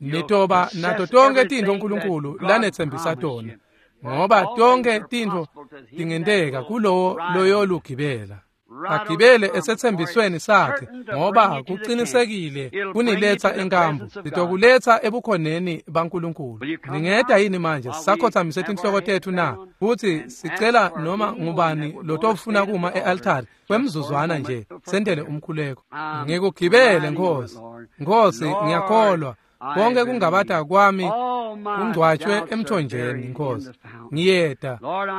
nitoba nato tonke tintfo uNkulunkulu lanetsembisa tona. Ngoba tonke tintfo tingenteka kulowo loyolugibela. Agibele esethembisweni sakhe, ngoba kuqinisekile kuniletsa enkambu, litokuletsa ebukhoneni baNkulunkulu. Ningeta yini manje sisakhothamise tinhloko tetfu na? Futsi sicela noma ngubani lotofuna kuma e-altari kwemzuzwana nje sentele umkhuleko. Ngikugibele Nkosi. Nkosi, ngiyakholwa. Konke kungabata kwami kungcwatshwe emthonjeni Nkosi. Ngiyeta,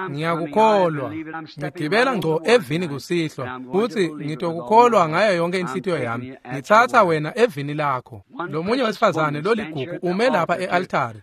ngiyakukholwa. Ngigibela ngco evini kusihlwa, futhi ngitokukholwa ngayo yonke inhlitiyo yami. Ngitsatsa wena evini lakho. Lomunye wesifazane loligugu ume lapha e-altari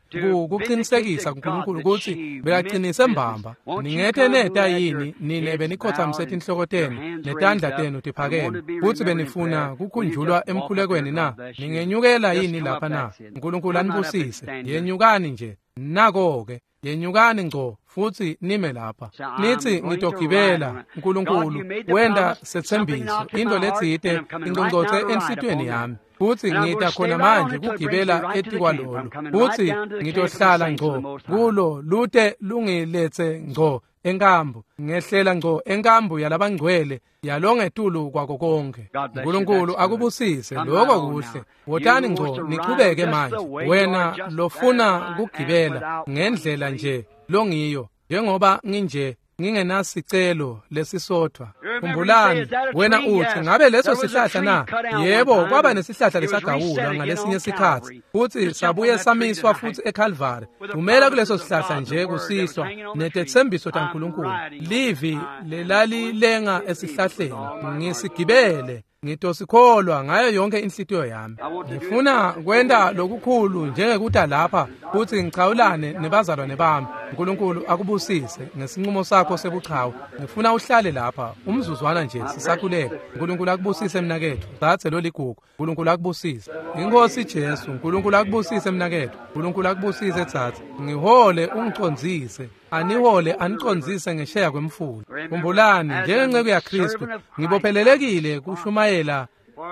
kuqinisekisa kuNkulunkulu kutsi bekaqinise mbamba. Ningete neta yini nine benikhothamise tinhloko tenu netandla tenu tiphakeme, futsi benifuna kukhunjulwa emkhulekweni na? Ningenyukela yini lapha na? uNkulunkulu anibusise. Yenyukani nje. Nako-ke, yenyukani ngco futhi nime lapha. Nithi ngitogibela uNkulunkulu wenda sethembiso into letsite ingqongqothe enhlitiyweni yami. Futhi ngita khona manje kugibela etikwalolo. Futhi ngitohlala ngco kulo lute lungiletse ngco enkambu, ngehlela ngco enkambu yalabangcwele yalongetulu kwako konke. uNkulunkulu akubusise. Lokho kuhle. Wotani ngco nichubeke manje. Wena lofuna kugibela ngendlela nje longiyo, njengoba nginje ngingenasicelo lesisodwa. Khumbulani, wena uthi ngabe leso sihlahla na? Yebo, kwaba nesihlahla lesagawulwa ngalesinye sikhatsi, futhi sabuye samiswa futhi eCalvary. Thumela kuleso sihlahla nje kusihlwa netethembiso taNkulunkulu. Livi lelalilenga esihlahleni, ngisigibele. Ngitosikholwa ngayo yonke inhlitiyo yami. Ngifuna kwenta lokukhulu njengekuta lapha futhi ngichawulane nebazalwane bami. uNkulunkulu akubusise ngesinqumo sakho sebuchawe. Ngifuna uhlale lapha umzuzwana nje sisakhuleka. uNkulunkulu akubusise mnaketfu. Dzadze loligugu. uNkulunkulu akubusise. Inkosi Jesu, uNkulunkulu akubusise mnaketfu. uNkulunkulu akubusise dzadze. Ngihole ungicondzise. Anihole anicondzise ngesheya kwemfula. Khumbulani, njengenceku yaKristu, ngibophelelekile kushumayela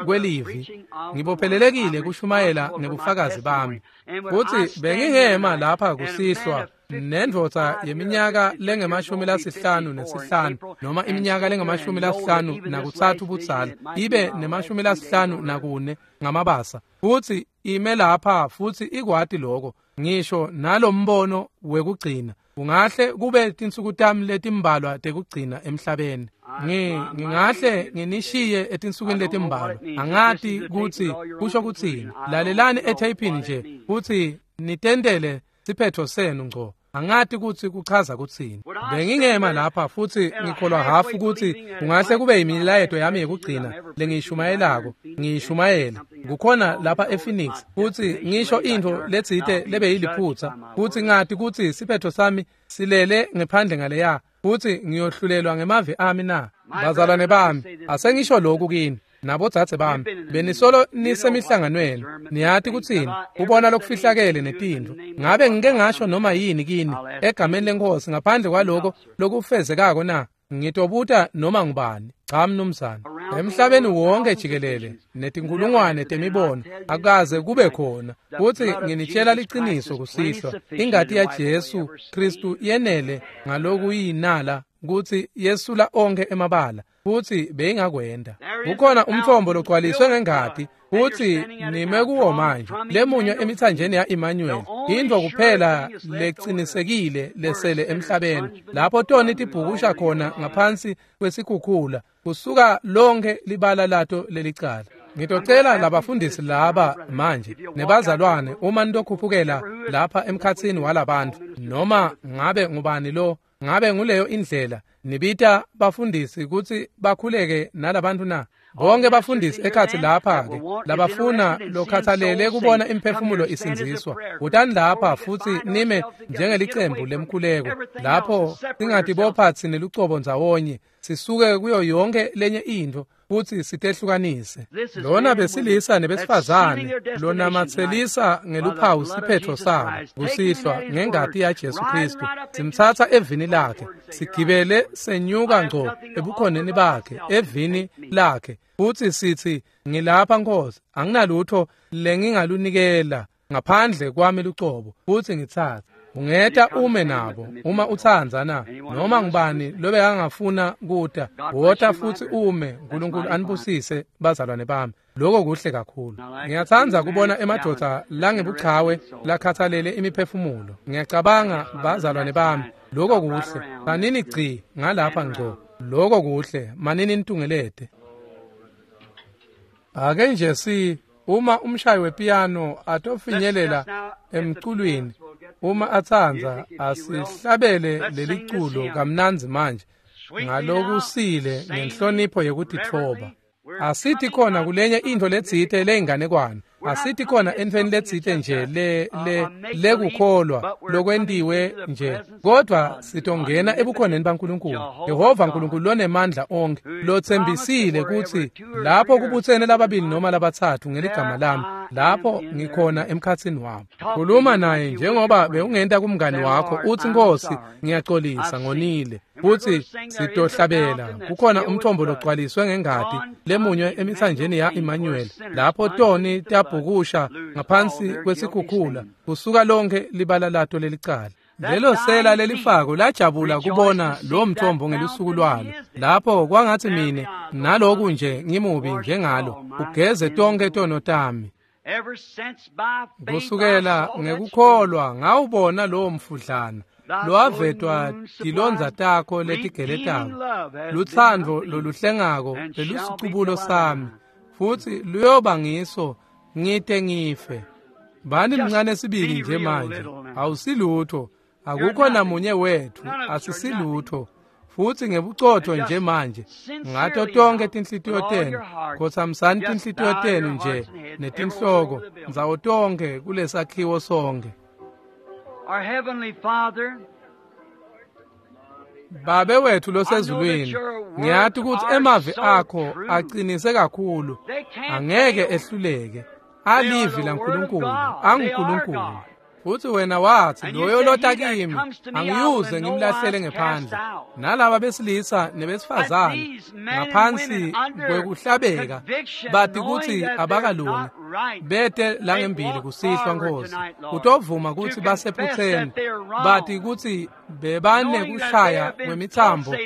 kwelivi. Ngibophelelekile kushumayela ngebufakazi bami. Futhi bengingema lapha kusihlwa nendvodza yeminyaka lengemashumi-55 noma iminyaka lengemashumi-53 budzala, ibe nema-54 ngamabasa, futhi ime lapha futhi ikwati lokho, ngisho nalombono wekugcina. Kungahle kube tinsuku tami letimbalwa tekugcina emhlabeni. Ngingahle nginishiye etinsukwini letimbalwa. Angati kutsi kusho kutsini. Lalelani etheyphini nje futhi nitentele siphetho senu ngco. Angati kutsi kuchaza kutsini. Bengingema lapha futhi ngikholwa hafu kutsi kungahle kube imilayeto yami yekugcina lengiyishumayelako. Ngiyishumayela kukhona lapha ePhoenix, futhi ngisho intfo letsite lebeyiliphutsa, futhi ngati kutsi siphetho sami silele ngephandle ngaleya, futhi ngiyohlulelwa ngemavi ami na. Bazalwane bami, asengisho lokhu kini nabodzadze bami, benisolo nisemihlanganweni, niyati kutsini, kubona lokufihlakele netintfo. Ngabe ngike ngasho noma yini kini egameni leNkosi ngaphandle kwaloko lokufezekako na? Ngitobuta noma ngubani. Cha mnumzane. Emhlabeni wonke jikelele netinkulungwane temibono akaze kube khona. Futhi nginitshela liqiniso kusihlwa, ingati yaJesu Kristu yenele ngalokuyinala kutsi yesula onke emabala, futhi beyingakwenda. Kukhona umthombo logcwaliswe ngengati, futhi nime kuwo manje, lemunywe emithanjeni ya-Emmanuel, intfo kuphela lecinisekile lesele emhlabeni, lapho toni tibhukusha khona ngaphansi kwesikhukhula, kusuka lonke libala lato lelicala. Ngitocela labafundisi laba manje nebazalwane, uma nitokhuphukela lapha emkhatsini walabantu, noma ngabe ngubani lo, ngabe nguleyo indlela nibita bafundisi kutsi bakhuleke nalabantu na? Bonke bafundisi ekhatsi lapha-ke labafuna lokhathalele kubona imphefumulo isindziswa, wotani lapha futhi nime njengelicembu lemkhuleko, lapho singatibopha tsine lucobo ndzawonye, sisuke kuyo yonke lenye intfo futhi sitehlukanise. Lona besilisa nebesifazane lonamatselisa ngeluphawu siphetho sabo kusihlwa ngengati yaJesu Kristu, simtsatsa evini lakhe, sigibele senyuka ngco ebukhoneni bakhe evini lakhe, futhi sithi, ngilapha Nkosi, anginalutho lengingalunikela ngaphandle kwami lucobo, futhi ngitsatse. Ungeta ume nabo uma utsandza na noma ngubani lobekangafuna kuta wota futsi ume. Nkulunkulu anibusise bazalwane bami. Lokho kuhle kakhulu. Ngiyatsandza kubona emadvodza langebuchawe lakhathalele imiphefumulo. Ngiyacabanga bazalwane bami, lokho kuhle. Manini gci ngalapha ngco. Lokho kuhle, manini nitungelete. Ake nje si uma umshayi wepiyano atofinyelela emculweni, uma atsandza asihlabele leliculo kamnandzi manje ngalokusile ngenhlonipho yekutitfoba. Asithi khona kulenye into letsite leyinganekwane, asithi khona entfweni letsite nje le lekukholwa lokwentiwe nje, kodwa sitongena ebukhoneni baNkulunkulu, Yehova Nkulunkulu lonemandla onke, lotsembisile kutsi lapho kubutsene lababili noma labatsatfu ngeligama lami, lapho ngikhona emkhatsini wabo. Khuluma naye njengoba bewungenta kumngani wakho, uthi Nkosi, ngiyaxolisa ngonile. Futhi sitohlabela kukhona umthombo logcwaliswe ngengati lemunywe emithanjeni ya Emmanuel, lapho toni tabhukusha ngaphansi kwesikhukhula kusuka lonke libala lato lelicala. Lelo sela lelifako lajabula kubona lo mthombo ngelusuku lwalo, lapho kwangathi mine naloku nje ngimubi njengalo, ugeze tonke tono tami. Kusukela ngekukholwa ngawubona lowo mfudlana lowavetwa tilondza takho letigeletako, lutsandvo loluhlengako lelusicubulo sami, futhi luyoba ngiso ngite ngife. Bani mncane sibili nje manje, awusilutho, akukho namunye wethu, asisilutho. Futhi ngebucotho nje manje ngato tonke tinhlitiyo tenu, khotsamisani tinhlitiyo tenu nje netinhloko ndzawo tonke kulesakhiwo sonke. Our Heavenly Father, Babe wethu losezulwini, ngiyati ukuthi emavi akho aqinise kakhulu, angeke ehluleke. Alivi laNkulunkulu, anguNkulunkulu. Futhi wena wathi loyo lota kimi angiyuze ngimlahlele ngephandle. Nalaba besilisa nebesifazane ngaphansi kwekuhlabeka bati kutsi abakalungi, bete langembili kusihlwa Nkosi, utovuma kutsi basephutseni, bati kutsi bebanekushaya kwemitsambo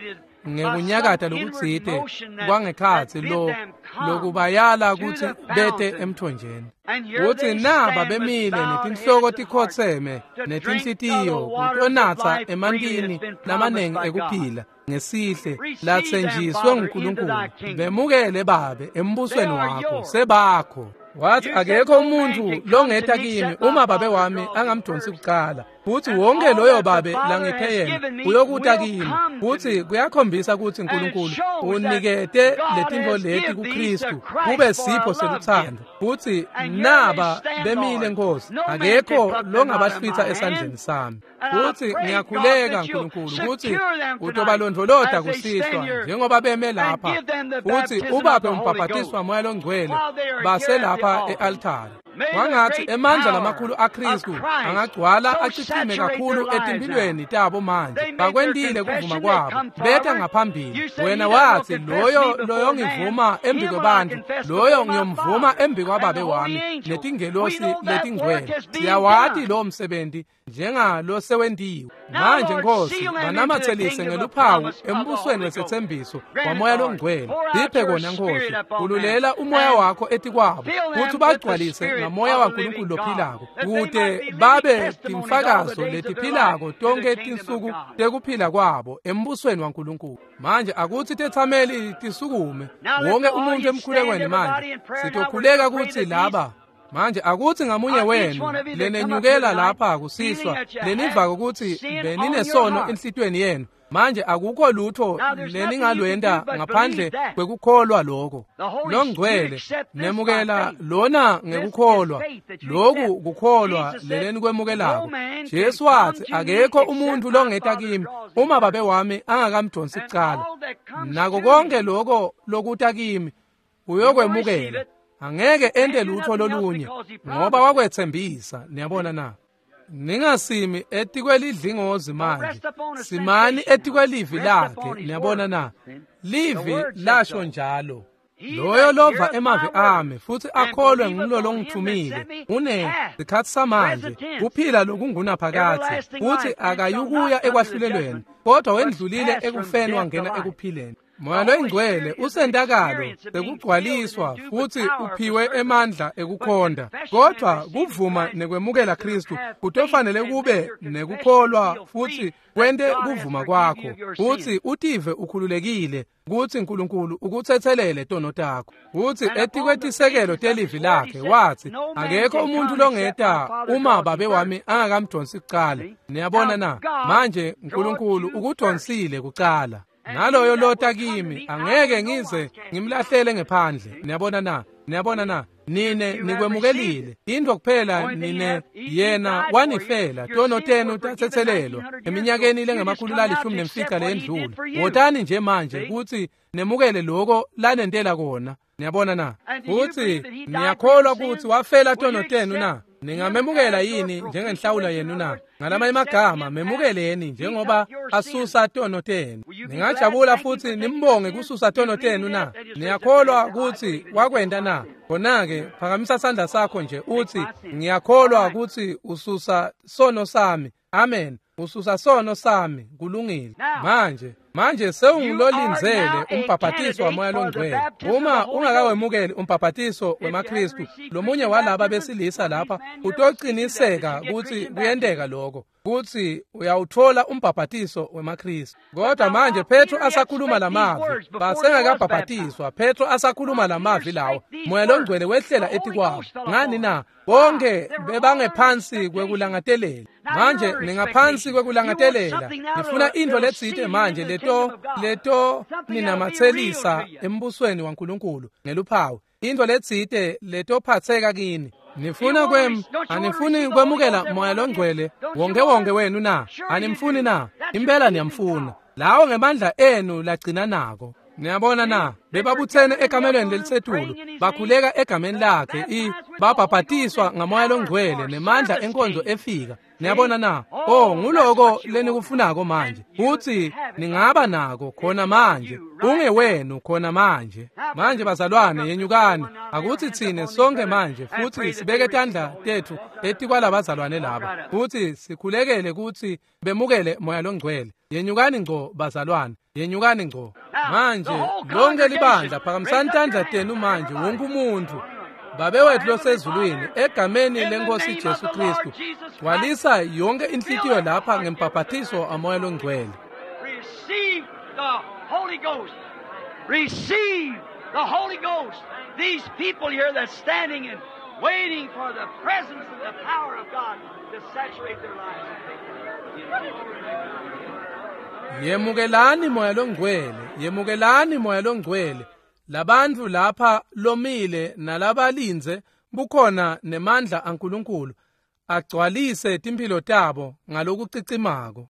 ngekunyakata lokutsite kwangekhatsi lo lokubayala kutsi bete emthonjeni. Kutsi naba bemile netinhloko tikhotseme netinhlitiyo kutonatsa emantini lamanengi ekuphila ngesihle latsenjiswe nguNkulunkulu. Bemukele Babe embusweni wakho, sebakho. Wathi akekho umuntu longeta kimi uma Babe wami angamdonsi kuqala, futhi wonke loyo Babe langiphe yena uyokuta kimi. Futhi kuyakhombisa ukuthi uNkulunkulu unikete letintfo leti kuKristu kube sipho seluthando. Futhi naba bemile Nkosi, akekho longabahlwitha esandleni sami. Futhi ngiyakhuleka Nkulunkulu ukuthi utobalondvolota kusihlwa njengoba beme lapha, futhi ubaphe umbhabhatiswa Moya loNgcwele baselapha e-altare. Kwangathi emandla lamakhulu aKristu angagcwala achichime kakhulu etimphilweni tabo manje. Bakwentile kuvuma kwabo, beta ngaphambili. Wena wathi loyo loyongivuma embi kwebantfu, loyo ngiyomvuma embi kwaBabe wami netingelosi letingcwele. Siyawati lowo msebenzi njengalosewentiwe. Manje Nkosi, banamatselise ngeluphawu embusweni wesethembiso waMoya loNgcwele. Siphe kona Nkosi, ululela umoya wakho etikwabo, kutsi ubagcwalise ngamoya waNkulunkulu lophilako, kute babe timfakazo letiphilako tonke tinsuku tekuphila kwabo embusweni waNkulunkulu. Manje akutsi tetsameli tisukume, wonke umuntu emkhulekweni manje. Sitokhuleka kutsi laba manje akutsi ngamunye wenu lenenyukela lapha kusihlwa lenivako kutsi beninesono enhlitiyweni yenu, manje akukho lutho leningalwenta ngaphandle kwekukholwa lokho. LoNgcwele nemukela lona ngekukholwa, loku kukholwa lelenikwemukelako. Jesu wathi akekho umuntu longeta kimi uma Babe wami angakamdonsi kucala. Nako konke lokho lokuta kimi uyokwemukela, angeke ente lutho lolunye ngoba wakwethembisa. Niyabona na? Ningasimi etikwelidlingozi manje, simani etikwelivi lakhe. Niyabona na? Livi lasho njalo. Loyo lova emavi ami futhi akholwe ngulo longithumile une sikhathi samanje kuphila lokungunaphakadze futhi akayukuya ekwahlulelweni kodwa wendlulile ekufeni wangena ekuphileni. Moya loyingcwele usentakalo sekugcwaliswa futhi uphiwe emandla ekukhonda, kodwa kuvuma nekwemukela Kristu kutofanele kube nekukholwa futhi kwente kuvuma kwakho futhi utive ukhululekile kutsi Nkulunkulu ukutsetselele tono takho. Futhi etikwetisekelo telivi lakhe wathi akekho umuntu longeta uma babe wami angakamdonsi kucala. Niyabona na? Manje Nkulunkulu ukudonsile kucala. Naloyo lota kimi angeke ngize ngimlahlele ngephandle. Niyabona na? Niyabona na? Nine nikwemukelile into kuphela nine yena wanifela tono tenu tatsetselelwa eminyakeni lengama-115 leyendlule. Wotani nje manje kutsi nemukele loko lanentela kona. Niyabona na? Futhi niyakholwa kutsi wafela tono tenu na? Ningamemukela yini njengenhlawulo yenu na? Ngalamanye amagama memukeleni njengoba asusa tono tenu. Ningajabula futhi nimbonge kususa tono tenu na? Niyakholwa kutsi wakwenta na? Khona-ke phakamisa sandla sakho nje uthi ngiyakholwa kutsi ususa sono sami. Amen. Ususa sono sami. Kulungile. Manje sewungulolindzele umbhaphathiso waMoya loNgcwele. Uma ungakawemukeli umbhaphathiso wemaKristu, lomunye walaba besilisa lapha utociniseka kutsi kuyenteka lokho, kutsi uyawutfola umbhaphathiso wemaKristu. Kodwa manje Petro asakhuluma lamavi, basengakabhaphatiswa. Petro asakhuluma lamavi lawo, Moya loNgcwele wehlela etikwabo. Ngani na? Bonke bebangephansi kwekulangadelela. Manje ningaphansi kwekulangadelela. Nifuna intfo letsite manje leto ninamatselisa embusweni waNkulunkulu ngeluphawu. Intfo letsite letophatseka kini. Nifuna anifuni kwemukela Moya loNgcwele wonke wenu na? Animfuni na? Impela niyamfuna. Lawo ngemandla enu lagcina nako. Niyabona na? Bebabuthene ekamelweni lelisetulu, bakhuleka egameni lakhe, babhabhatiswa ngaMoya loNgcwele nemandla enkonzo efika. Niyabona na? Oh, nguloko lenikufunako manje. Futhi ningaba nako khona manje. Ungewenu khona manje. Manje bazalwane yenyukani. Akuthi thine sonke manje futhi sibeke tandla tethu etikwalabazalwane laba. Futhi sikhulekele ukuthi bemukele Moya loNgcwele. Yenyukani ngco bazalwane. Yenyukani ngco. Manje lonke libandla phakamisani tandla tenu manje wonke umuntu. Babe wethu losezulwini, egameni lenkosi Jesu Kristu, gcwalisa yonke inhlitiyo lapha ngembhaphathiso aMoya loNgcwele. Receive the Holy Ghost. Receive the Holy Ghost. These people here that's standing and waiting for the presence and the power of God to saturate their lives. Yemukelani Moya loNgcwele, yemukelani Moya loNgcwele. Labantfu lapha lomile nalabalindze bukhona nemandla aNkulunkulu agcwalise timphilo tabo ngalokucicimako.